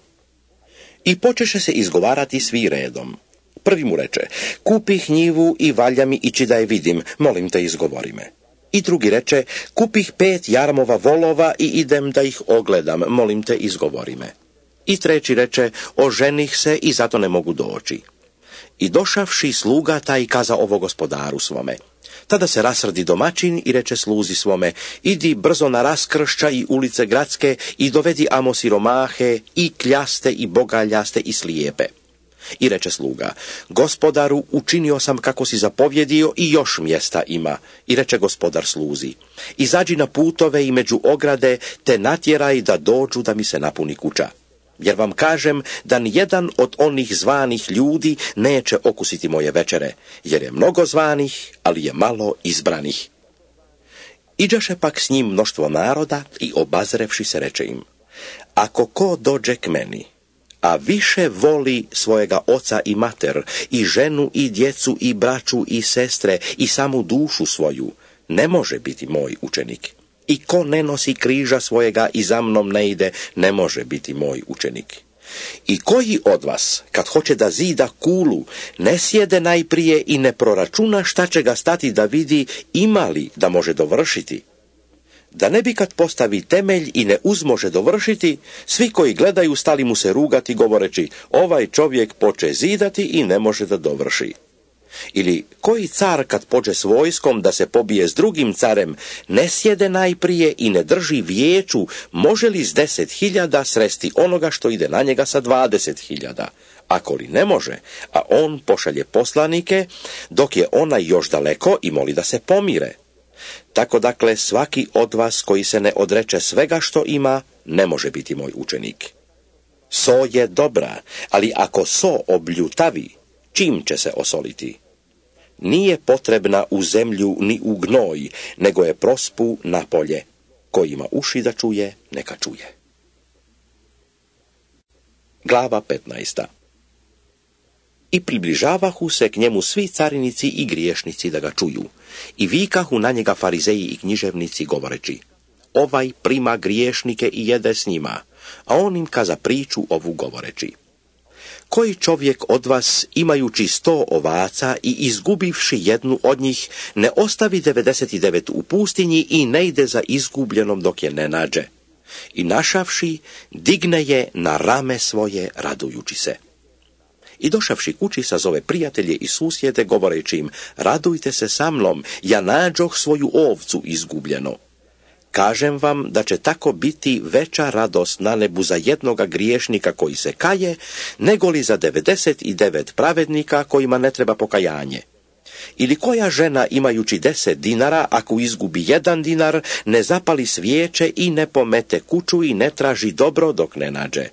I počeše se izgovarati svi redom. Prvi mu reče, kupih njivu i valja mi ići da je vidim, molim te izgovori me. I drugi reče, kupih pet jarmova volova i idem da ih ogledam, molim te izgovori me. I treći reče, oženih se i zato ne mogu doći. I došavši sluga taj kaza ovo gospodaru svome. Tada se rasrdi domaćin i reče sluzi svome, idi brzo na raskršća i ulice gradske i dovedi amo siromahe i kljaste i bogaljaste i slijepe. I reče sluga, gospodaru, učinio sam kako si zapovjedio i još mjesta ima. I reče gospodar sluzi, izađi na putove i među ograde, te natjeraj da dođu da mi se napuni kuća. Jer vam kažem da nijedan od onih zvanih ljudi neće okusiti moje večere, jer je mnogo zvanih, ali je malo izbranih. Iđaše pak s njim mnoštvo naroda i obazrevši se reče im, ako ko dođe k meni, a više voli svojega oca i mater, i ženu i djecu i braću i sestre i samu dušu svoju, ne može biti moj učenik. I ko ne nosi križa svojega i za mnom ne ide, ne može biti moj učenik. I koji od vas, kad hoće da zida kulu, ne sjede najprije i ne proračuna šta će ga stati da vidi ima li da može dovršiti? Da ne bi kad postavi temelj i ne uzmože dovršiti, svi koji gledaju stali mu se rugati govoreći, ovaj čovjek poče zidati i ne može da dovrši. Ili koji car kad pođe s vojskom da se pobije s drugim carem, ne sjede najprije i ne drži vijeću, može li s deset hiljada sresti onoga što ide na njega sa dvadeset hiljada? Ako li ne može, a on pošalje poslanike, dok je onaj još daleko i moli da se pomire. Tako dakle svaki od vas koji se ne odreče svega što ima, ne može biti moj učenik. So je dobra, ali ako so obljutavi, čim će se osoliti? Nije potrebna u zemlju ni u gnoj, nego je prospu na polje. Ko ima uši da čuje, neka čuje. Glava petnaesta. I približavahu se k njemu svi carinici i griješnici da ga čuju. I vikahu na njega farizeji i književnici govoreći, ovaj prima griješnike i jede s njima, a on im kaza priču ovu govoreći. Koji čovjek od vas, imajući sto ovaca i izgubivši jednu od njih, ne ostavi devedeset devet u pustinji i ne ide za izgubljenom dok je ne nađe? I našavši, digne je na rame svoje radujući se. I došavši kući sazove prijatelje i susjede govoreći im, radujte se sa mnom, ja nađoh svoju ovcu izgubljeno. Kažem vam da će tako biti veća radost na nebu za jednoga griješnika koji se kaje, nego li za devedeset devet pravednika kojima ne treba pokajanje. Ili koja žena imajući deset dinara, ako izgubi jedan dinar, ne zapali svijeće i ne pomete kuću i ne traži dobro dok ne nađe.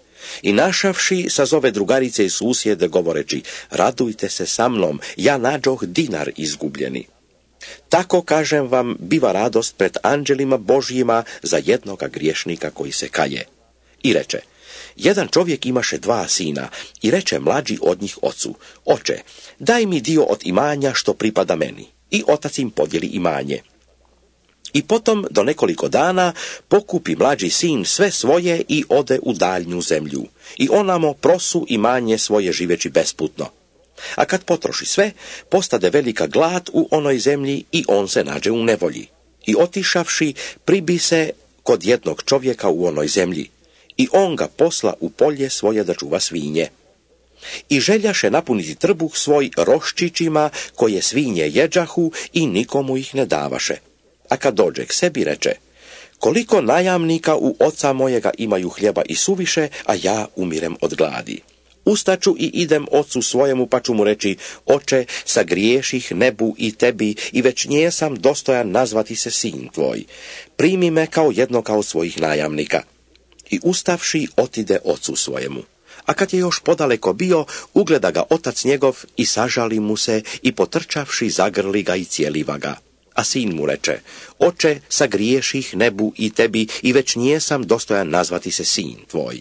I našavši sazove drugarice i susjede govoreći, radujte se sa mnom, ja nađoh dinar izgubljeni. Tako, kažem vam, biva radost pred anđelima Božjima za jednoga griješnika koji se kaje. I reče, jedan čovjek imaše dva sina i reče mlađi od njih ocu, oče, daj mi dio od imanja što pripada meni. I otac im podijeli imanje. I potom do nekoliko dana pokupi mlađi sin sve svoje i ode u daljnju zemlju. I onamo prosu imanje svoje živeći besputno. A kad potroši sve, postade velika glad u onoj zemlji i on se nađe u nevolji. I otišavši, pribi se kod jednog čovjeka u onoj zemlji. I on ga posla u polje svoje da čuva svinje. I željaše napuniti trbuh svoj roščićima koje svinje jeđahu i nikomu ih ne davaše. A kad dođe k sebi reče, koliko najamnika u oca mojega imaju hljeba i suviše, a ja umirem od gladi. Ustaću i idem ocu svojemu, pa ću mu reći, oče, sagriješih nebu i tebi i već njesam dostojan nazvati se sin tvoj. Primi me kao jednoga od svojih najamnika. I ustavši otide ocu svojemu. A kad je još podaleko bio, ugleda ga otac njegov i sažali mu se i potrčavši zagrli ga i cijeliva ga. A sin mu reče, oče, sagriješih nebu i tebi i već njesam dostojan nazvati se sin tvoj.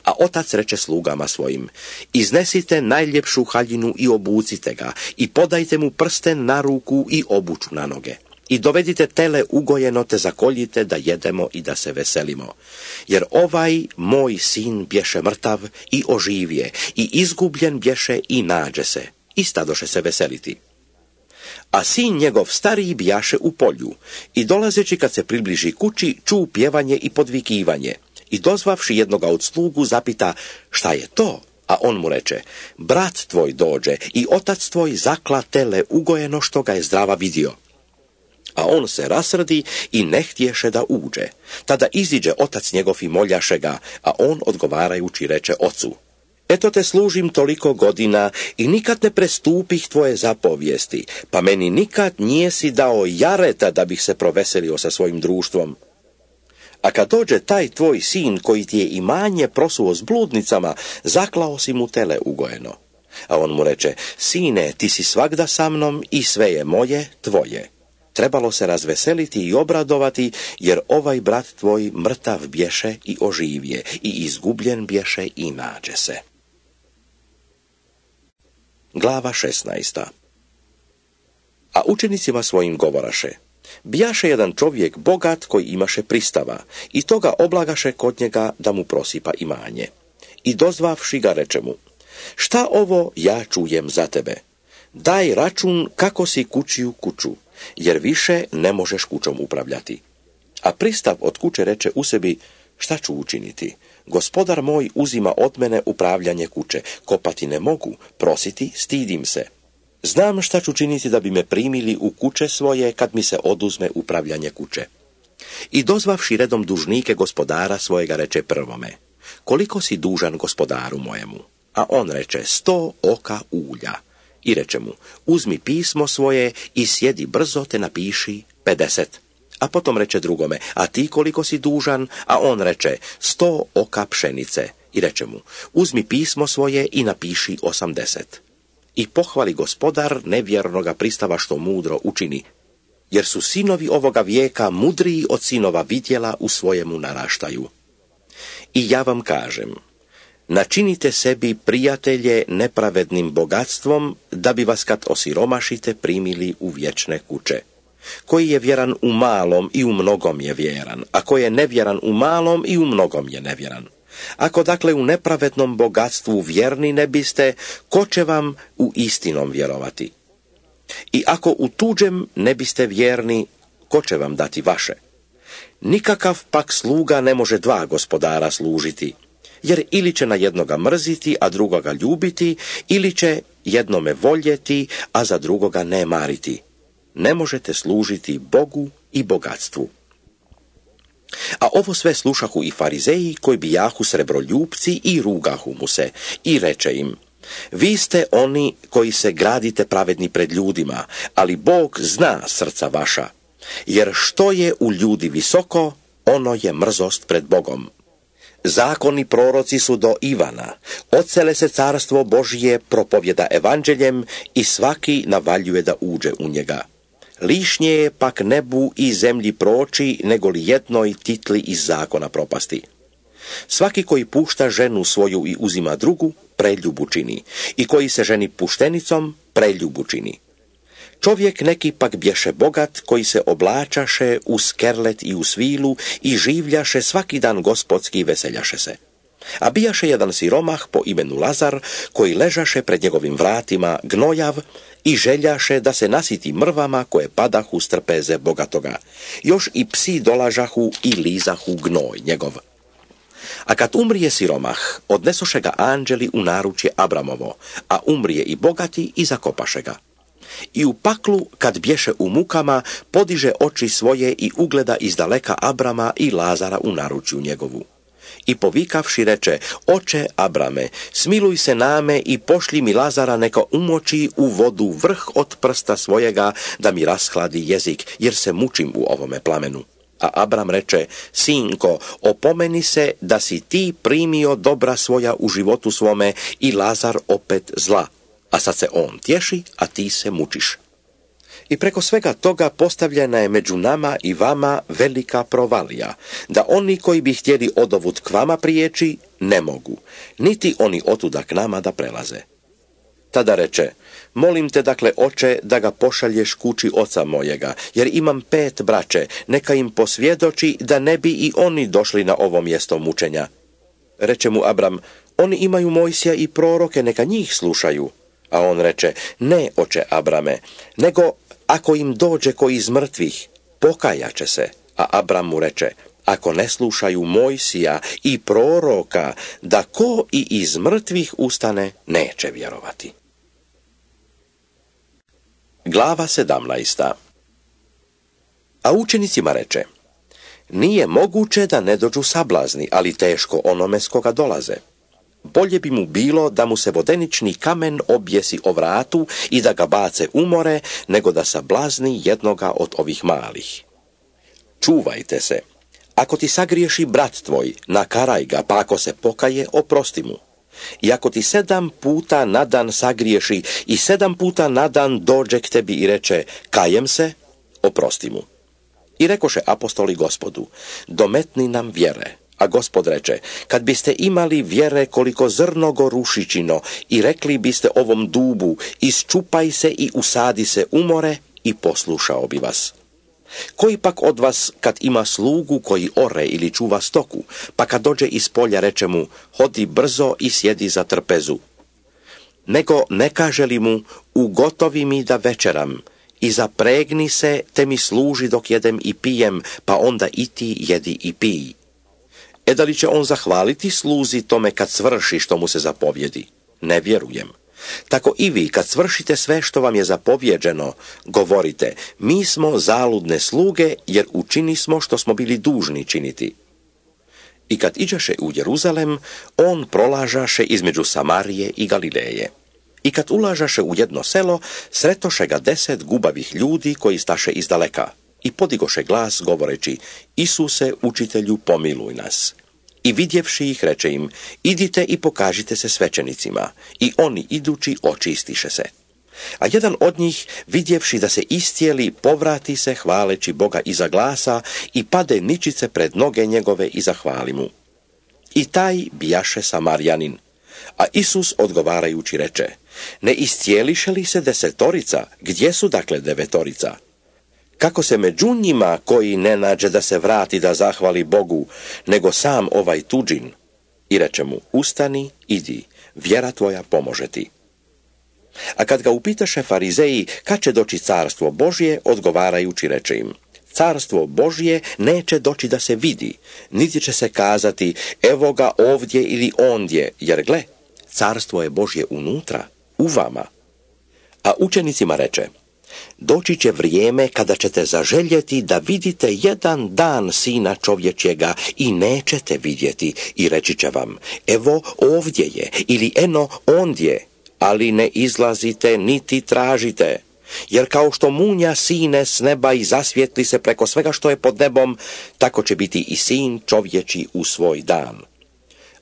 A otac reče slugama svojim, iznesite najljepšu haljinu i obucite ga i podajte mu prsten na ruku i obuću na noge. I dovedite tele ugojeno te zakoljite da jedemo i da se veselimo. Jer ovaj moj sin bješe mrtav i oživje i izgubljen bješe i nađe se. i stadoše se veseliti. A sin njegov stariji bijaše u polju i dolazeći kad se približi kući, ču pjevanje i podvikivanje i dozvavši jednoga od slugu zapita šta je to, a on mu reče brat tvoj dođe i otac tvoj zakla tele ugojeno što ga je zdrava vidio. A on se rasrdi i ne htješe da uđe. Tada iziđe otac njegov i moljaše ga, a on odgovarajući reče ocu eto te služim toliko godina i nikad ne prestupih tvoje zapovijesti, pa meni nikad nijesi dao jareta da bih se proveselio sa svojim društvom. A kad dođe taj tvoj sin koji ti je imanje prosuo s bludnicama, zaklao si mu tele ugojeno. A on mu reče, sine, ti si svagda sa mnom i sve je moje, tvoje. Trebalo se razveseliti i obradovati, jer ovaj brat tvoj mrtav bješe i oživje, i izgubljen bješe i nađe se. Glava šesnaesta. A učenicima svojim govoraše, bijaše jedan čovjek bogat koji imaše pristava, i toga oblagaše kod njega da mu prosipa imanje. I dozvavši ga reče mu, šta ovo ja čujem za tebe? Daj račun kako si kućiju kuću, jer više ne možeš kućom upravljati. A pristav od kuće reče u sebi, šta ću učiniti? Gospodar moj uzima od mene upravljanje kuće, kopati ne mogu, prositi stidim se. Znam šta ću činiti da bi me primili u kuće svoje kad mi se oduzme upravljanje kuće. I dozvavši redom dužnike gospodara svojega reče prvome, koliko si dužan gospodaru mojemu? A on reče, sto oka ulja. I reče mu, uzmi pismo svoje i sjedi brzo te napiši pedeset. A potom reče drugome, a ti koliko si dužan? A on reče, sto oka pšenice. I reče mu, uzmi pismo svoje i napiši osamdeset. I pohvali gospodar nevjernoga pristava što mudro učini, jer su sinovi ovoga vijeka mudriji od sinova vidjela u svojemu naraštaju. I ja vam kažem, načinite sebi prijatelje nepravednim bogatstvom, da bi vas kad osiromašite primili u vječne kuće. Koji je vjeran u malom i u mnogom je vjeran, a koji je nevjeran u malom i u mnogom je nevjeran. Ako dakle u nepravednom bogatstvu vjerni ne biste, ko će vam u istinom vjerovati? I ako u tuđem ne biste vjerni, ko će vam dati vaše? Nikakav pak sluga ne može dva gospodara služiti, jer ili će na jednoga mrziti, a drugoga ljubiti, ili će jednome voljeti, a za drugoga ne mariti. Ne možete služiti Bogu i bogatstvu. A ovo sve slušahu i farizeji, koji bijahu srebroljupci, i rugahu mu se, i reče im, vi ste oni koji se gradite pravedni pred ljudima, ali Bog zna srca vaša, jer što je u ljudi visoko, ono je mrzost pred Bogom. Zakoni proroci su do Ivana, odsele se carstvo Božije propovjeda evanđeljem i svaki navaljuje da uđe u njega. Lišnje je pak nebu i zemlji proći, nego li jednoj titli iz zakona propasti. Svaki koji pušta ženu svoju i uzima drugu, preljubu čini, i koji se ženi puštenicom, preljubu čini. Čovjek neki pak bješe bogat, koji se oblačaše u skerlet i u svilu i življaše svaki dan gospodski i veseljaše se. A bijaše jedan siromah po imenu Lazar, koji ležaše pred njegovim vratima gnojav i željaše da se nasiti mrvama koje padahu s trpeze bogatoga. Još i psi dolažahu i lizahu gnoj njegov. A kad umrije siromah, odnesoše ga anđeli u naručje Abramovo, a umrije i bogati i zakopaše ga. I u paklu, kad bješe u mukama, podiže oči svoje i ugleda izdaleka Abrama i Lazara u naručju njegovu. I povikavši reče, oče Abrame, smiluj se name i pošli mi Lazara neka umoči u vodu vrh od prsta svojega, da mi rashladi jezik, jer se mučim u ovome plamenu. A Abram reče, sinko, opomeni se da si ti primio dobra svoja u životu svome i Lazar opet zla, a sad se on tješi, a ti se mučiš. I preko svega toga postavljena je među nama i vama velika provalija, da oni koji bi htjeli odovut k vama prijeći, ne mogu, niti oni otuda k nama da prelaze. Tada reče, molim te dakle, oče, da ga pošalješ kući oca mojega, jer imam pet braće, neka im posvjedoči da ne bi i oni došli na ovo mjesto mučenja. Reče mu Abram, oni imaju Mojsija i proroke, neka njih slušaju. A on reče, ne, oče Abrame, nego ako im dođe koji iz mrtvih, pokajaće se. A Abram mu reče, ako ne slušaju Mojsija i proroka, da ko i iz mrtvih ustane, neće vjerovati. Glava sedamnaesta. A učenicima reče, nije moguće da ne dođu sablazni, ali teško onome s koga dolaze. Bolje bi mu bilo da mu se vodenični kamen objesi o vratu i da ga bace u more, nego da sablazni jednoga od ovih malih. Čuvajte se. Ako ti sagriješi brat tvoj, nakaraj ga, pa ako se pokaje, oprosti mu. I ako ti sedam puta na dan sagriješi i sedam puta na dan dođe k tebi i reče, kajem se, oprosti mu. I rekoše apostoli Gospodu, dometni nam vjere. A Gospod reče, kad biste imali vjere koliko zrno gorušičino i rekli biste ovom dubu, isčupaj se i usadi se u more, i poslušao bi vas. Koji pak od vas, kad ima slugu koji ore ili čuva stoku, pa kad dođe iz polja reče mu, hodi brzo i sjedi za trpezu? Nego ne kaže li mu, ugotovi mi da večeram, i zapregni se, te mi služi dok jedem i pijem, pa onda i ti jedi i pij. E da li će on zahvaliti sluzi tome kad svrši što mu se zapovjedi? Ne vjerujem. Tako i vi, kad svršite sve što vam je zapovjeđeno, govorite, mi smo zaludne sluge, jer učini smo što smo bili dužni činiti. I kad iđaše u Jeruzalem, on prolažaše između Samarije i Galileje. I kad ulažaše u jedno selo, sretoše ga deset gubavih ljudi koji staše izdaleka. I podigoše glas govoreći, Isuse, učitelju, pomiluj nas. I vidjevši ih, reče im, idite i pokažite se svećenicima. I oni idući očistiše se. A jedan od njih, vidjevši da se istijeli, povrati se hvaleći Boga iza glasa i pade ničice pred noge njegove i zahvali mu. I taj bijaše Samarjanin. A Isus odgovarajući reče, ne istijeliše li se desetorica, gdje su dakle devetorica? Kako se među njima koji ne nađe da se vrati da zahvali Bogu, nego sam ovaj tuđin? I reče mu, ustani, idi, vjera tvoja pomože ti. A kad ga upitaše farizeji, kad će doći carstvo Božje, odgovarajući reče im, carstvo Božje neće doći da se vidi, niti će se kazati, evo ga ovdje ili ondje, jer gle, carstvo je Božje unutra, u vama. A učenicima reče, doći će vrijeme kada ćete zaželjeti da vidite jedan dan Sina čovječjega i nećete vidjeti i reći će vam, evo ovdje je ili eno ondje, ali ne izlazite niti tražite. Jer kao što munja sine s neba i zasvijetli se preko svega što je pod nebom, tako će biti i Sin čovječi u svoj dan.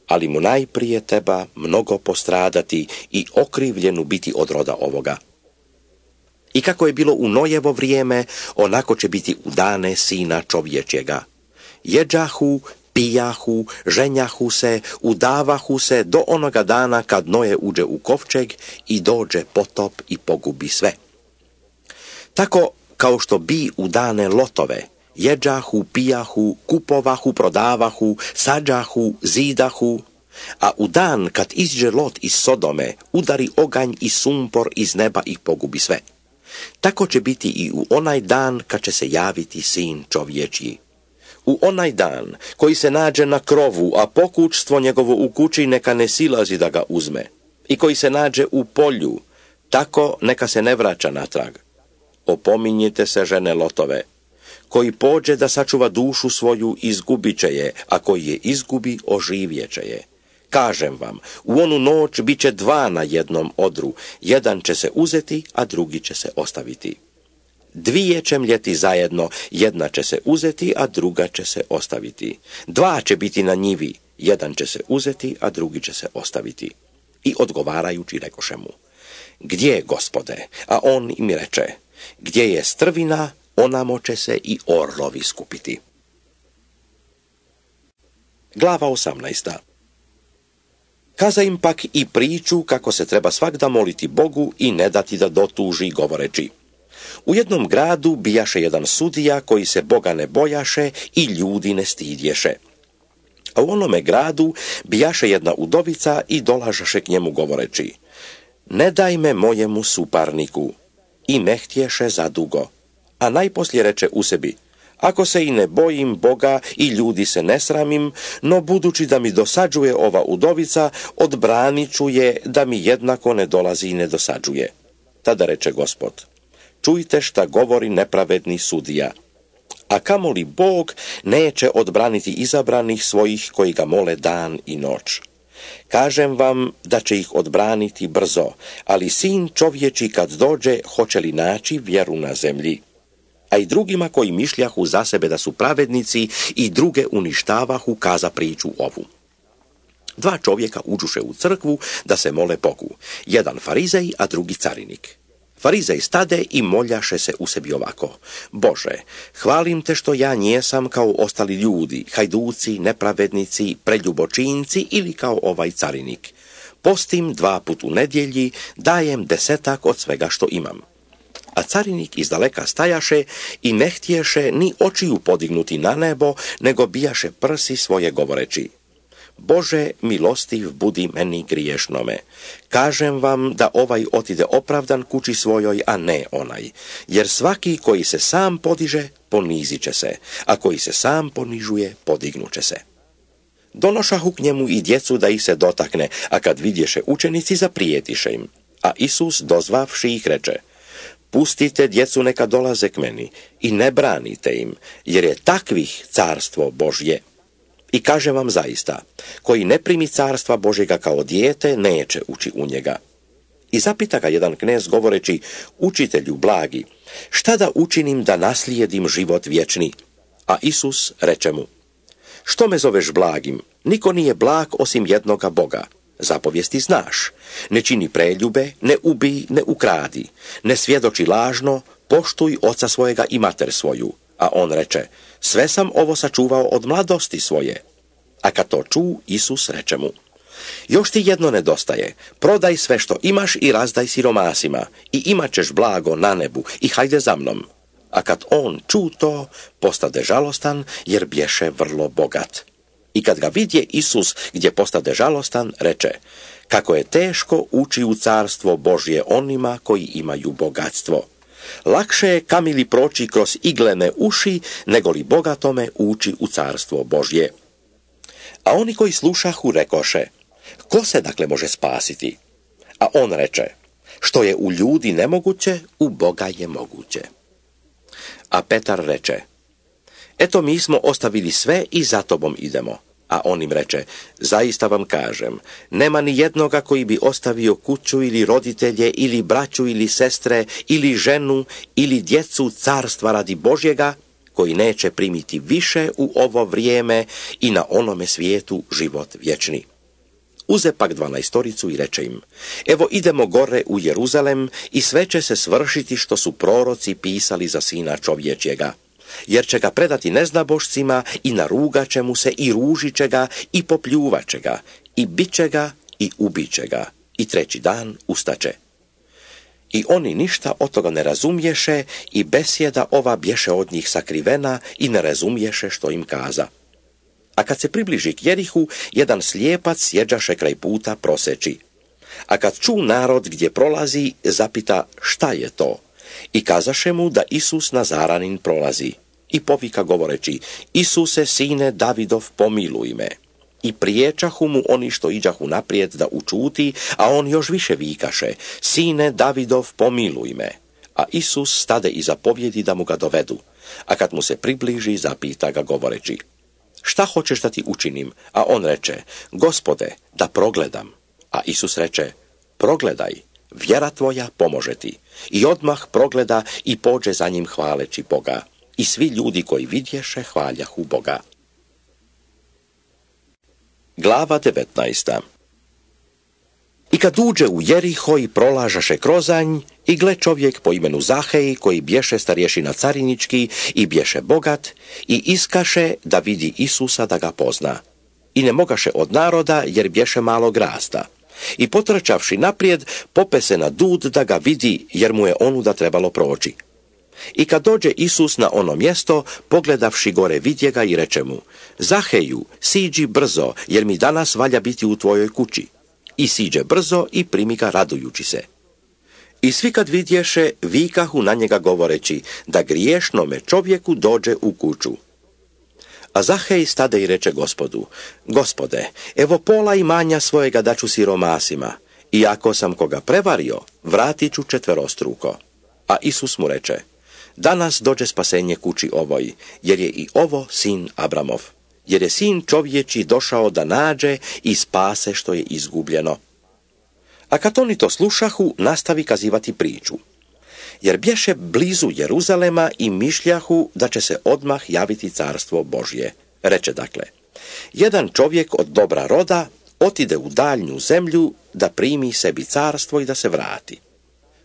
Ali mu najprije treba mnogo postradati i okrivljenu biti od roda ovoga. I kako je bilo u Nojevo vrijeme, onako će biti u dane Sina čovječjega. Jeđahu, pijahu, ženjahu se, udavahu se do onoga dana kad Noje uđe u kovčeg i dođe potop i pogubi sve. Tako kao što bi u dane Lotove, jeđahu, pijahu, kupovahu, prodavahu, sađahu, zidahu, a u dan kad izđe Lot iz Sodome, udari oganj i sumpor iz neba i pogubi sve. Tako će biti i u onaj dan kad će se javiti Sin čovječji. U onaj dan koji se nađe na krovu, a pokućstvo njegovo u kući neka ne silazi da ga uzme, i koji se nađe u polju, tako neka se ne vraća natrag. Opominjite se žene Lotove, koji pođe da sačuva dušu svoju, izgubit će je, a koji je izgubi, oživjet će je. Kažem vam, u onu noć bit će dva na jednom odru, jedan će se uzeti, a drugi će se ostaviti. Dvije će mljeti zajedno, jedna će se uzeti, a druga će se ostaviti. Dva će biti na njivi, jedan će se uzeti, a drugi će se ostaviti. I odgovarajući rekoše mu, gdje je, Gospode? A on im reče, gdje je strvina, onamo će se i orlovi skupiti. Glava osamnaesta. Kaza im pak i priču kako se treba svakda moliti Bogu i ne dati da dotuži, govoreći, u jednom gradu bijaše jedan sudija koji se Boga ne bojaše i ljudi ne stidješe. A u onome gradu bijaše jedna udovica i dolažaše k njemu govoreći, ne dajme mojemu suparniku. I ne htješe zadugo. A najposlije reče u sebi, ako se i ne bojim Boga i ljudi se ne sramim, no budući da mi dosađuje ova udovica, odbranit ću je da mi jednako ne dolazi i ne dosađuje. Tada reče Gospod, čujte šta govori nepravedni sudija. A kamoli Bog neće odbraniti izabranih svojih koji ga mole dan i noć. Kažem vam da će ih odbraniti brzo, ali sin čovječi kad dođe hoće li naći vjeru na zemlji? A i drugima koji mišljahu za sebe da su pravednici i druge uništavahu kaza priču ovu. Dva čovjeka uđuše u crkvu da se mole Bogu, jedan farizej, a drugi carinik. Farizej stade i moljaše se u sebi ovako, Bože, hvalim te što ja njesam kao ostali ljudi, hajduci, nepravednici, preljubočinci ili kao ovaj carinik. Postim dva put u nedjelji, dajem desetak od svega što imam. A carinik izdaleka stajaše i ne htješe ni očiju podignuti na nebo, nego bijaše prsi svoje govoreći. Bože, milostiv budi meni griješnome. Kažem vam da ovaj otide opravdan kući svojoj, a ne onaj. Jer svaki koji se sam podiže, ponizit će se, a koji se sam ponižuje, podignuće se. Donošahu k njemu i djecu da ih se dotakne, a kad vidješe učenici, zaprijetiše im. A Isus, dozvavši ih, reče, pustite djecu neka dolaze k meni i ne branite im, jer je takvih carstvo Božje. I kaže vam zaista, koji ne primi carstva Božjega kao dijete, neće ući u njega. I zapita ga jedan knez govoreći, učitelju blagi, šta da učinim da naslijedim život vječni? A Isus reče mu, što me zoveš blagim? Niko nije blag osim jednoga Boga. Zapovijesti znaš, ne čini preljube, ne ubij, ne ukradi, ne svjedoči lažno, poštuj oca svojega i mater svoju. A on reče, sve sam ovo sačuvao od mladosti svoje. A kad to ču, Isus reče mu, još ti jedno nedostaje, prodaj sve što imaš i razdaj siromasima i imat ćeš blago na nebu i hajde za mnom. A kad on ču to, postade žalostan jer bješe vrlo bogat. I kad ga vidje Isus gdje postade žalostan, reče, kako je teško ući u carstvo Božje onima koji imaju bogatstvo. Lakše je kamili proći kroz iglene uši, nego li bogatome ući u carstvo Božje. A oni koji slušahu rekoše, ko se dakle može spasiti? A on reče, što je u ljudi nemoguće, u Boga je moguće. A Petar reče, eto mi smo ostavili sve i za tobom idemo. A on im reče, zaista vam kažem, nema ni jednoga koji bi ostavio kuću ili roditelje ili braću ili sestre ili ženu ili djecu carstva radi Božjega, koji neće primiti više u ovo vrijeme i na onome svijetu život vječni. Uze pak dvanaestoricu i reče im, evo idemo gore u Jeruzalem i sve će se svršiti što su proroci pisali za sina čovječjega. Jer će ga predati neznabošcima i narugat će mu se i ružit će ga i popljuvat će ga i bit će ga i ubit će ga i treći dan ustaće. I oni ništa od toga ne razumješe i besjeda ova bješe od njih sakrivena i ne razumješe što im kaza. A kad se približi k Jerihu, jedan slijepac sjeđaše kraj puta proseći. A kad ču narod gdje prolazi, zapita šta je to? I kazaše mu da Isus Nazaranin prolazi. I povika govoreći, Isuse, sine Davidov, pomiluj me. I priječahu mu oni što iđahu naprijed da učuti, a on još više vikaše, sine Davidov, pomiluj me. A Isus stade i zapovjedi da mu ga dovedu. A kad mu se približi, zapita ga govoreći, šta hoćeš da ti učinim? A on reče, Gospode, da progledam. A Isus reče, progledaj, vjera tvoja pomože ti. I odmah progleda i pođe za njim hvaleći Boga. I svi ljudi koji vidješe hvaljahu Boga. Glava devetnaesta. I kad uđe u Jeriho i prolažaše krozanj, i gle čovjek po imenu Zahej, koji bješe starješina carinički i bješe bogat, i iskaše da vidi Isusa da ga pozna. I ne mogaše od naroda, jer bješe malog rasta. I potrčavši naprijed, pope se na dud da ga vidi, jer mu je onuda trebalo proći. I kad dođe Isus na ono mjesto, pogledavši gore vidje ga i reče mu, Zaheju, siđi brzo, jer mi danas valja biti u tvojoj kući. I siđe brzo i primi ga radujući se. I svi kad vidješe, vikahu na njega govoreći, da griješnome čovjeku dođe u kuću. A Zahej stade i reče Gospodu, Gospode, evo pola imanja svojega daću siromasima, i ako sam koga prevario, vratit ću četverostruko. A Isus mu reče, danas dođe spasenje kući ovoj, jer je i ovo sin Abramov, jer je sin čovječi došao da nađe i spase što je izgubljeno. A kad oni to slušahu, nastavi kazivati priču. Jer bješe blizu Jeruzalema i mišljahu da će se odmah javiti carstvo Božje. Reče dakle, jedan čovjek od dobra roda otide u daljnju zemlju da primi sebi carstvo i da se vrati.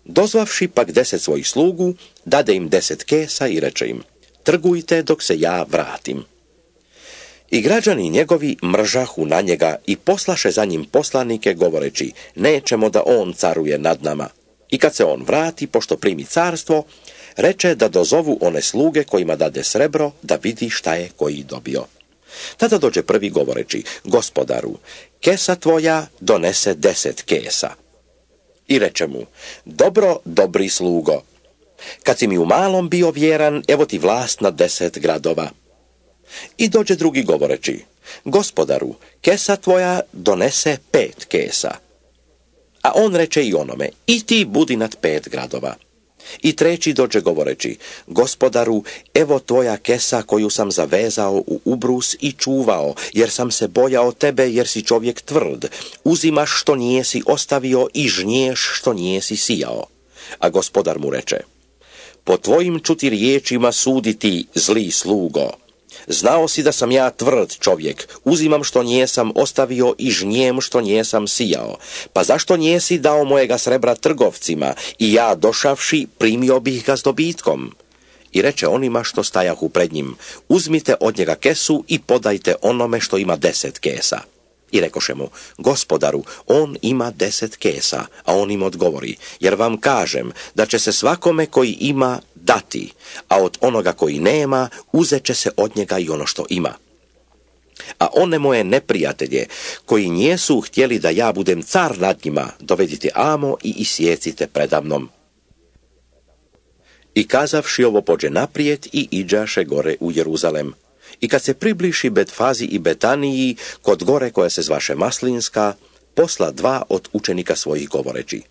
Dozvavši pak deset svojih slugu, dade im deset kesa i reče im, trgujte dok se ja vratim. I građani njegovi mržahu na njega i poslaše za njim poslanike govoreći, nećemo da on caruje nad nama. I kad se on vrati, pošto primi carstvo, reče da dozovu one sluge kojima dade srebro, da vidi šta je koji dobio. Tada dođe prvi govoreći, gospodaru, kesa tvoja donese deset kesa. I reče mu, dobro, dobri slugo, kad si mi u malom bio vjeran, evo ti vlast nad deset gradova. I dođe drugi govoreći, gospodaru, kesa tvoja donese pet kesa. A on reče i onome, i ti budi nad pet gradova. I treći dođe govoreći, gospodaru, evo tvoja kesa koju sam zavezao u ubrus i čuvao, jer sam se bojao tebe, jer si čovjek tvrd. Uzimaš što nijesi ostavio i žnješ što nijesi sijao. A gospodar mu reče, po tvojim ću ti riječima suditi, zli slugo. Znao si da sam ja tvrd čovjek, uzimam što njesam ostavio i žnjem što njesam sijao. Pa zašto njesi dao mojega srebra trgovcima i ja došavši primio bih ga s dobitkom? I reče onima što stajahu pred njim, uzmite od njega kesu i podajte onome što ima deset kesa. I rekoše mu, gospodaru, on ima deset kesa, a on im odgovori, jer vam kažem da će se svakome koji ima dati, a od onoga koji nema uzet će se od njega i ono što ima. A one moje neprijatelje, koji nijesu htjeli da ja budem car nad njima, dovedite amo i isjecite predamnom. I kazavši ovo pođe naprijed i iđaše gore u Jeruzalem. I kad se približi Betfazi i Betaniji, kod gore koja se zvaše Maslinska, posla dva od učenika svojih govoreći,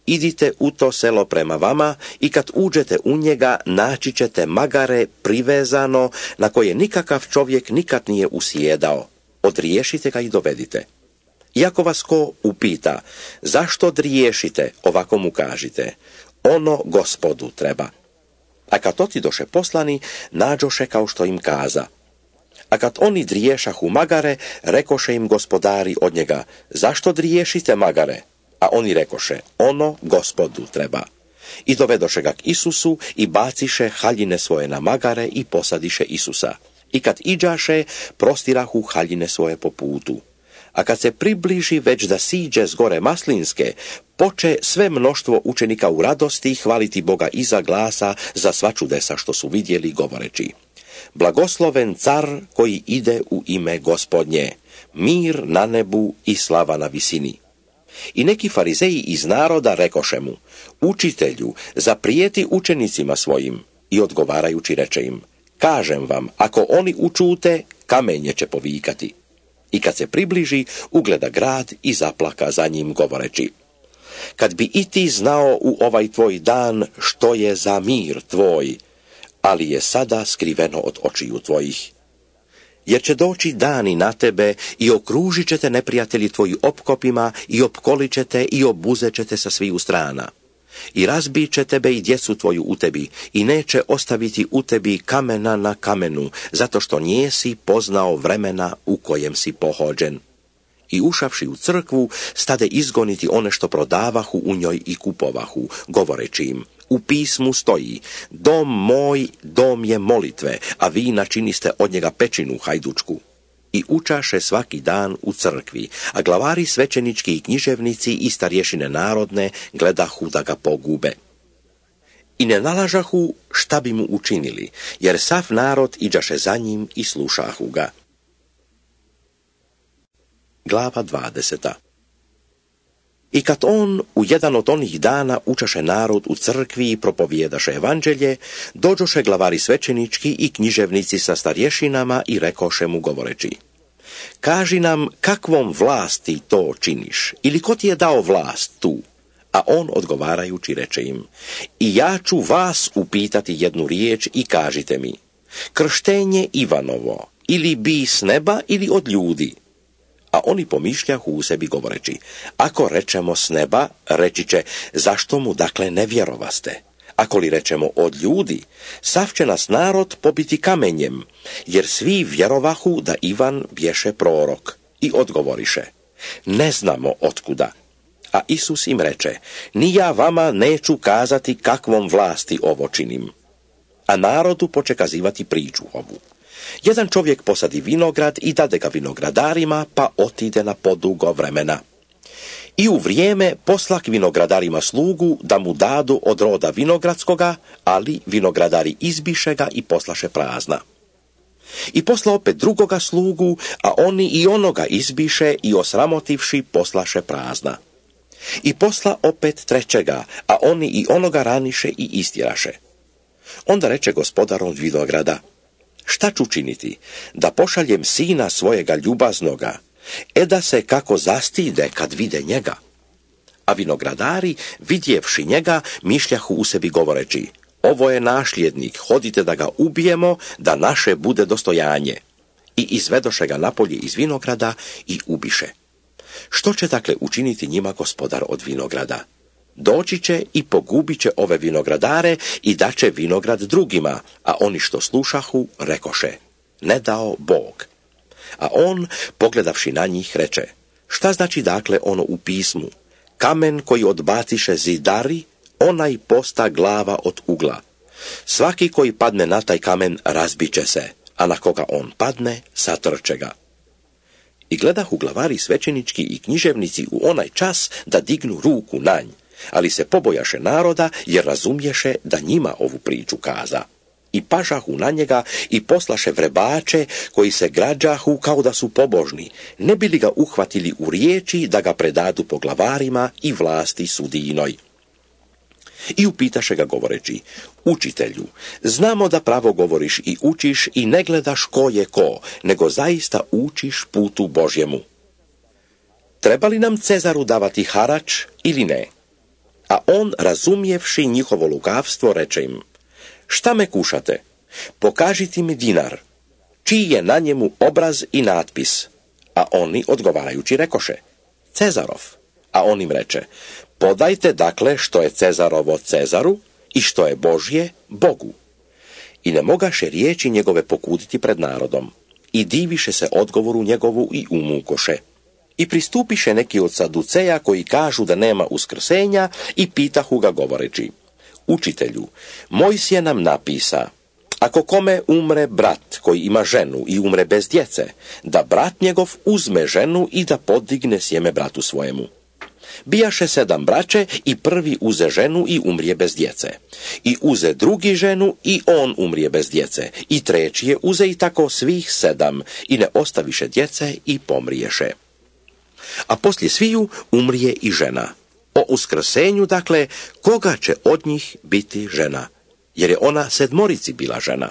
idite u to selo prema vama i kad uđete u njega naći ćete magare privezano na koje nikakav čovjek nikad nije usjedao. Odriješite ga i dovedite. Iako vas ko upita, zašto odriješite, ovako mu kažite, ono Gospodu treba. A kad otidoše poslani, nađoše kao što im kaza. A kad oni driješahu magare, rekoše im gospodari od njega, zašto driješite magare? A oni rekoše, ono Gospodu treba. I dovedoše ga k Isusu i baciše haljine svoje na magare i posadiše Isusa. I kad iđaše, prostirahu haljine svoje po putu. A kad se približi već da siđe s gore Maslinske, poče sve mnoštvo učenika u radosti hvaliti Boga iza glasa za sva čudesa što su vidjeli govoreći, blagosloven car koji ide u ime Gospodnje, mir na nebu i slava na visini. I neki farizeji iz naroda rekoše mu, učitelju, zaprijeti učenicima svojim, i odgovarajući reče im, kažem vam, ako oni učute, kamenje će povikati. I kad se približi, ugleda grad i zaplaka za njim govoreći, kad bi i ti znao u ovaj tvoj dan što je za mir tvoj, ali je sada skriveno od očiju tvojih. Jer će doći dani na tebe i okružit će te neprijatelji tvoji opkopima i opkolit će te i obuzet će te sa sviju strana. I razbit će tebe i djecu tvoju u tebi i neće ostaviti u tebi kamena na kamenu, zato što nijesi poznao vremena u kojem si pohođen. I ušavši u crkvu, stade izgoniti one što prodavahu u njoj i kupovahu, govoreći im, u pismu stoji, dom moj, dom je molitve, a vi načiniste od njega pećinu hajdučku. I učaše svaki dan u crkvi, a glavari svećenički i književnici i starješine narodne gledahu da ga pogube. I ne nalažahu šta bi mu učinili, jer sav narod iđaše za njim i slušahu ga. Glava dvadeseta. I kad on u jedan od onih dana učaše narod u crkvi i propovijedaše evanđelje, dođoše glavari svećenički i književnici sa starješinama i rekoše mu govoreći: kaži nam kakvom vlasti to činiš, ili ko ti je dao vlast tu? A on odgovarajući reče im: i ja ću vas upitati jednu riječ i kažite mi, krštenje Ivanovo, ili bi s neba ili od ljudi? A oni pomišljahu u sebi govoreći: ako rečemo s neba, reći će, zašto mu dakle ne vjerovaste? Ako li rečemo od ljudi, sav će nas narod pobiti kamenjem, jer svi vjerovahu da Ivan bješe prorok. I odgovoriše: ne znamo otkuda. A Isus im reče: ni ja vama neću kazati kakvom vlasti ovo činim. A narodu poče kazivati priču ovu. Jedan čovjek posadi vinograd i dade ga vinogradarima, pa otide na podugo vremena. I u vrijeme poslak vinogradarima slugu da mu dadu od roda vinogradskoga, ali vinogradari izbiše ga i poslaše prazna. I posla opet drugoga slugu, a oni i onoga izbiše i osramotivši poslaše prazna. I posla opet trećega, a oni i onoga raniše i istjeraše. Onda reče gospodar od vinograda: šta ću činiti? Da pošaljem sina svojega ljubaznoga, e da se kako zastide kad vide njega. A vinogradari, vidjevši njega, mišljahu u sebi govoreći: ovo je nasljednik, hodite da ga ubijemo, da naše bude dostojanje. I izvedoše ga napolje iz vinograda i ubiše. Što će dakle učiniti njima gospodar od vinograda? Doći će i pogubit će ove vinogradare i daće vinograd drugima, a oni što slušahu rekoše: ne dao Bog. A on, pogledavši na njih, reče: šta znači dakle ono u pismu? Kamen koji odbaciše zidari, onaj posta glava od ugla. Svaki koji padne na taj kamen razbiće se, a na koga on padne, satrče ga. I gledahu glavari svećenički i književnici u onaj čas da dignu ruku na nj, ali se pobojaše naroda, jer razumješe da njima ovu priču kaza. I pažahu na njega i poslaše vrebače koji se građahu kao da su pobožni, ne bi li ga uhvatili u riječi da ga predadu po glavarima i vlasti sudijinoj. I upitaše ga govoreći: učitelju, znamo da pravo govoriš i učiš i ne gledaš ko je ko, nego zaista učiš putu Božjemu. Treba li nam Cezaru davati harač ili ne? A on, razumjevši njihovo lukavstvo, reče im: šta me kušate? Pokažite mi dinar, čiji je na njemu obraz i natpis. A oni odgovarajući rekoše: Cezarov. A on im reče: podajte dakle što je Cezarovo Cezaru i što je Božje Bogu. I ne mogaše riječi njegove pokuditi pred narodom. I diviše se odgovoru njegovu i umukoše. I pristupiše neki od saduceja koji kažu da nema uskrsenja i pitahu ga govoreći: učitelju, Mojsije nam napisa, ako kome umre brat koji ima ženu i umre bez djece, da brat njegov uzme ženu i da podigne sjeme bratu svojemu. Bijaše sedam braće i prvi uze ženu i umrije bez djece. I uze drugi ženu i on umrije bez djece. I treći je uze i tako svih sedam i ne ostaviše djece i pomriješe. A poslije sviju umrije i žena. O uskrsenju, dakle, koga će od njih biti žena? Jer je ona sedmorici bila žena.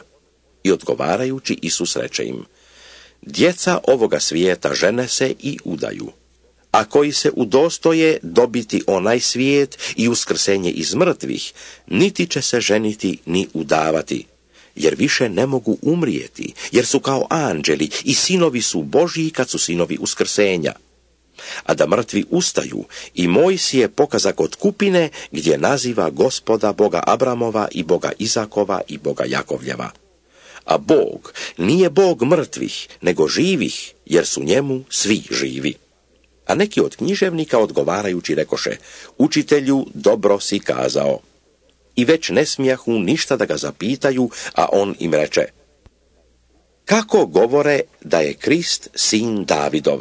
I odgovarajući Isus reče im: djeca ovoga svijeta žene se i udaju. A koji se udostoje dobiti onaj svijet i uskrsenje iz mrtvih, niti će se ženiti ni udavati, jer više ne mogu umrijeti, jer su kao anđeli i sinovi su Božji kad su sinovi uskrsenja. A da mrtvi ustaju, i Mojsije pokaza kod kupine gdje naziva Gospoda Boga Abramova i Boga Izakova i Boga Jakovljeva. A Bog nije Bog mrtvih, nego živih, jer su njemu svi živi. A neki od književnika odgovarajući rekoše: učitelju, dobro si kazao. I već ne smijahu ništa da ga zapitaju, a on im reče: kako govore da je Krist sin Davidov?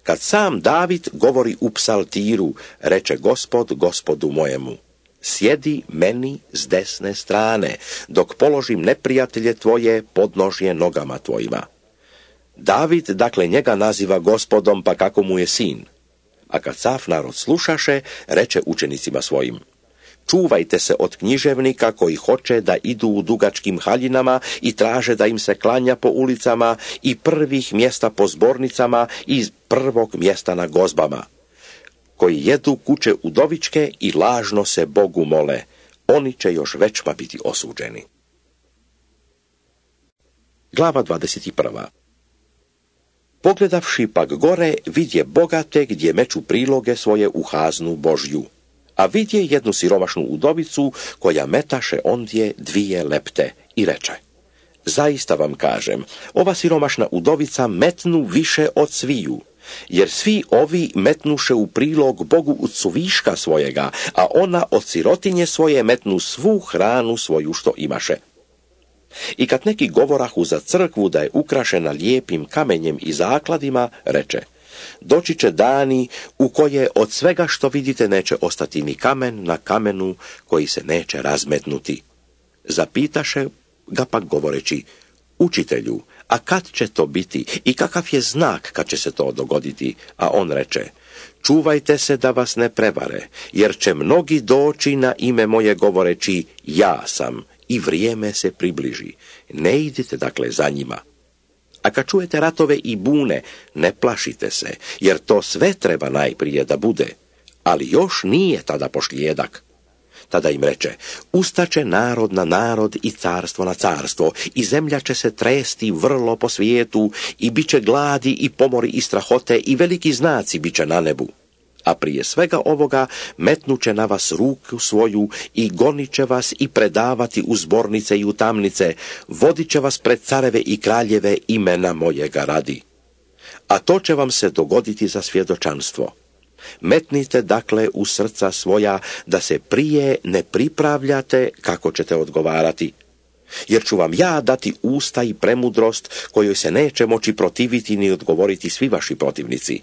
Kad sam David govori u psaltiru, reče Gospod Gospodu mojemu: sjedi meni s desne strane, dok položim neprijatelje tvoje podnožje nogama tvojima. David dakle njega naziva Gospodom, pa kako mu je sin. A kad sav narod slušaše, reče učenicima svojim: čuvajte se od književnika koji hoće da idu u dugačkim haljinama i traže da im se klanja po ulicama i prvih mjesta po zbornicama i prvog mjesta na gozbama, koji jedu kuće udovičke i lažno se Bogu mole. Oni će još većma biti osuđeni. Glava dvadeset prva. Pogledavši pak gore, vidje bogate gdje meču priloge svoje u haznu Božju. A vidje jednu siromašnu udovicu koja metaše ondje dvije lepte i reče: zaista vam kažem, ova siromašna udovica metnu više od sviju, jer svi ovi metnuše u prilog Bogu od suviška svojega, a ona od sirotinje svoje metnu svu hranu svoju što imaše. I kad neki govorahu za crkvu da je ukrašena lijepim kamenjem i zakladima, reče: doći će dani u koje od svega što vidite neće ostati ni kamen na kamenu koji se neće razmetnuti. Zapitaše ga pak govoreći: učitelju, a kad će to biti i kakav je znak kad će se to dogoditi? A on reče: čuvajte se da vas ne prevare, jer će mnogi doći na ime moje govoreći: ja sam, i vrijeme se približi. Ne idite dakle za njima. A kad čujete ratove i bune, ne plašite se, jer to sve treba najprije da bude, ali još nije tada pošlijedak. Tada im reče: ustaće narod na narod i carstvo na carstvo, i zemlja će se tresti vrlo po svijetu, i bit će gladi i pomori i strahote, i veliki znaci bit će na nebu. A prije svega ovoga metnuće na vas ruku svoju i gonit će vas i predavati u zbornice i u tamnice, vodit će vas pred careve i kraljeve imena mojega radi. A to će vam se dogoditi za svjedočanstvo. Metnite dakle u srca svoja da se prije ne pripravljate kako ćete odgovarati. Jer ću vam ja dati usta i premudrost kojoj se neće moći protiviti ni odgovoriti svi vaši protivnici.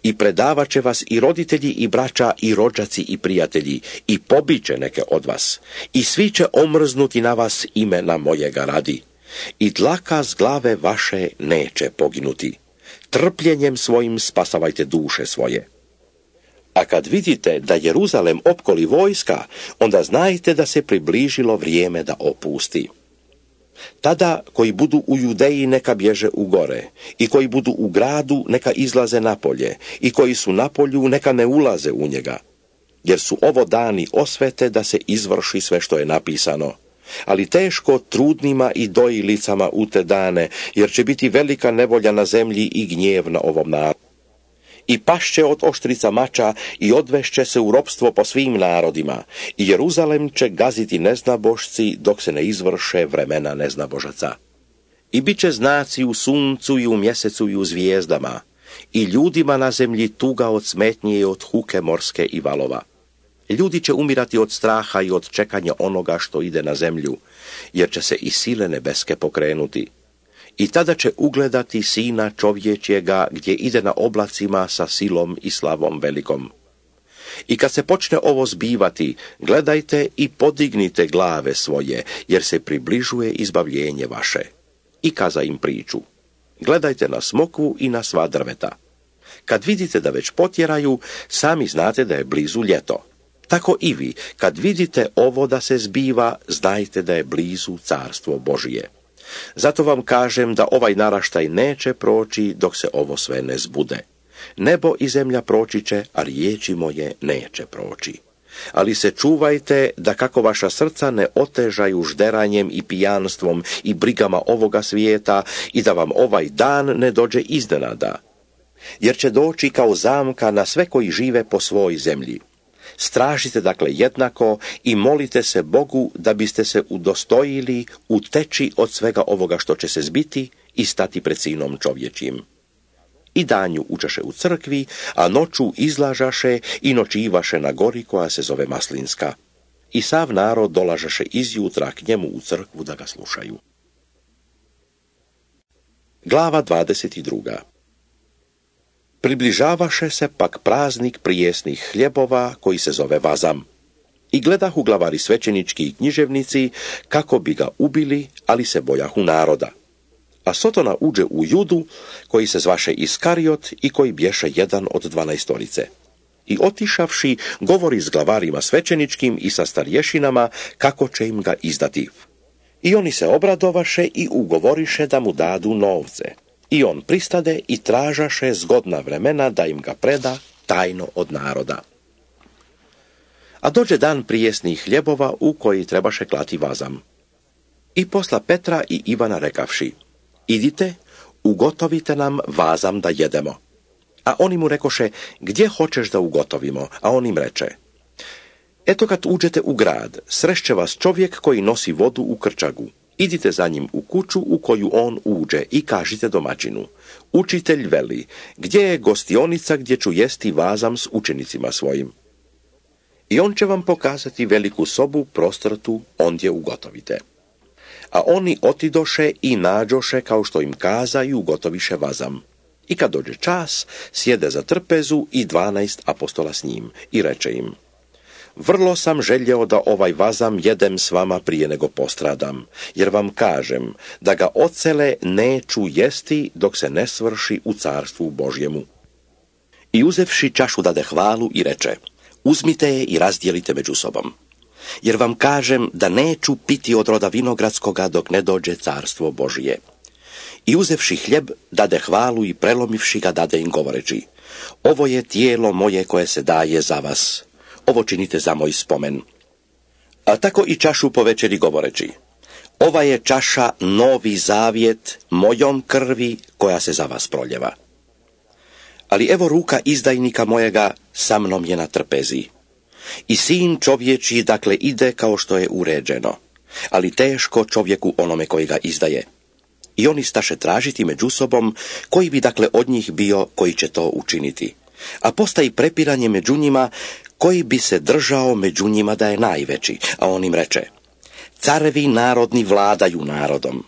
I predavat će vas i roditelji i braća i rođaci i prijatelji, i pobiće neke od vas, i svi će omrznuti na vas imena mojega radi. I dlaka s glave vaše neće poginuti. Trpljenjem svojim spasavajte duše svoje. A kad vidite da Jeruzalem opkoli vojska, onda znajte da se približilo vrijeme da opusti. Tada koji budu u Judeji neka bježe u gore, i koji budu u gradu neka izlaze napolje, i koji su na polju neka ne ulaze u njega. Jer su ovo dani osvete da se izvrši sve što je napisano. Ali teško trudnima i dojilicama u te dane, jer će biti velika nevolja na zemlji i gnjev na ovom narodu. I pašće od oštrica mača i odvešće se u ropstvo po svim narodima, i Jeruzalem će gaziti neznabošci dok se ne izvrše vremena neznabožaca. I bit će znaci u suncu i u mjesecu i u zvijezdama, i ljudima na zemlji tuga od smetnje i od huke morske i valova. Ljudi će umirati od straha i od čekanja onoga što ide na zemlju, jer će se i sile nebeske pokrenuti. I tada će ugledati sina čovječjega gdje ide na oblacima sa silom i slavom velikom. I kad se počne ovo zbivati, gledajte i podignite glave svoje, jer se približuje izbavljenje vaše. I kaza im priču: gledajte na smokvu i na sva drveta. Kad vidite da već potjeraju, sami znate da je blizu ljeto. Tako i vi, kad vidite ovo da se zbiva, znajte da je blizu carstvo Božije. Zato vam kažem da ovaj naraštaj neće proći dok se ovo sve ne zbude. Nebo i zemlja proći će, a riječi moje neće proći. Ali se čuvajte da kako vaša srca ne otežaju žderanjem i pijanstvom i brigama ovoga svijeta, i da vam ovaj dan ne dođe iznenada. Jer će doći kao zamka na sve koji žive po svoj zemlji. Stražite dakle jednako i molite se Bogu da biste se udostojili uteći od svega ovoga što će se zbiti i stati pred sinom čovječim. I danju učaše u crkvi, a noću izlažaše i noćivaše na gori koja se zove Maslinska. I sav narod dolažaše izjutra k njemu u crkvu da ga slušaju. Glava dvadeset druga. Približavaše se pak praznik prijesnih hljebova koji se zove Vazam. I gledahu glavari svećenički i književnici kako bi ga ubili, ali se bojahu naroda. A Sotona uđe u Judu, koji se zvaše Iskariot i koji bješe jedan od dvanaestorice. I otišavši, govori s glavarima svećeničkim i sa starješinama kako će im ga izdati. I oni se obradovaše i ugovoriše da mu dadu novce. I on pristade i tražaše zgodna vremena da im ga preda tajno od naroda. A dođe dan prijesnih hljebova u koji trebaše klati vazam. I posla Petra i Ivana rekavši: idite, ugotovite nam vazam da jedemo. A oni mu rekoše: gdje hoćeš da ugotovimo? A on im reče: eto kad uđete u grad, srešće vas čovjek koji nosi vodu u krčagu. Idite za njim u kuću u koju on uđe i kažite domaćinu: učitelj veli, gdje je gostionica gdje ću jesti vazam s učenicima svojim? I on će vam pokazati veliku sobu prostrtu, ondje ugotovite. A oni otidoše i nađoše kao što im kaza i ugotoviše vazam. I kad dođe čas, sjede za trpezu i dvanaest apostola s njim i reče im: vrlo sam željeo da ovaj vazam jedem s vama prije nego postradam, jer vam kažem da ga ocele neću jesti dok se ne svrši u carstvu Božjemu. I uzevši čašu dade hvalu i reče: uzmite je i razdijelite među sobom. Jer vam kažem da neću piti od roda vinogradskoga dok ne dođe carstvo Božije. I uzevši hljeb, dade hvalu i prelomivši ga dade im govoreći: ovo je tijelo moje koje se daje za vas. Ovo činite za moj spomen. A tako i čašu po večeri govoreći: ova je čaša novi zavjet mojom krvi koja se za vas proljeva. Ali evo ruka izdajnika mojega sa mnom je na trpezi. I sin čovječiji dakle ide kao što je uređeno, ali teško čovjeku onome koji ga izdaje. I oni staše tražiti među sobom koji bi dakle od njih bio koji će to učiniti. A postaji prepiranje među njima koji bi se držao među njima da je najveći. A on im reče: carevi narodni vladaju narodom,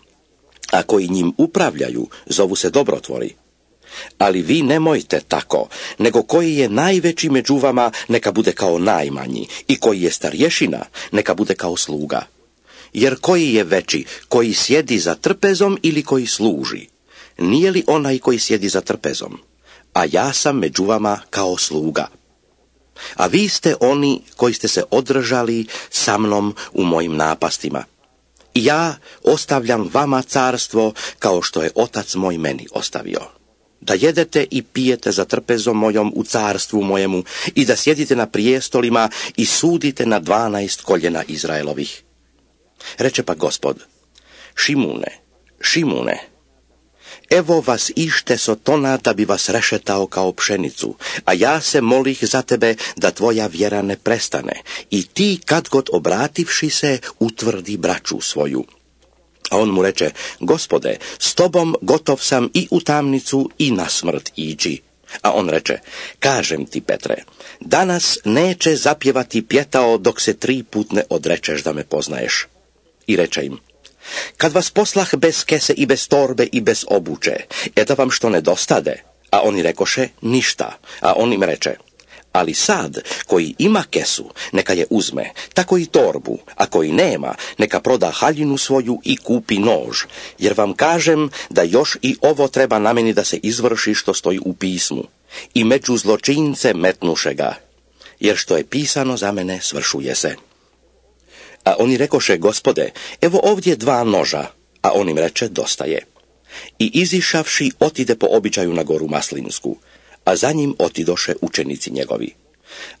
a koji njim upravljaju zovu se dobrotvori. Ali vi nemojte tako, nego koji je najveći među vama neka bude kao najmanji, i koji je starješina neka bude kao sluga. Jer koji je veći, koji sjedi za trpezom ili koji služi? Nije li onaj koji sjedi za trpezom? A ja sam među vama kao sluga. A vi ste oni koji ste se održali sa mnom u mojim napastima. I ja ostavljam vama carstvo kao što je otac moj meni ostavio. Da jedete i pijete za trpezom mojom u carstvu mojemu i da sjedite na prijestolima i sudite na dvanaest koljena Izraelovih. Reče pa Gospod: Šimune, Šimune, evo vas ište Sotona da bi vas rešetao kao pšenicu, a ja se molih za tebe da tvoja vjera ne prestane i ti kad god obrativši se utvrdi braću svoju. A on mu reče: Gospode, s tobom gotov sam i u tamnicu i na smrt ići. A on reče: kažem ti, Petre, danas neće zapjevati pjetao dok se tri put ne odrečeš da me poznaješ. I reče im: kad vas poslah bez kese i bez torbe i bez obuće, e da vam što nedostade? A oni rekoše: ništa. A on im reče: ali sad, koji ima kesu, neka je uzme, tako i torbu, a koji nema, neka proda haljinu svoju i kupi nož, jer vam kažem da još i ovo treba na meni da se izvrši što stoji u pismu. I među zločince metnuše ga, jer što je pisano za mene svršuje se. A oni rekoše: Gospode, evo ovdje dva noža. A on im reče: dosta je. I izišavši otide po običaju na goru Maslinsku, a za njim otidoše učenici njegovi.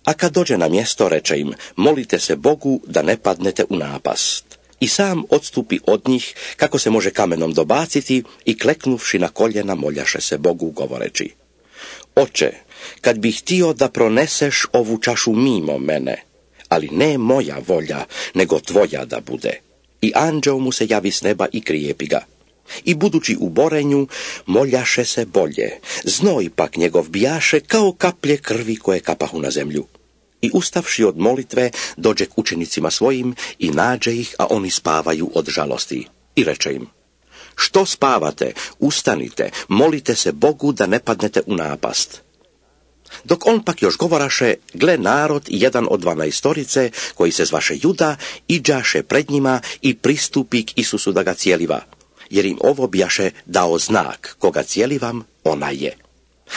A kad dođe na mjesto, reče im: molite se Bogu da ne padnete u napast. I sam odstupi od njih, kako se može kamenom dobaciti, i kleknuvši na koljena moljaše se Bogu, govoreći: Oče, kad bih htio da proneseš ovu čašu mimo mene, ali ne moja volja, nego tvoja da bude. I anđeo mu se javi s neba i krijepi ga. I budući u borenju, moljaše se bolje. Znoj pak njegov bijaše kao kaplje krvi koje kapahu na zemlju. I ustavši od molitve, dođe k učenicima svojim i nađe ih, a oni spavaju od žalosti. I reče im: što spavate? Ustanite, molite se Bogu da ne padnete u napast. Dok on pak još govoraše, gle, narod jedan od dvanaestorice, koji se zvaše Juda, iđaše pred njima i pristupi k Isusu da ga cijeliva. jer im ovo bijaše dao znak, koga cijeli vam, ona je.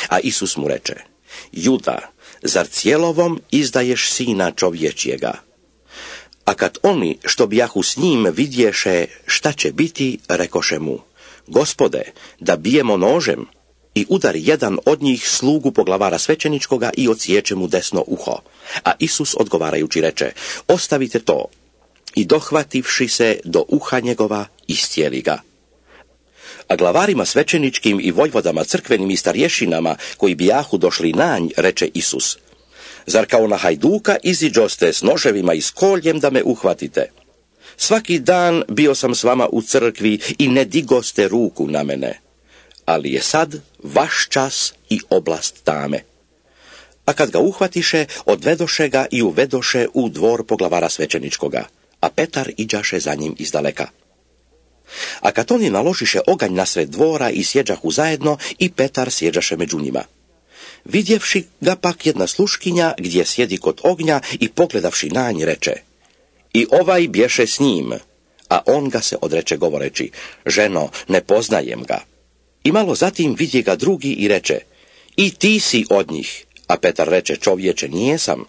A Isus mu reče, Juda, zar cijelovom izdaješ sina čovječjega? A kad oni, što bijahu s njim, vidješe šta će biti, rekoše mu, Gospode, da bijemo nožem, i udari jedan od njih slugu poglavara svećeničkoga i odsječe mu desno uho. A Isus odgovarajući reče, ostavite to, i dohvativši se do uha njegova, iscijeli ga. A glavarima svećeničkim i vojvodama crkvenim i starješinama, koji bijahu došli na nj, reče Isus, zar kao na hajduka iziđoste s noževima i s koljem da me uhvatite? Svaki dan bio sam s vama u crkvi i ne digoste ruku na mene. Ali je sad vaš čas i oblast tame. A kad ga uhvatiše, odvedoše ga i uvedoše u dvor poglavara svećeničkoga, a Petar iđaše za njim izdaleka. A kad oni naložiše oganj na sred dvora i sjeđahu zajedno, i Petar sjeđaše među njima. Vidjevši ga pak jedna sluškinja gdje sjedi kod ognja i pogledavši na nj reče, i ovaj bješe s njim, a on ga se odreče govoreći, ženo, ne poznajem ga. I malo zatim vidje ga drugi i reče, i ti si od njih, a Petar reče, čovječe, nijesam.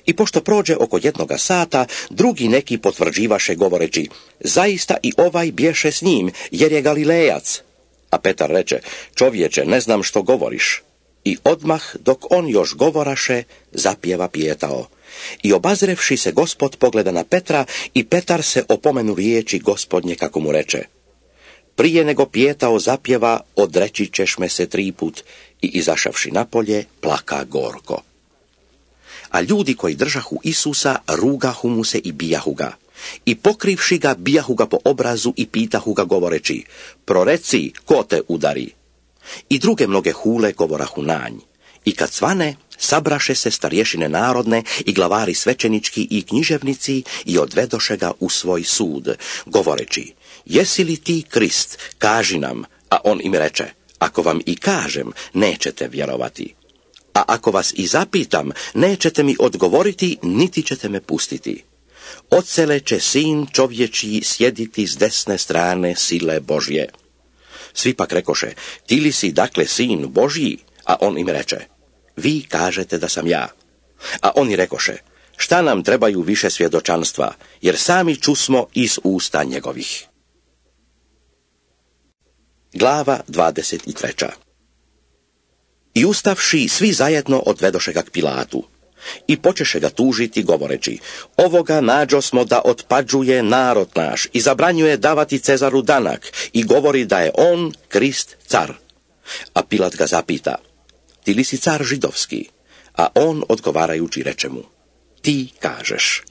I pošto prođe oko jednoga sata, drugi neki potvrđivaše govoreći, zaista i ovaj bješe s njim, jer je Galilejac. A Petar reče, čovječe, ne znam što govoriš. I odmah, dok on još govoraše, zapjeva pijetao. I obazrevši se Gospod pogleda na Petra, i Petar se opomenu riječi Gospodnje kako mu reče, prije nego pijetao zapjeva, odreći ćeš me se tri put, i izašavši napolje, plaka gorko. A ljudi koji držahu Isusa, rugahu mu se i bijahu ga. I pokrivši ga, bijahu ga po obrazu i pitahu ga govoreći, proreci, ko te udari? I druge mnoge hule govorahu nanj. I kad svane, sabraše se starješine narodne i glavari svećenički i književnici i odvedoše ga u svoj sud, govoreći, jesi li ti Krist, kaži nam, a on im reče, ako vam i kažem, nećete vjerovati. A ako vas i zapitam, nećete mi odgovoriti, niti ćete me pustiti. Odsele će sin čovječji sjediti s desne strane sile Božje. Svi pak rekoše, ti li si dakle sin Božji? A on im reče, vi kažete da sam ja. A oni rekoše, šta nam trebaju više svjedočanstva, jer sami čusmo iz usta njegovih. Glava dvadeset treća. I ustavši, svi zajedno odvedoše ga k Pilatu. I počeše ga tužiti, govoreći, ovoga nađo smo da otpađuje narod naš i zabranjuje davati Cezaru danak i govori da je on, Krist, car. A Pilat ga zapita, ti li si car židovski? A on odgovarajući reče mu, ti kažeš.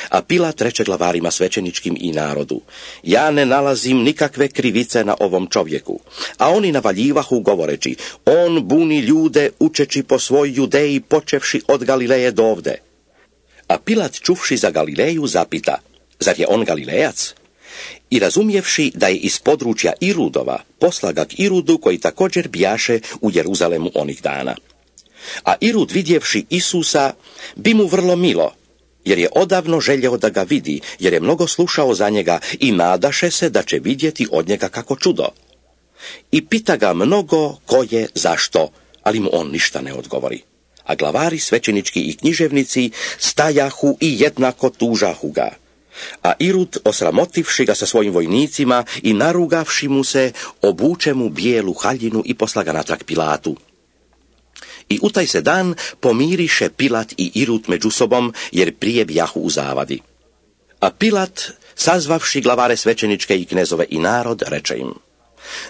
A Pilat reče glavarima svećeničkim i narodu, ja ne nalazim nikakve krivice na ovom čovjeku. A oni navaljivahu govoreći, on buni ljude učeći po svoj Judeji počevši od Galileje do ovde. A Pilat čuvši za Galileju zapita, zar je on Galilejac? I razumjevši da je iz područja Irudova, posla ga k Irudu koji također bijaše u Jeruzalemu onih dana. A Irud vidjevši Isusa, bi mu vrlo milo, jer je odavno željeo da ga vidi, jer je mnogo slušao za njega i nadaše se da će vidjeti od njega kako čudo. I pita ga mnogo ko je, zašto, ali mu on ništa ne odgovori. A glavari svećenički i književnici stajahu i jednako tužahu ga. A Irud, osramotivši ga sa svojim vojnicima i narugavši mu se, obuče mu bijelu haljinu i posla ga natrag Pilatu. I u taj se dan pomiriše Pilat i Irud među sobom, jer prije bijahu u zavadi. A Pilat, sazvavši glavare svećeničke i knezove i narod, reče im,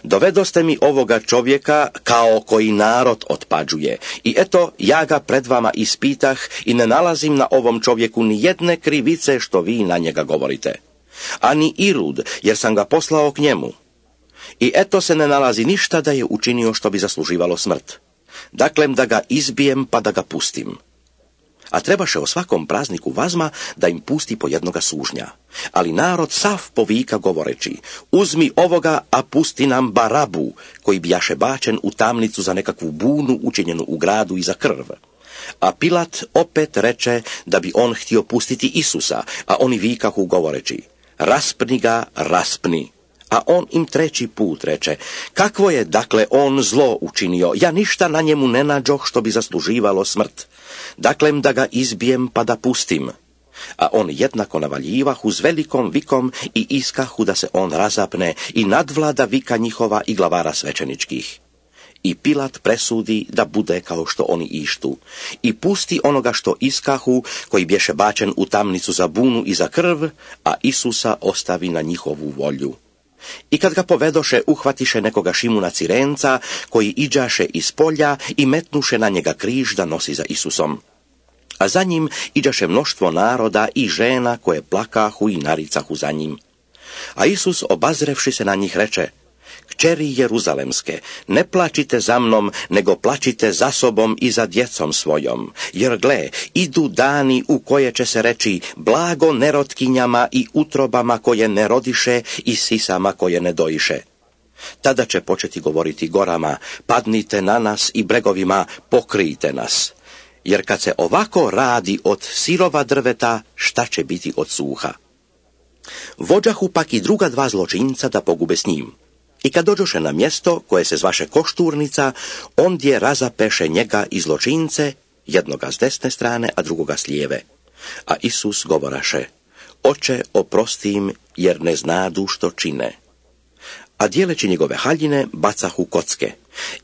dovedoste mi ovoga čovjeka kao koji narod otpađuje. I eto, ja ga pred vama ispitah i ne nalazim na ovom čovjeku ni jedne krivice što vi na njega govorite. Ani Irud, jer sam ga poslao k njemu. I eto se ne nalazi ništa da je učinio što bi zasluživalo smrt. Daklem da ga izbijem pa da ga pustim. A trebaše o svakom prazniku vazma da im pusti po jednoga sužnja. Ali narod sav povika govoreći, uzmi ovoga, a pusti nam Barabu, koji bijaše bačen u tamnicu za nekakvu bunu učinjenu u gradu i za krv. A Pilat opet reče da bi on htio pustiti Isusa, a oni vikahu govoreći, raspni ga, raspni. A on im treći put reče: kakvo je dakle on zlo učinio? Ja ništa na njemu ne nađoh što bi zasluživalo smrt. Daklem da ga izbijem pa da pustim. A on jednako navaljivah uz velikom vikom i iskahu da se on razapne i nadvlada vika njihova i glavara svećeničkih. I Pilat presudi da bude kao što oni ištu i pusti onoga što iskahu, koji bješe bačen u tamnicu za bunu i za krv, a Isusa ostavi na njihovu volju. I kad ga povedoše, uhvatiše nekoga Šimuna Cirenca, koji iđaše iz polja i metnuše na njega križ da nosi za Isusom. A za njim iđaše mnoštvo naroda i žena koje plakahu i naricahu za njim. A Isus, obazrevši se na njih, reče: kćeri Jeruzalemske, ne plačite za mnom, nego plačite za sobom i za djecom svojom. Jer gle, idu dani u koje će se reći: blago nerotkinjama i utrobama koje ne rodiše i sisama koje ne dojiše. Tada će početi govoriti gorama: padnite na nas, i bregovima: pokrijte nas. Jer kad se ovako radi od sirova drveta, šta će biti od suha? Vođahu pak i druga dva zločinca da pogube s njim. I kad dođoše na mjesto koje se zvaše Košturnica, ondje razapeše njega i zločince, jednoga s desne strane, a drugoga s lijeve. A Isus govoraše: oče, oprosti im, jer ne znadu što čine. A dijeleći njegove haljine, bacahu kocke.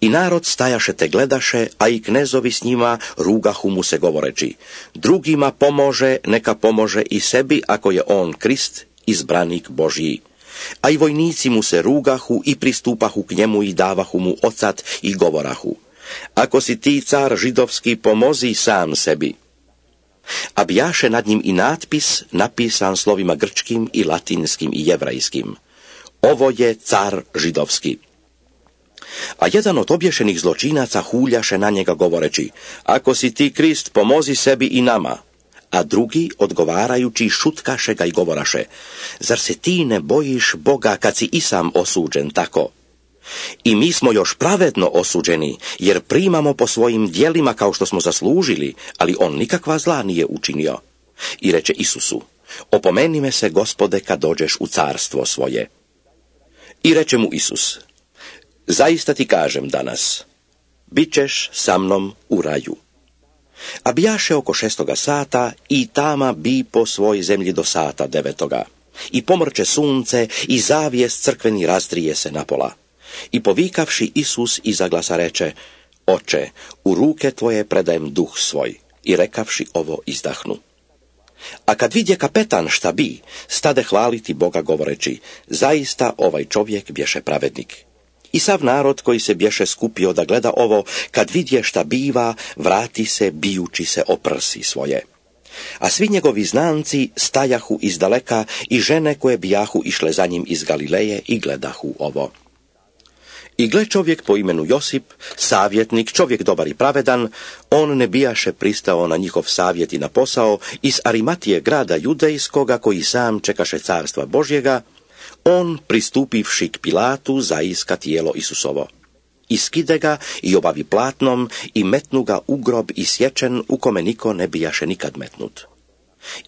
I narod stajaše te gledaše, a i knezovi s njima rugahu mu se govoreći: drugima pomože, neka pomože i sebi, ako je on Krist, izbranik Božji. A i vojnici mu se rugahu i pristupahu k njemu i davahu mu ocat i govorahu: ako si ti car židovski, pomozi sam sebi. A bijaše nad njim i natpis napisan slovima grčkim i latinskim i jevrajskim: ovo je car židovski. A jedan od obješenih zločinaca huljaše na njega govoreći: ako si ti Krist, pomozi sebi i nama. A drugi, odgovarajući, šutkaše ga i govoraše: zar se ti ne bojiš Boga, kad si i sam osuđen tako? I mi smo još pravedno osuđeni, jer primamo po svojim djelima kao što smo zaslužili, ali on nikakva zla nije učinio. I reče Isusu: opomeni me se, Gospode, kad dođeš u carstvo svoje. I reče mu Isus: zaista ti kažem danas, bit ćeš sa mnom u raju. A bijaše oko šestoga sata i tama bi po svoj zemlji do sata devetoga. I pomrče sunce i zavijes crkveni razdraje se napola. I povikavši Isus iza glasa reče: oče, u ruke tvoje predajem duh svoj. I rekavši ovo izdahnu. A kad vidje kapetan šta bi, stade hvaliti Boga govoreći: zaista ovaj čovjek bješe pravednik. I sav narod koji se bješe skupio da gleda ovo, kad vidje šta biva, vrati se bijući se o prsi svoje. A svi njegovi znanci stajahu izdaleka i žene koje bijahu išle za njim iz Galileje i gledahu ovo. I gle, čovjek po imenu Josip, savjetnik, čovjek dobar i pravedan, on ne bijaše pristao na njihov savjet i na posao, iz Arimatije grada judejskoga, koji sam čekaše carstva Božjega, on, pristupivši k Pilatu, zaiska tijelo Isusovo. I skide ga i obavi platnom i metnu ga u grob i sječen, u kome niko ne bijaše nikad metnut.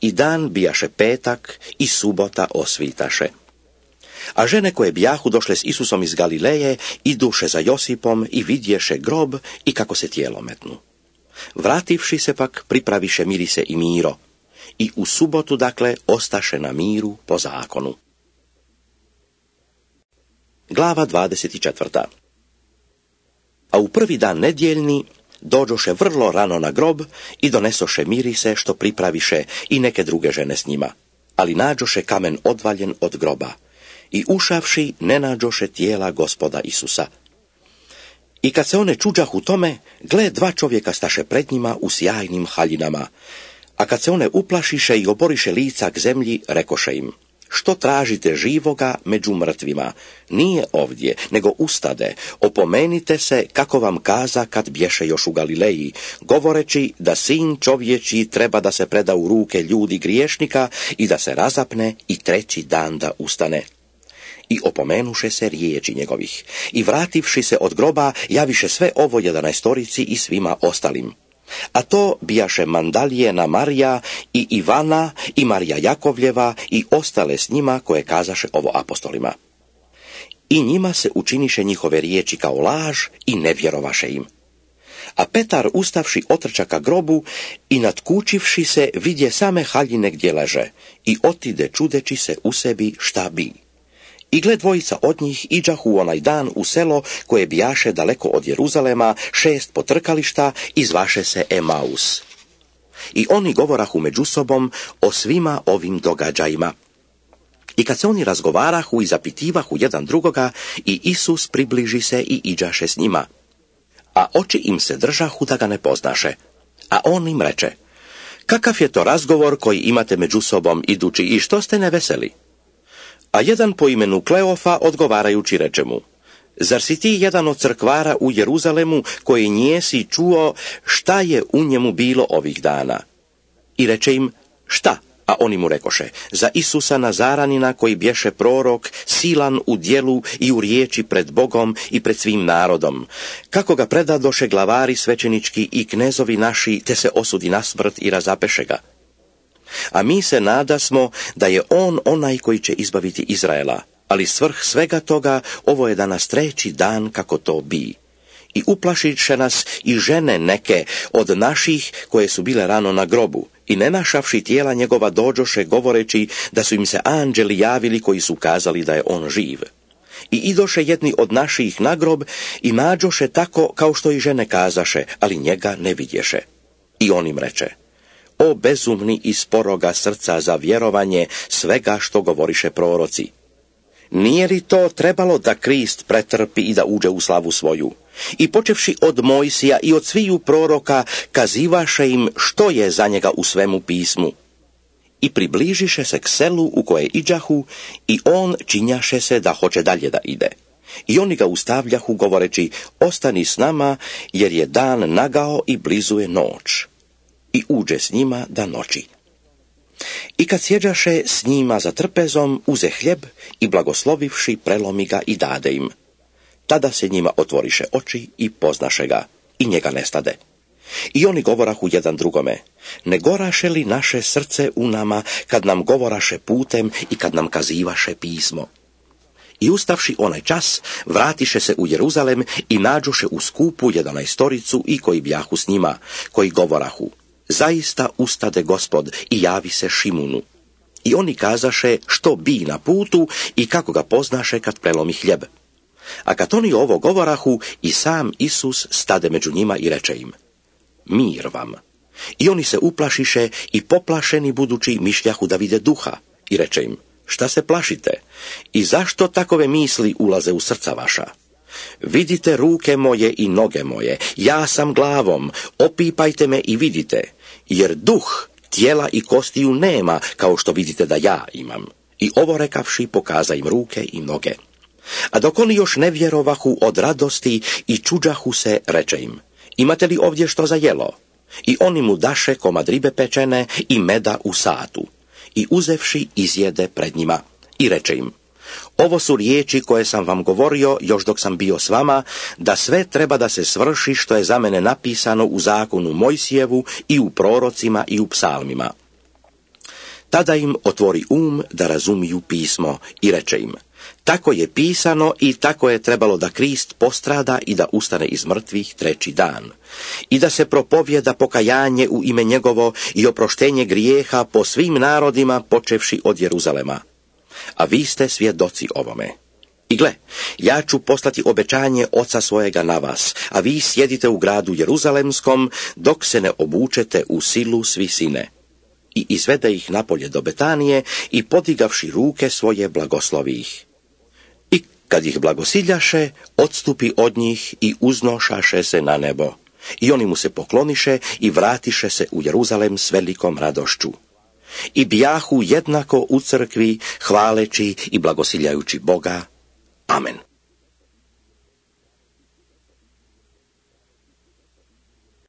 I dan bijaše petak i subota osvitaše. A žene koje bijahu došle s Isusom iz Galileje, iduše za Josipom i vidješe grob i kako se tijelo metnu. Vrativši se pak, pripraviše mirise i miro. I u subotu, dakle, ostaše na miru po zakonu. Glava dvadeset četvrta. A u prvi dan nedjeljni dođoše vrlo rano na grob i donesoše mirise što pripraviše i neke druge žene s njima, ali nađoše kamen odvaljen od groba i ušavši ne nađoše tijela Gospoda Isusa. I kad se one čuđahu tome, gle, dva čovjeka staše pred njima u sjajnim haljinama, a kad se one uplašiše i oboriše lica k zemlji, rekoše im: što tražite živoga među mrtvima? Nije ovdje, nego ustade, opomenite se kako vam kaza kad bješe još u Galileji, govoreći da sin čovječi treba da se preda u ruke ljudi griješnika i da se razapne i treći dan da ustane. I opomenuše se riječi njegovih. I vrativši se od groba, javiše sve ovo jedanaestorici i svima ostalim. A to bijaše Mandalijena Marija i Ivana i Marija Jakovljeva i ostale s njima koje kazaše ovo apostolima. i njima se učiniše njihove riječi kao laž i ne vjerovaše im. A Petar ustavši otrča ka grobu i natkučivši se vidje same haljine gdje leže i otide čudeći se u sebi šta bi. I gle dvojica od njih iđahu onaj dan u selo koje bijaše daleko od Jeruzalema, šest potrkališta i zvaše se Emaus. I oni govorahu među sobom o svima ovim događajima. I kad se oni razgovarahu i zapitivahu jedan drugoga, i Isus približi se i iđaše s njima. A oči im se držahu da ga ne poznaše. A on im reče: kakav je to razgovor koji imate među sobom idući i što ste neveseli? A jedan po imenu Kleofa odgovarajući reče mu: zar si ti jedan od crkvara u Jeruzalemu koji njesi čuo šta je u njemu bilo ovih dana? I reče im: šta? A oni mu rekoše: za Isusa Nazaranina koji bješe prorok, silan u djelu i u riječi pred Bogom i pred svim narodom, kako ga predadoše glavari svećenički i knezovi naši, te se osudi na smrt i razapeše ga. A mi se nadasmo da je on onaj koji će izbaviti Izraela, ali svrh svega toga ovo je danas treći dan kako to bi. I uplašiše nas i žene neke od naših koje su bile rano na grobu, i ne našavši tijela njegova dođoše govoreći da su im se anđeli javili koji su kazali da je on živ. I idoše jedni od naših na grob i nađoše tako kao što i žene kazaše, ali njega ne vidješe. I on im reče: o bezumni i sporoga srca za vjerovanje svega što govoriše proroci. Nije li to trebalo da Krist pretrpi i da uđe u slavu svoju? I počevši od Mojsija i od sviju proroka, kazivaše im što je za njega u svemu pismu. I približiše se k selu u koje iđahu, i on činjaše se da hoće dalje da ide. I oni ga ustavljahu govoreći: ostani s nama, jer je dan nagao i blizu je noć. I uđe s njima da noći. I kad sjeđaše s njima za trpezom, uze hljeb i blagoslovivši prelomi ga i dade im. Tada se njima otvoriše oči i poznaše ga, i njega nestade. I oni govorahu jedan drugome: ne goraše li naše srce u nama kad nam govoraše putem i kad nam kazivaše pismo? I ustavši onaj čas, vratiše se u Jeruzalem i nađoše u skupu jedanaestoricu i koji bjahu s njima, koji govorahu: zaista ustade Gospod i javi se Šimunu. I oni kazaše što bi na putu i kako ga poznaše kad prelomi hljeb. A kad oni ovo govorahu, i sam Isus stade među njima i reče im: mir vam. I oni se uplašiše i poplašeni budući mišljahu da vide duha, i reče im: šta se plašite? I zašto takove misli ulaze u srca vaša? Vidite ruke moje i noge moje, ja sam glavom, opipajte me i vidite, jer duh tijela i kostiju nema, kao što vidite da ja imam. I ovo rekavši, pokaza im ruke i noge. A dok oni još ne vjerovahu od radosti i čuđahu se, reče im: imate li ovdje što za jelo? I oni mu daše komad ribe pečene i meda u satu. I uzevši izjede pred njima. I reče im: ovo su riječi koje sam vam govorio još dok sam bio s vama, da sve treba da se svrši što je za mene napisano u zakonu Mojsijevu i u prorocima i u psalmima. Tada im otvori um da razumiju pismo i reče im: tako je pisano i tako je trebalo da Krist postrada i da ustane iz mrtvih treći dan. I da se propovjeda pokajanje u ime njegovo i oproštenje grijeha po svim narodima počevši od Jeruzalema. A vi ste svjedoci ovome. I gle, ja ću poslati obećanje Oca svojega na vas, a vi sjedite u gradu Jeruzalemskom dok se ne obučete u silu s visine. I izvede ih napolje do Betanije i podigavši ruke svoje blagoslovi ih. I kad ih blagosiljaše, odstupi od njih i uznošaše se na nebo. I oni mu se pokloniše i vratiše se u Jeruzalem s velikom radošću. I bijahu jednako u crkvi, hvaleći i blagosiljajući Boga. Amen.